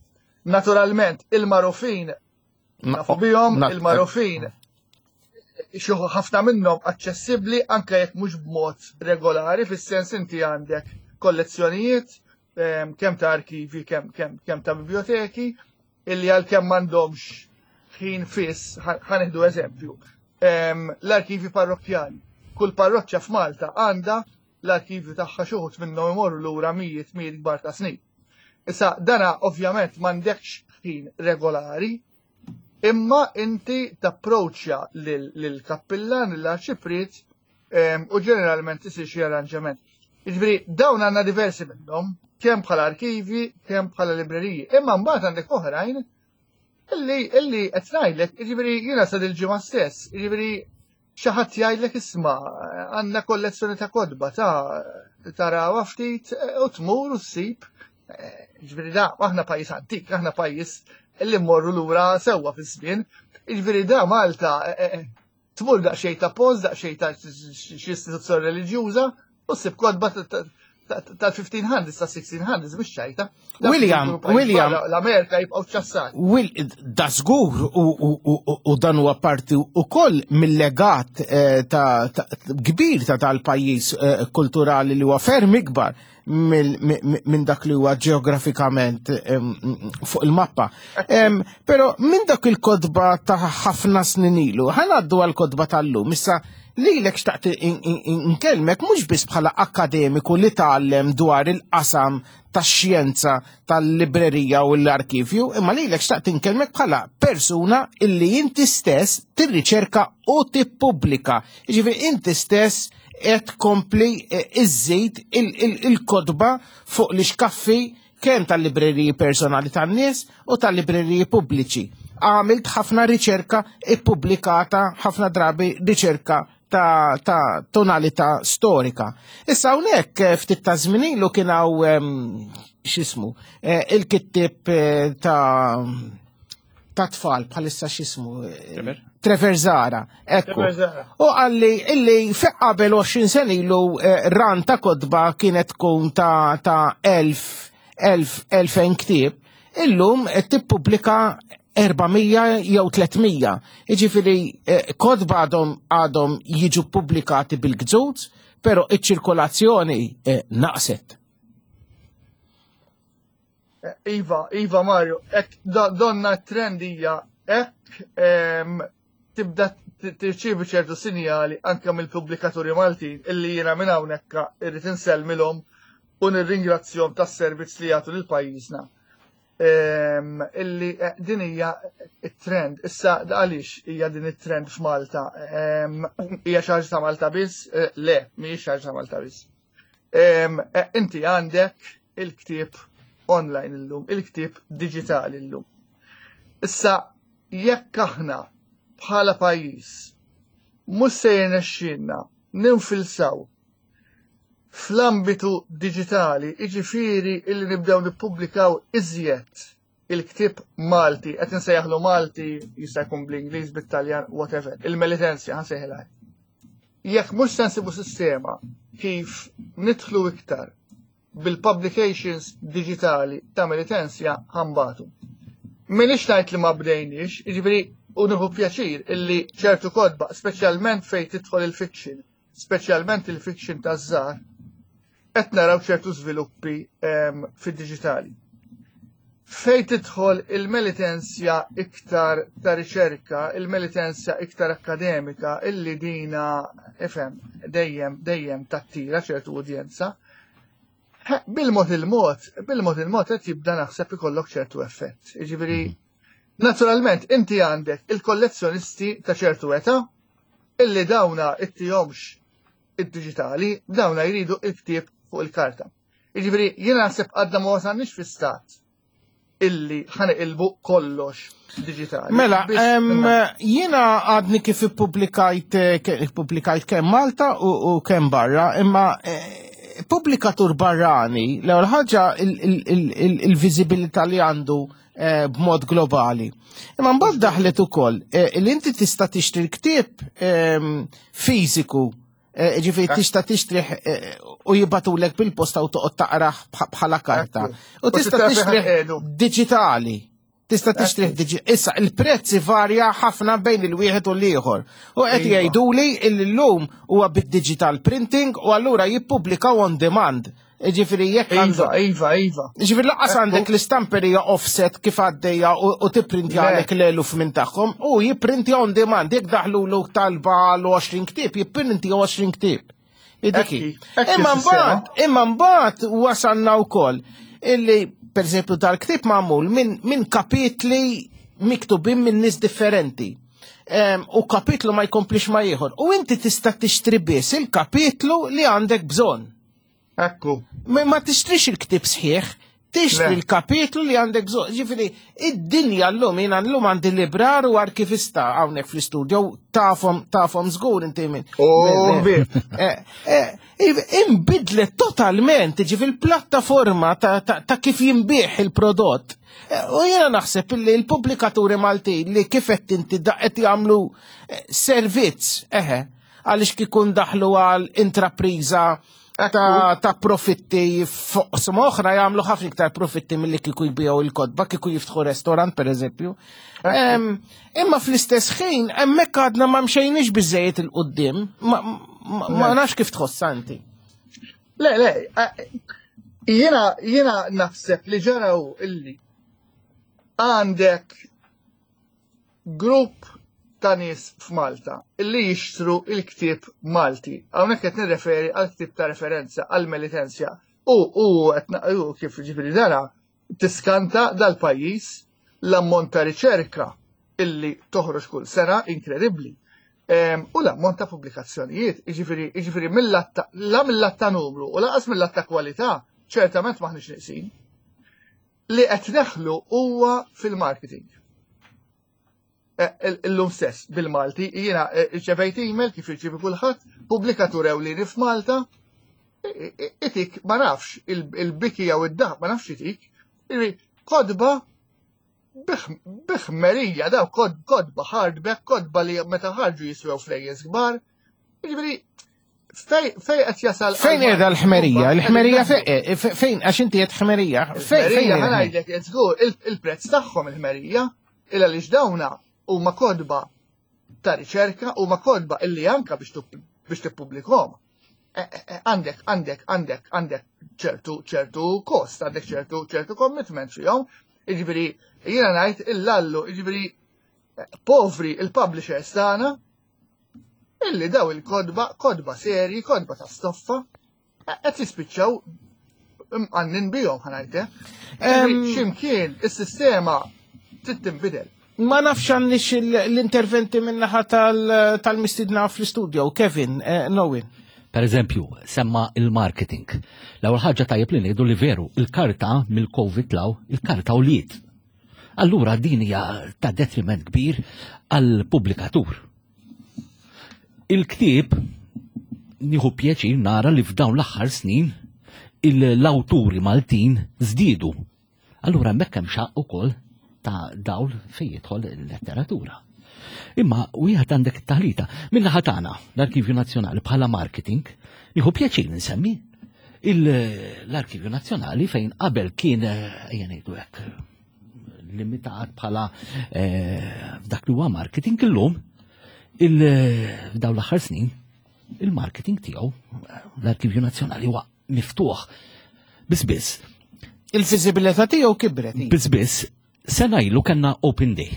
Naturalment, il-marufin nafu bihom, il-marufin xi ħafna minnhom aċċessibbli anke jekk mhux b'mod regolari fis-sens inti għandek kollezzjonijiet ehm, kemm ta' arkivi, kemm kemm kemm ta' biblioteki, illi għalkemm m'għandhomx ħin fiss, ħanieħdu eżempju, ehm, l-arkivi parrokkjali. Kull parroċċa f'Malta għandha l-arkivju tagħha xi wħud minnhom imorru lura mijiet mijiet kbar ta' snin. Issa dana ovvjament m'għandekx ħin regolari, imma inti tapproċċja lill-kappillan, lill-arċipriet u ġeneralment isir xi arranġament. Jiġifieri dawn għandna diversi minnhom, kemm bħala arkivi, kemm bħala libreriji. Imma mbagħad għandek oħrajn illi illi qed ngħidlek, jiġifieri jiena sa dil-ġimgħa stess, jiġifieri xi ħadd jgħidlek isma' għandna kollezzjoni ta' kotba ta' tarawha ftit u tmur u ssib. Jiġifieri da aħna pajjiż antik, aħna pajjiż illi mmorru lura sewwa fiż-żmien. Jiġifieri da Malta eh, eh, Tmur daqsxejn ta' post, daqsxejn ta' xi istituzzjoni reliġjuża u ssib kotba tal-1500s, tal-1600s, mhux ċajta. William, William. L-Amerika jibqgħu ċassat. Will, da żgur u dan huwa parti ukoll mill-legat eh, ta' kbir ta' tal-pajjiż eh, kulturali li huwa ferm ikbar minn dak li huwa ġeografikament fuq il-mappa. Pero minn dak il-kodba ta' ħafna snin ilu, ħanaddu għal-kodba tal-lum, issa lilek xtaqt inkellmek mhux biss bħala akademiku li tgħallem dwar il-qasam tax-xjenza tal-librerija u l-arkivju, imma lilek xtaqt inkellmek bħala persuna illi inti stess tirriċerka u tippubblika. Jiġifieri inti stess qed tkompli eh, iżżid il-kotba fuq l-ixkaffi kemm tal-libreriji personali tan-nies u tal-libreriji pubbliċi. Għamilt ħafna riċerka ippubblikata ħafna drabi riċerka ta', ta tonalità storika. Issa hawnhekk eh, ftit ta' żmien ilu kien hawn ehm, x'ismu eh, il-kittib ta' ta' tfal bħalissa x'ismu. Eh, Trevor Zara, ekku. U għalli illi fi qabel 20 sen ilu eh, ran ta' kodba kienet tkun ta' ta' 1000 1000 ktieb, illum qed tippubblika 400 jew 300. Jiġifieri eh, kodba għadhom għadhom jiġu pubblikati bil-gżuz, però iċ-ċirkolazzjoni naqset. Iva, Iva Mario, ek donna trend hija ek tibda tirċievi ċertu sinjali anke mill-pubblikaturi Maltin illi jiena minn hawnhekk irrid insellmilhom u nirringrazzjahom tas-servizz li jagħtu lil pajjiżna. Illi eh, din hija it-trend. Issa għaliex hija din it-trend f'Malta? Hija xi ħaġa ta' Malta biss? Eh, le, mhijiex xi ħaġa ta' Malta biss. Eh, inti għandek il-ktieb online illum, il-ktieb digitali illum. Issa, jekk aħna bħala pajjiż mhux se jirnexxielna ninfilsaw fl-ambitu digitali, jiġifieri illi nibdew nippubblikaw iżjed il-ktieb Malti, qed insejjaħlu Malti, jista' jkun bl-Ingliż, bit-Taljan, whatever, il-Melitensia ħansejħilha. Jekk mhux se nsibu sistema kif nidħlu iktar bil-publications digitali ta' Melitensia ħambatu. Minix ngħid li ma bdejniex, jiġifieri u nieħu pjaċir illi ċertu kotba, speċjalment fejn tidħol il-fiction, speċjalment il-fiction taż-żgħar, qed naraw ċertu żviluppi ehm, fid-diġitali. Fejn tidħol il-melitensja iktar ta' riċerka, il-melitensja iktar akademika, illi dina ifhem dejjem dejjem tattira ċertu udjenza, bil-mod il-mod, bil-mod il-mod qed jibda naħseb ikollok ċertu effett. Jiġifieri, mhm. naturalment inti għandek il-kollezzjonisti ta' ċertu età illi dawna ittihomx id-diġitali, dawna jridu il-ktieb fuq il-karta. Jiġifieri jiena naħseb għadna ma wasalniex fi stat illi ħaniqilbu kollox diġitali. Mela, jiena għadni kif ippubblikajt eh, ippubblikajt kemm Malta u kemm barra, imma eh, pubblikatur barrani, l-ewwel ħaġa il-viżibilità li għandu eh, b'mod globali. Imma mbagħad daħlet ukoll eh, li inti tista' tixtri l-ktieb ehm, fiżiku eh, ġifieri tista' tixtrih u jibatulek bil-posta u toqgħod taqrah bħala karta. U tista' tixtrih diġitali. Tista' tixtrih diġi. Issa il-prezz varja ħafna bejn il-wieħed u l-ieħor. U qed iva. jgħiduli l-lum huwa bid-digital printing u allura jippubblikaw on demand. Ġifiri, jekk Iva, iva, iva. Ġifiri, laqas għandek l-istamperija offset kif għaddejja u tipprintja għalek l-eluf minn tagħhom u jipprintja on demand, jekk daħlu l talba l-20 ktieb, jipprintja 20 ktieb. Idiki. Imma mbagħad, imma mbagħad wasalna wkoll illi per eżempju dal-ktieb magħmul minn kapitli miktubin minn nies differenti. U kapitlu ma jkomplix ma ieħor. U inti tista' tixtri biss il-kapitlu li għandek bżonn. Ekku. Ma tixtrix il-ktib sħiħ, tixtri l-kapitlu li għandek bżonn. Ġifieri, id-dinja llum jiena llum għandi librar u arkivista hawnhekk fl-istudio tafhom tafhom żgur inti minn. Oh, eh, eh, imbidlet totalment, ġifieri l-plattaforma ta' kif jinbih il-prodott. Eh, u jiena naħseb li l-pubblikaturi Maltin li kif qed inti qed jagħmlu servizz, eħe, għaliex kikun daħlu għal intrapriża ta' profitti f'oqsma oħra jagħmlu ħafna iktar profitti milli kieku jbiegħu il-kotba, kieku jiftħu restorant pereżempju. Imma fl-istess ħin hemmhekk għadna ma mxejniex biżejjed il-qudiem, ma nafx kif tħossha inti. Le, le, jiena naħseb li ġaraw illi għandek grupp ta' nies f'Malta illi jixtru il-ktieb Malti. Hawnhekk qed nirreferi għal ktieb ta' referenza għal Melitensia. U u qed naqru kif ġifieri dara tiskanta dal-pajjiż l-ammont ta' riċerka illi toħroġ kull sena inkredibbli. U l-ammont ta' pubblikazzjonijiet, jiġifieri jiġifieri la mill-att ta' numru u lanqas mill-att ta' kwalità, ċertament m'aħniex neqsin. Li qed neħlu huwa fil-marketing. E, illum stess bil-Malti, jiena e, rċevejt email kif irċievi kulħadd, pubblikatur ewlieni f'Malta, itik ma nafx il-biki jew id-daħ ma nafx itik, kodba biħmerija daw kodba hardback, kodba li meta ħarġu jiswew flejjes kbar. Jiġifieri fej qed jasal. Fejn qiegħda l-ħmerija? L-ħmerija eh, fejn għax inti qed ħmerija. Fejn qiegħda ngħidlek żgur il-prezz tagħhom il-ħmerija il għaliex dawna huma kodba ta' riċerka huma kodba illi anka biex tippubblikhom. Eh, eh, għandek, għandek, għandek, għandek ċertu, ċertu kost, għandek ċertu, ċertu commitment fihom. Jiġifieri, jiena ngħid illallu, jiġifieri povri il-publishers tagħna illi daw il-kodba, kodba serji, kodba ta' stoffa, qed jispiċċaw mqannin bihom ħanajte. Ximkien is-sistema trid tinbidel. Ma nafx għandix l-interventi minnaħa tal-mistidna fl-studio, Kevin, eh, Nowen. Per eżempju, semma il-marketing. L-ewwel ħaġa tajjeb li ngħidu li veru, il-karta mill-Covid law, il-karta u liet. Allura din hija ta' detriment kbir għall-pubblikatur. Il-ktieb nieħu pjaċir nara li f'dawn l-aħħar snin l-awturi Maltin żdiedu. Allura hemmhekk hemm xaq ukoll ta' dawl fejn jidħol il-letteratura. Imma wieħed għandek it-taħlita. Min-naħa tagħna, l-Arkivju Nazzjonali bħala marketing, nieħu pjaċir nsemmi l-Arkivju Nazzjonali fejn qabel kien eh, ejja ngħidu hekk limitat bħala eh, dak li huwa marketing illum il-daw l-aħħar snin il-marketing tiegħu l-Arkivju Nazzjonali huwa miftuħ. Biss biss. Il-viżibilità tiegħu kibret. Biss biss Sena ilu kellna Open Day.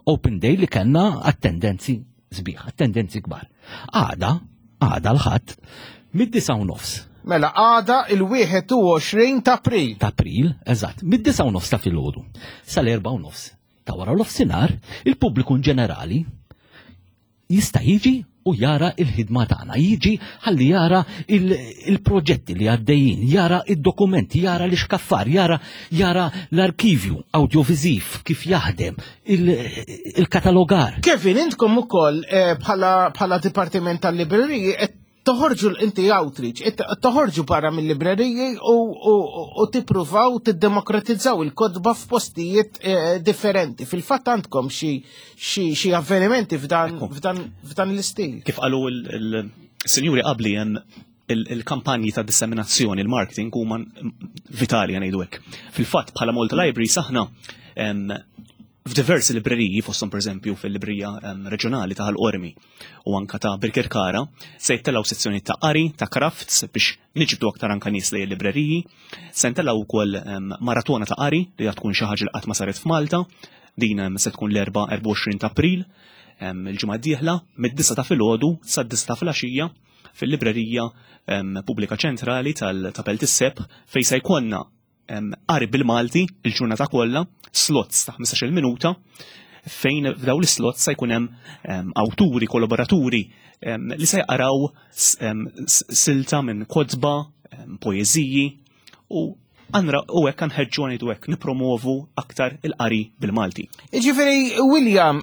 Open Day li kellna attendenzi sbieħ, attendenzi kbar. Għada, għada l-ħadd, mid-disa u nofs. Mela għada il-21 ta' April. Ta' April, eżatt, mid-disa u nofs ta' filgħodu sal-erba' u nofs ta' wara l-ofsinhar, il-pubbliku in ġenerali jista' jiġi u jara il-ħidma tagħna, jiġi ħalli jara il-proġetti li għaddejjin, jara id-dokumenti, jara l-ixkaffar, jara jara l-arkivju audiovisiv kif jaħdem, il-katalogar. Kevin, intkom ukoll eh, bħala Dipartiment tal-Libreriji qed toħorġu inti outreach, toħorġu barra mill-libreriji u tippruvaw tiddemokratizzaw il-kotba f'postijiet eh, differenti. Fil-fatt għandkom xi avvenimenti f'dan l-istil. Kif qalu il-sinjuri qabli hemm il-kampanji ta' disseminazzjoni, il-marketing huma vitali ngħidu hekk. Fil-fatt bħala Malta Library saħna f'diversi libreriji, fosthom pereżempju fil-librerija reġjonali ta' Ħal Qormi u anka ta' Birkirkara, se jittellgħu sezzjoni ta' qari, ta' crafts biex niġbdu aktar anka nies lejn il-libreriji. Se ntellgħu wkoll maratona ta' qari li tkun xi ħaġa li qatt ma saret f'Malta. Din se tkun l-Erbgħa 24 ta' April, il-ġimgħa d-dieħla, mid-disgħa ta' filgħodu sad-disgħa ta' filgħaxija fil-librerija pubblika ċentrali ta' Belt is-Sebħ fejn se jkollna qari bil-Malti il-ġurnata kollha, slots ta' 15-il minuta, fejn f'dawn l-slots se jkun hemm awturi, kollaboraturi li se jqaraw silta minn kotba, poeżiji u għanra u hekk nħeġġu ngħidu hekk nipromovu aktar il-qari bil-Malti. Jiġifieri William,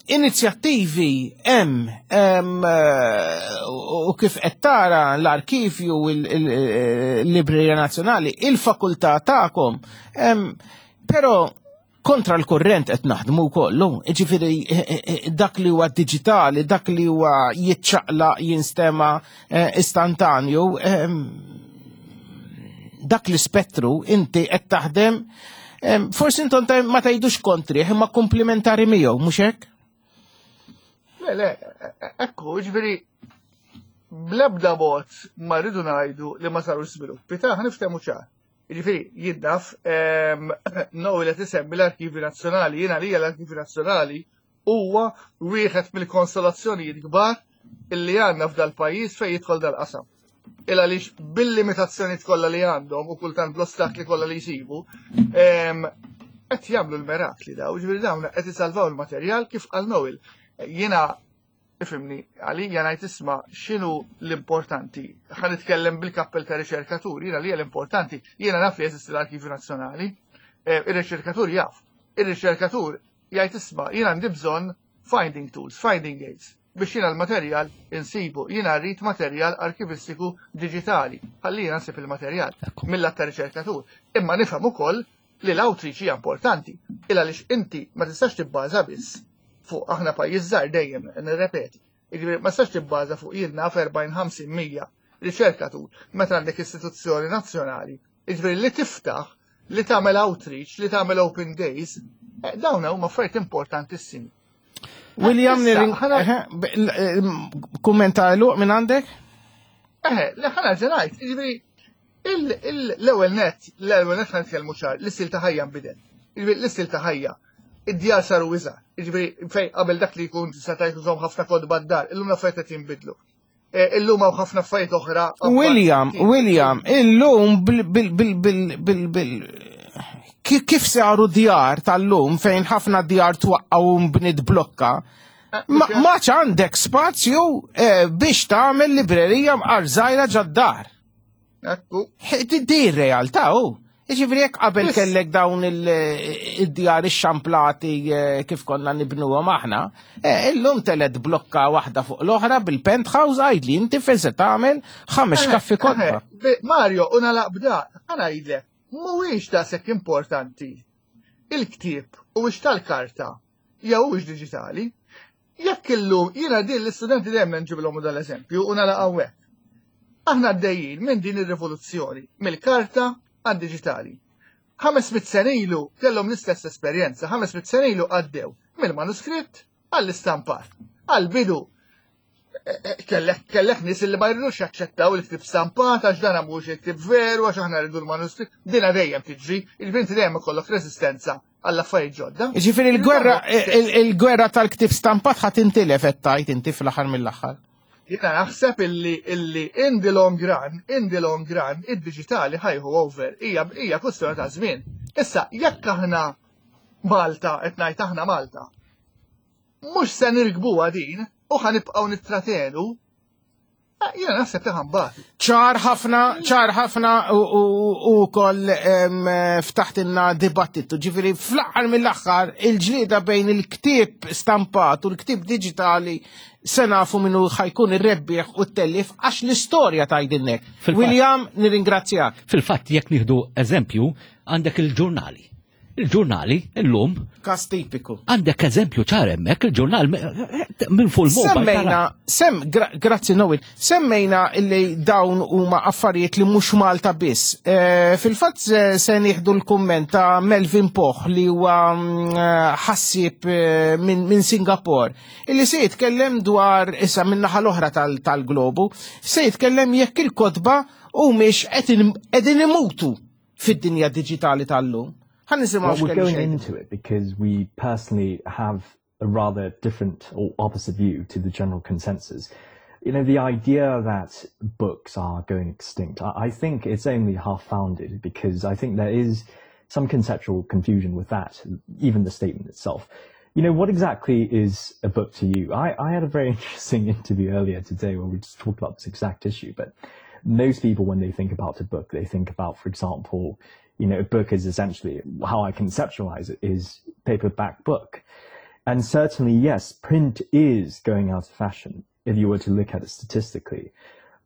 inizjattivi hemm eh, u kif qed tara l-arkivju il-Librerija Nazzjonali, il-fakultà tagħkom, però Kontra l-kurrent qed naħdmu wkoll, jiġifieri dak li huwa diġitali, dak li huwa jiċċaqlaq jinstema istantanju, dak l-ispettru inti qed taħdem forsi intom ma tgħidux kontrih imma komplementari miegħu, mhux hekk? Le, le, ekku, ġifieri bl-ebda mod ma rridu ngħidu li ma sarux żviluppi ta' niftehmu ċar. Jiġifieri, jien naf, ehm, Noel qed isemmi l-Arkivju Nazzjonali, jiena għalija l-Arkivju Nazzjonali huwa wieħed mill-konsolazzjonijiet kbar illi għandna f'dal-pajjiż fejn jidħol dal-qasam. Il għaliex bil-limitazzjonijiet kollha li għandhom u kultant bl-ostakli kollha li jsibu, ehm, qed jagħmlu l-merakli daw, ġifieri dawn qed isalvaw il-materjal kif qal Noel. Jiena Ifhimni, għalija ngħid isma' x'inhu l-importanti. Ħa nitkellem bil-kappell ta' riċerkatur, jiena li l-importanti, jiena naf li jeżisti l-Arkivju Nazzjonali, eh, ir-riċerkatur jaf. Ir-riċerkatur jgħid isma' jiena għandi bżonn finding tools, finding aids, biex jiena l-materjal insibu, jiena rrid materjal arkivistiku diġitali, ħalli jiena nsib il-materjal mill-att ta' riċerkatur. Imma nifhem ukoll li l-outreach hija importanti, il għaliex inti ma tistax tibbaża biss fuq aħna pajjiż żgħar dejjem nirrepeti. Jiġifieri ma tistax tibbaża fuq jien naf 40, 50, 100 riċerkatur meta għandek istituzzjoni nazzjonali. Jiġifieri li tiftaħ, li tagħmel outreach, li tagħmel open days, eh, dawn huma affarijiet importantissimi. William, eh, eh, kummenta l minn għandek? Eħe, li ħana ġenajt, jiġifieri l-ewwel net, l-ewwel net ħan nitkellmu ċar, l-istil ta' ħajja nbidel. L-istil ta' ħajja id-djar saru iżgħar. Jiġifieri fejn qabel dak li jkun tista' tgħid użhom ħafna kotba d-dar, illum l-affarijiet qed jinbidlu. E, illum hawn ħafna affarijiet oħra. William, William, illum bil bil bil bil bil bil kif saru djar tal-lum fejn ħafna djar twaqqgħu mbnit blokka, eh, ma għandek spazju eh, biex tagħmel librerija mqar żgħira ġad-dar. Ekku. Di realtà u. Jiġifieri jekk qabel kellek dawn id-djar ix-xamplati eh, kif konna nibnuhom aħna, eh, illum telet blokka waħda fuq l-oħra bil-penthouse għajd li inti fejn se tagħmel ħames eh, kaffi kotba. Mario, u nalaq b'da, ħa ngħidlek, mhuwiex daqshekk importanti il-ktieb u tal-karta jew huwiex diġitali. Jekk illum jiena din l-istudenti dejjem nġibilhom dan l-eżempju u nagħlaq hawnhekk. Aħna għaddejjin minn din ir-rivoluzzjoni mill-karta għad-diġitali. 500 sena ilu kellhom l-istess esperjenza, 500 sena ilu għaddew mill-manuskritt għall-istampar. Għall-bidu eh, eh, kellek kellek nies li ma jridux jaċċettaw il-ktib stampat għax dan mhux il-ktib veru għax aħna rridu l-manuskritt, dina dejjem tiġri, il-binti dejjem ikollok resistenza għall-affarijiet ġodda. Ġifieri il-gwerra il-gwerra tal-ktib stampat ħadd intilef qed tgħid inti fl-aħħar mill-aħħar. Jiena naħseb illi illi in the long run, in the long run, id-diġitali ħajħu over, hija hija kwestjoni ta' żmien. Issa, jekk aħna Malta, qed ngħid aħna Malta, mhux se nirkbuha din u ħanibqgħu nittratenu Eh, jiena naħseb li ħambati. ċar ħafna, ċar ħafna u koll ftaħtinna dibattitu. Ġifiri, fl-aħħar mill-aħħar, il-ġlieda bejn il-ktieb stampat u l-ktieb digitali se nafu minnu ħajkun ir-rebbieħ u t-tellif għax l-istorja tajdinnek. William, nirringrazzjak. Fil-fatt, jekk nieħdu eżempju, għandek il-ġurnali. Il-ġurnali, illum. Kas tipiku. Għandek eżempju ċar hemmhekk il-ġurnal minn fuq il-mobile. Semmejna, sem, grazzi Noel, semmejna li dawn huma affarijiet li mhux Malta biss. Eh, fil-fatt se nieħdu l-kumment ta' Melvin Poch li huwa mm, eh, ħassib eh, minn Singapore, illi se jitkellem dwar issa minn naħa l-oħra tal-globu, se jitkellem jekk il-kotba humiex qegħdin imutu fid-dinja diġitali tal-lum. Ħa nisimgħu Well, we're going into it because we personally have a rather different or opposite view to the general consensus. You know, the idea that books are going extinct, I, I think it's only half-founded because I think there is some conceptual confusion with that, even the statement itself. You know, what exactly is a book to you? I, I had a very interesting interview earlier today where we just talked about this exact issue, but most people, when they think about a book, they think about, for example, you know, a book is essentially how I conceptualize it is paperback book. And certainly, yes, print is going out of fashion if you were to look at it statistically.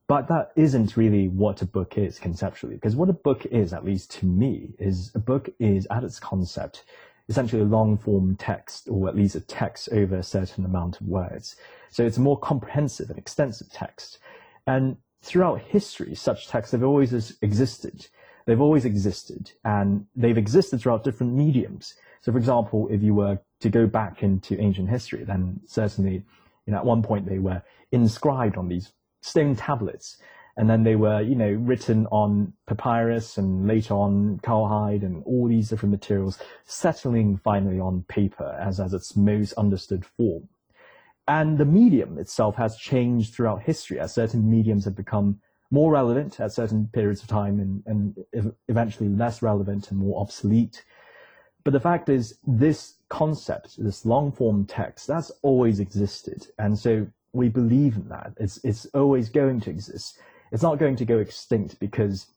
But that isn't really what a book is conceptually, because what a book is, at least to me, is a book is at its concept. essentially a long form text, or at least a text over a certain amount of words. So it's a more comprehensive and extensive text. And throughout history, such texts have always existed. They've always existed, and they've existed throughout different mediums. So, for example, if you were to go back into ancient history, then certainly, you know, at one point they were inscribed on these stone tablets, and then they were, you know, written on papyrus and later on cowhide and all these different materials, settling finally on paper as, as its most understood form. And the medium itself has changed throughout history as certain mediums have become more relevant at certain periods of time and, and eventually less relevant and more obsolete. But the fact is, this concept, this long form text, that's always existed. And so we believe in that. It's, it's always going to exist. It's not going to go extinct because,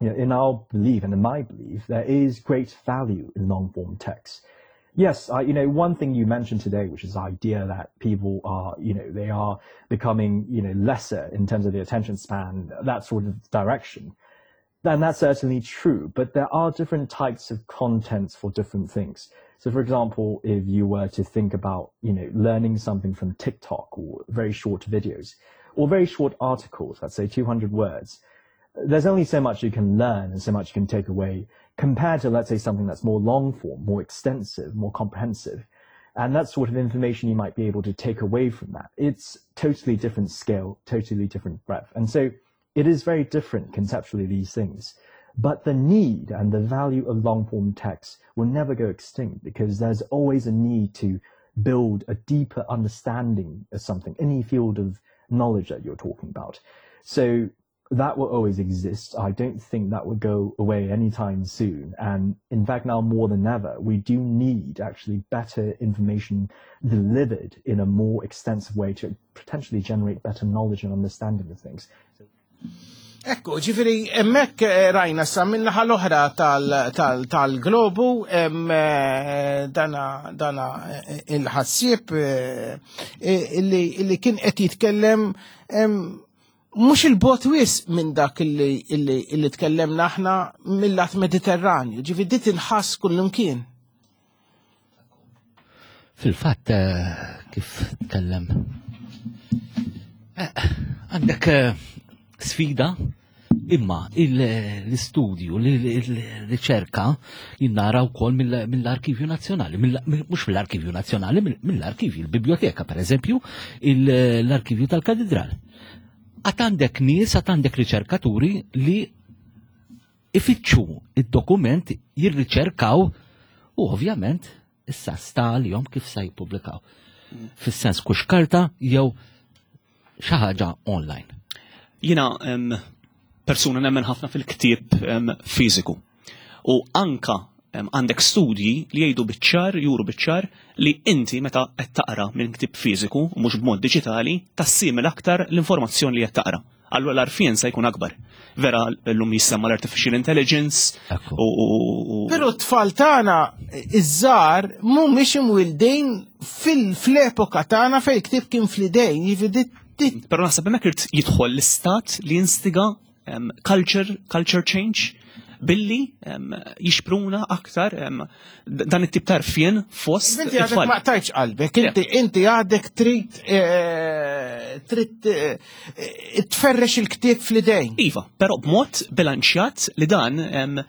you know, in our belief and in my belief, there is great value in long form text. Yes, I, you know, one thing you mentioned today, which is the idea that people are, you know, they are becoming, you know, lesser in terms of the attention span, that sort of direction. Then that's certainly true, but there are different types of contents for different things. So for example, if you were to think about, you know, learning something from TikTok or very short videos or very short articles, let's say 200 words, there's only so much you can learn and so much you can take away compared to, let's say, something that's more long form, more extensive, more comprehensive. And that sort of information you might be able to take away from that. It's totally different scale, totally different breadth. And so it is very different conceptually, these things. But the need and the value of long form text will never go extinct because there's always a need to build a deeper understanding of something, any field of knowledge that you're talking about. So that will always exist. I don't think that would go away anytime soon. And in fact, now more than ever, we do need actually better information delivered in a more extensive way to potentially generate better knowledge and understanding of things. Ekku, ġifiri, emmek eh, rajna sa minnaħa l-oħra tal-globu, eh, dana, dana eh, il-ħassieb illi kien qed jitkellem mhux il-bot wis minn dak illi tkellemna aħna mill-lat Mediterranju, ġifiri dit inħass kullimkien. Fil-fatt, kif tkellem, għandek sfida imma l-istudju, l-riċerka jinnara wkoll mill-Arkivju Nazzjonali, mhux mill-Arkivju Nazzjonali, mill-Arkivju, il-Biblioteka pereżempju, l-Arkivju tal-Katedral. Għad għandek nies, għad għandek riċerkaturi li ifittxu id-dokument, jirriċerkaw u ovvjament issa sta għalihom kif sa jippubblikaw. Fis-sens kux karta jew xi ħaġa online. Jiena persuna nemmen ħafna fil-ktieb fiżiku. U anka għandek studji li jgħidu biċ-ċar, juru biċ-ċar li inti meta qed taqra minn ktieb fiżiku u mhux b'mod diġitali tassimil aktar l-informazzjoni li qed taqra. Allura l-għarfien se jkun akbar. Vera llum jissemma l-artificial intelligence u Però t-tfal tagħna iż-żgħar mhumiex imwildin fil-epoka tagħna fejn ktieb kien fl-idejn, jiġifieri Però naħseb hemmhekk irid jidħol l-istat li jinstiga culture, culture change billi jixpruna aktar dan it-tip ta' rfien fost. Inti għadek ma tajċ qalbek, inti inti għadek trid eh, trid eh, tferrex il-ktieb fl-idejn. Iva, però b'mod bilanċjat li dan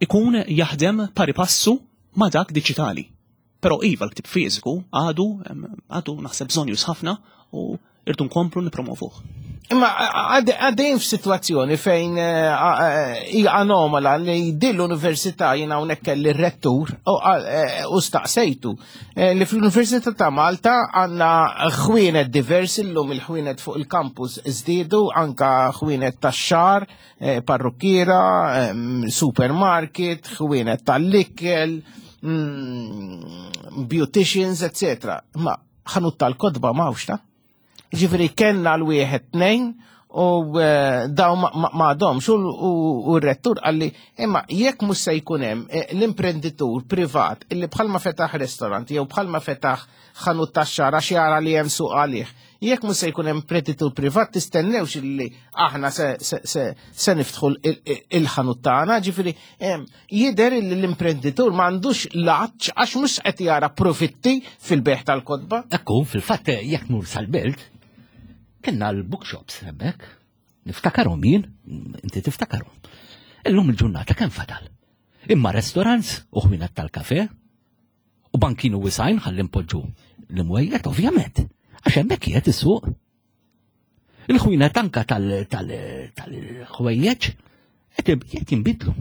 ikun jaħdem pari passu ma' dak diġitali. Però iva l-ktieb fiżiku għadu għadu naħseb bżonjus ħafna u irdu nkomplu nipromovuh. Imma għaddejn f'sitwazzjoni fejn eh, eh, hija anomala li din l-università jiena hawnhekk kelli r-rettur eh, u staqsejtu li fl-Università ta' Malta għandna ħwienet diversi llum il-ħwienet fuq il-campus żdiedu anka ħwienet tax-xar, parrukkiera, supermarket, ħwienet tal-ikel, mm, beauticians, etc. Ma ħanut tal-kotba m'hawnx ta' Ġifieri kellna l-wieħed tnejn u eh, daw ma għadhomx u r-rettur qalli imma jekk mhux se jkun hemm eh, l-imprenditur privat illi bħalma fetaħ restaurant jew bħalma fetaħ ħanut tax-xagħar għax jara li hemm suq għalih. Jekk mhux se jkun hemm preditur privat tistennewx illi aħna se, se, se, se niftħu il-ħanut tagħna, ġifieri jidher illi l-imprenditur ma għandux laċ għax mhux qed jara profitti fil-beħ tal-kotba. Ekku, fil-fatt jekk mur sal-belt, kellna l-bookshops hemmhekk. Niftakarhom jien, inti tiftakarhom. Illum il-ġurnata kemm fadal? Imma restaurants u ħwienet tal-kafe u bankinu wisajn ħalli npoġġu l-imwejjed ovvjament, għax hemmhekk qiegħed is-suq. Il-ħwienet anka tal-ħwejjeġ qed jinbidlu.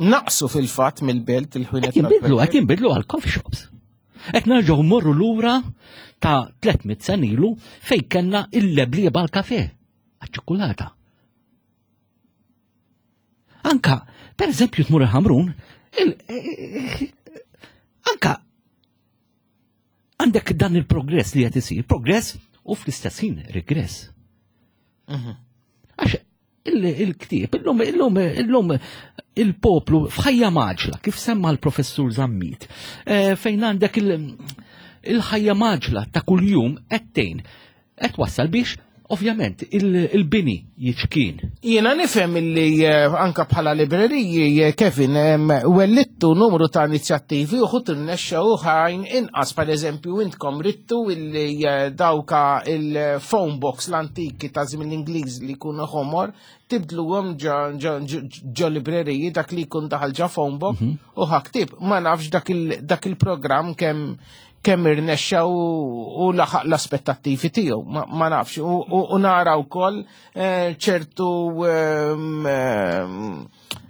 Naqsu fil-fatt mill-belt il-ħwienet. Qed jinbidlu, qed jinbidlu għal coffee shops. Qed nerġgħu mmorru lura ta' 300 sen ilu fejn kellna il-leblieba għal-kafe, għaċ-ċokulata. Anka, per eżempju, tmur il-Ħamrun, anka għandek dan il-progress li qed isir, progress u fl-istess ħin regress. Għax il-ktieb, illum, illum, illum il-poplu f'ħajja maġla, kif semma l-professur Zammit, eh, fejn għandek il-ħajja maġla ta' kuljum qed tgħin Qed wassal biex ovvjament il-bini jiċkien. Jiena nifhem illi eh, anka bħala libreriji eh, Kevin wellittu numru ta' inizjattivi u ħut irnexxa u ħajn inqas per eżempju intkom rittu illi eh, dawka il-phone box l-antiki ta' żmien l-Ingliż li jkunu ħomor tibdluhom ġo libreriji dak li jkun daħal ġo phone box mhm. u ħaktib ma nafx dak il-programm kemm kemm irnexxa u laħaq l-aspettattivi tiegħu, ma nafx. U nara wkoll eh, ċertu ehm, ehm,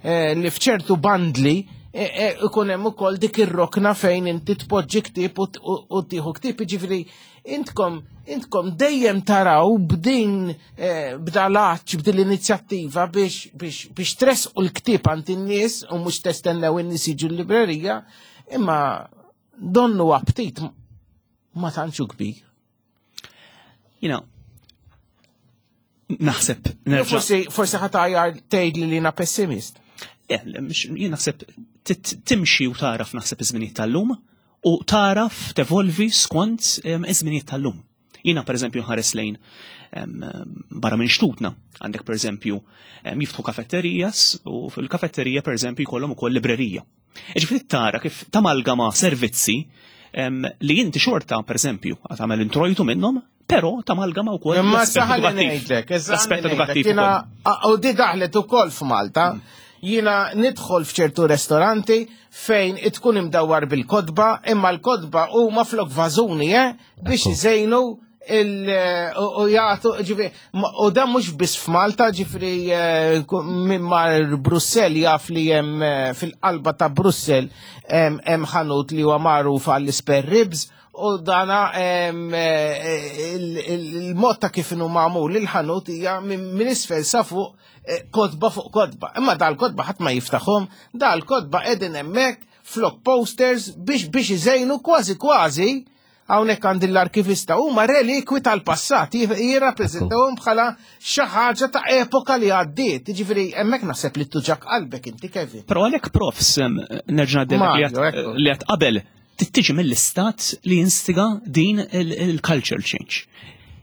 eh, li f'ċertu bandli eh, ikun hemm ukoll dik ir-rokna fejn inti tpoġġi ktieb u tieħu ktieb, jiġifieri intkom intkom dejjem taraw b'din b'dalaċ b'din l-inizjattiva biex biex biex tresqu l-ktieb għand in-nies u mhux testennew in-nies jiġu l-librerija, imma donnu aptit ma tantxu kbir. Jina, naħseb nerġa'. Forsi forsi ħatajar tgħid li jiena pessimist. Jien naħseb timxi u taraf naħseb iż-żminijiet tal-lum u taraf tevolvi skont iż-żminijiet tal-lum. Jiena pereżempju nħares lejn barra minn xtutna. Għandek pereżempju jiftħu kafetterijas u fil-kafetterija pereżempju jkollhom ukoll librerija. Ġifieri tara kif tamalgama servizzi li inti xorta pereżempju tagħmel introjtu minnhom, però tamalgama wkoll. Imma saħal ngħidlek, l-aspett edukattiv. U di daħlet ukoll f'Malta. Jiena nidħol f'ċertu ristoranti fejn tkun imdawwar bil-kotba, imma l-kotba huma flok vażuni, eh? biex iżejnu u jgħatu, ġifri, u dan mux biss f'Malta, ġifri, eh, minn mar Brussel jaf li jem eh, fil-qalba ta' Brussel hemm ħanut li huwa magħruf għall spare ribs u dana eh, il-mod ta' kif inhu magħmul il-ħanut hija minn isfel sa fuq kotba fuq kotba. Imma dal-kotba ħadd ma jiftaħhom, dal-kotba qegħdin hemmhekk flok posters biex biex iżejnu kważi kważi hawnhekk għand l-arkivista huma relikwi tal-passat jirrappreżentawhom bħala xi ħaġa ta' epoka li għaddiet. Jiġifieri hemmhekk naħseb li tuġak qalbek inti Kevin. Però għalhekk profs nerġa' li għad qabel tiġi mill-istat li jinstiga din il-culture change.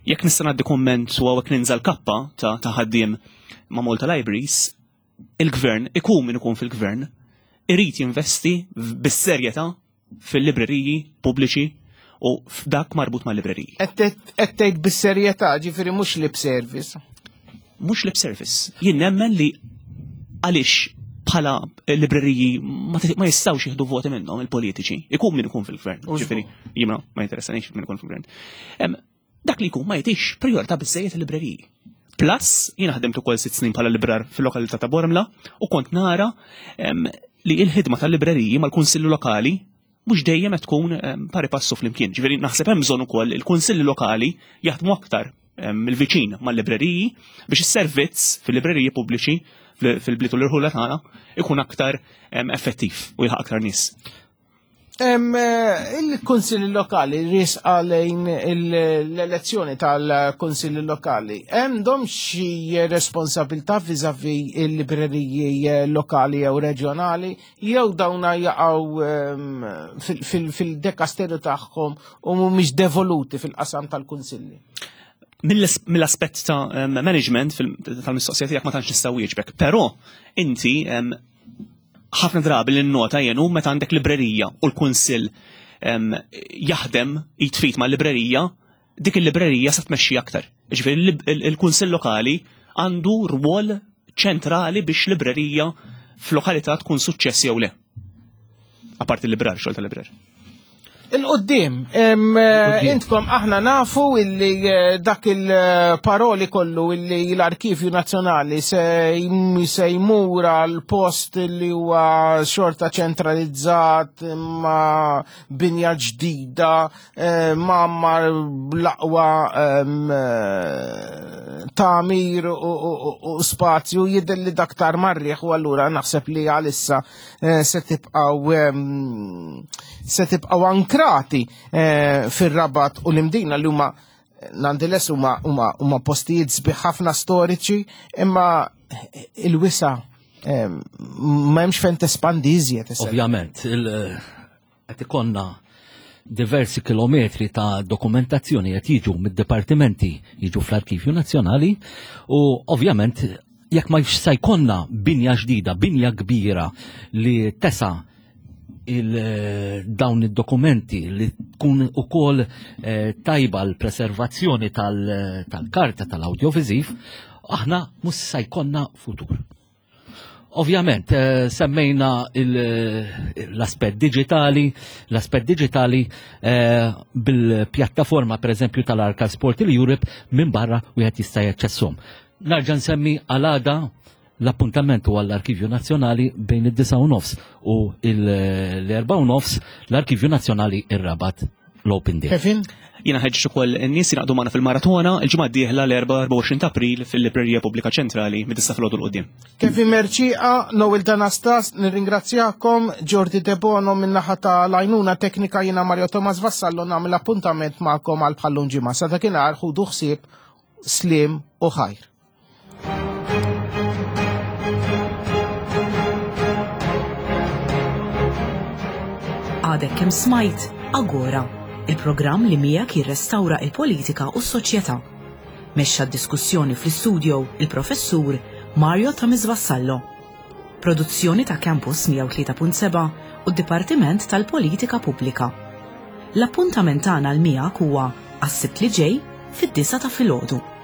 Jekk nista' ngħaddi kumment u hawnhekk ninżal kappa ta' ħaddiem ma' Malta Libraries, il-gvern, ikun min ikun fil-gvern, irid jinvesti bis-serjetà fil-libreriji pubbliċi u f'dak marbut ma' libreriji. Qed tgħid bis-serjetà, ġifieri mhux lip service. Mhux lip service. Jien nemmen li għaliex bħala libreriji ma jistgħux jieħdu voti minnhom il-politiċi, ikun min ikun fil-gvern. Ġifieri, jiena ma jinteressanix min ikun fil-gvern. Dak li jkun ma jtix priorità biżejjed il-libreriji. Plus, jiena ħdimt ukoll sitt snin bħala librar fil-lokalità ta' Bormla u kont nara li il-ħidma tal-libreriji mal-kunsilli lokali mhux dejjem qed tkun pari passu flimkien. Ġifieri naħseb hemm bżonn ukoll il-kunsilli lokali jaħdmu aktar mill-viċin mal-libreriji biex is-servizz fil-libreriji pubbliċi fil-bliet u l-irħula tagħna ikun aktar effettiv u jilħaq aktar nies. Eh, il-Kunsilli Lokali risqa lejn l-elezzjoni tal-Kunsilli Lokali. Għandhom xi responsabilità viżavi il-libreriji eh, lokali jew reġjonali jew dawna jaqgħu ehm, fil-dekasteru tagħhom u mhumiex devoluti fil-qasam tal-Kunsilli? Mill-aspett ta' management tal-mistoqsija tiegħek ma tantx nista' wieġbek, però inti ħafna drabi li nnota jien hu meta għandek librerija u l-kunsill jaħdem jitfit ma' librerija, dik il-librerija se tmexxi aktar. Ġifieri il-kunsill lokali għandu rwol ċentrali biex librerija f'lokalità tkun suċċess jew le. Apparti l-librar, xogħol tal-librar. Il-qoddim, eh, intkom aħna nafu illi eh, dak il-paroli kollu illi l-Arkivju Nazzjonali se jmur għal post li huwa xorta ċentralizzat ma' binja ġdida eh, ma' l-aqwa tamir u spazju jidher li daktar marriħ u allura naħseb li għalissa Eh, se tibqgħu ehm, se tibqgħu ankrati eh, fir-Rabat u l-Imdina li huma nonetheless huma huma postijiet sbieħ ħafna storiċi imma il-wisa ehm, ma hemmx fejn tespandi iżjed. Ovvjament, qed ikollna diversi kilometri ta' dokumentazzjoni qed jiġu mid-dipartimenti jiġu fl-Arkivju Nazzjonali u ovvjament jekk ma se jkollna binja ġdida, binja kbira li tesa il dawn id-dokumenti li tkun ukoll eh, tajba l-preservazzjoni tal-karta tal-audiovisiv, aħna mhux se jkollna futur. Ovvjament, eh, semmejna l-aspett digitali, l-aspett digitali eh, bil-pjattaforma per eżempju tal-Arka Sport il-Europe minn barra wieħed jista' jaċċesshom. Narġa' nsemmi għal-għada l-appuntament huwa l-Arkivju Nazzjonali bejn id-9 u nofs u l-4 u nofs l-Arkivju Nazzjonali ir-Rabat l-Open Day. Kevin? Jiena ħeġġeġ ukoll in-nies jingħaqdu magħna fil-maratona il-ġimgħa d-dieħla l-24 ta' April fil-Librerija Pubblika Ċentrali mid-disa' filgħodu 'l quddiem. Kevin Mercieca, Noel D'Anastas, nirringrazzjakom, Jordi Debono min-naħa ta' l-għajnuna teknika jiena Mario Thomas Vassallo nagħmel appuntament magħkom għal bħallum ġimgħa. Sa dakinhar ħudu ħsieb, sliem u ħajr. Għadek kemm smajt Agora, il-programm li miegħek jirrestawra il-politika u s-soċjetà. Mexxa d-diskussjoni fl-istudio il-Professur Mario Thomas Vassallo. Produzzjoni ta' Campus 103.7 u d-Dipartiment tal-Politika Pubblika. L-appuntament tagħna l miegħek huwa għas-Sibt li ġej fid-disa ta' filgħodu.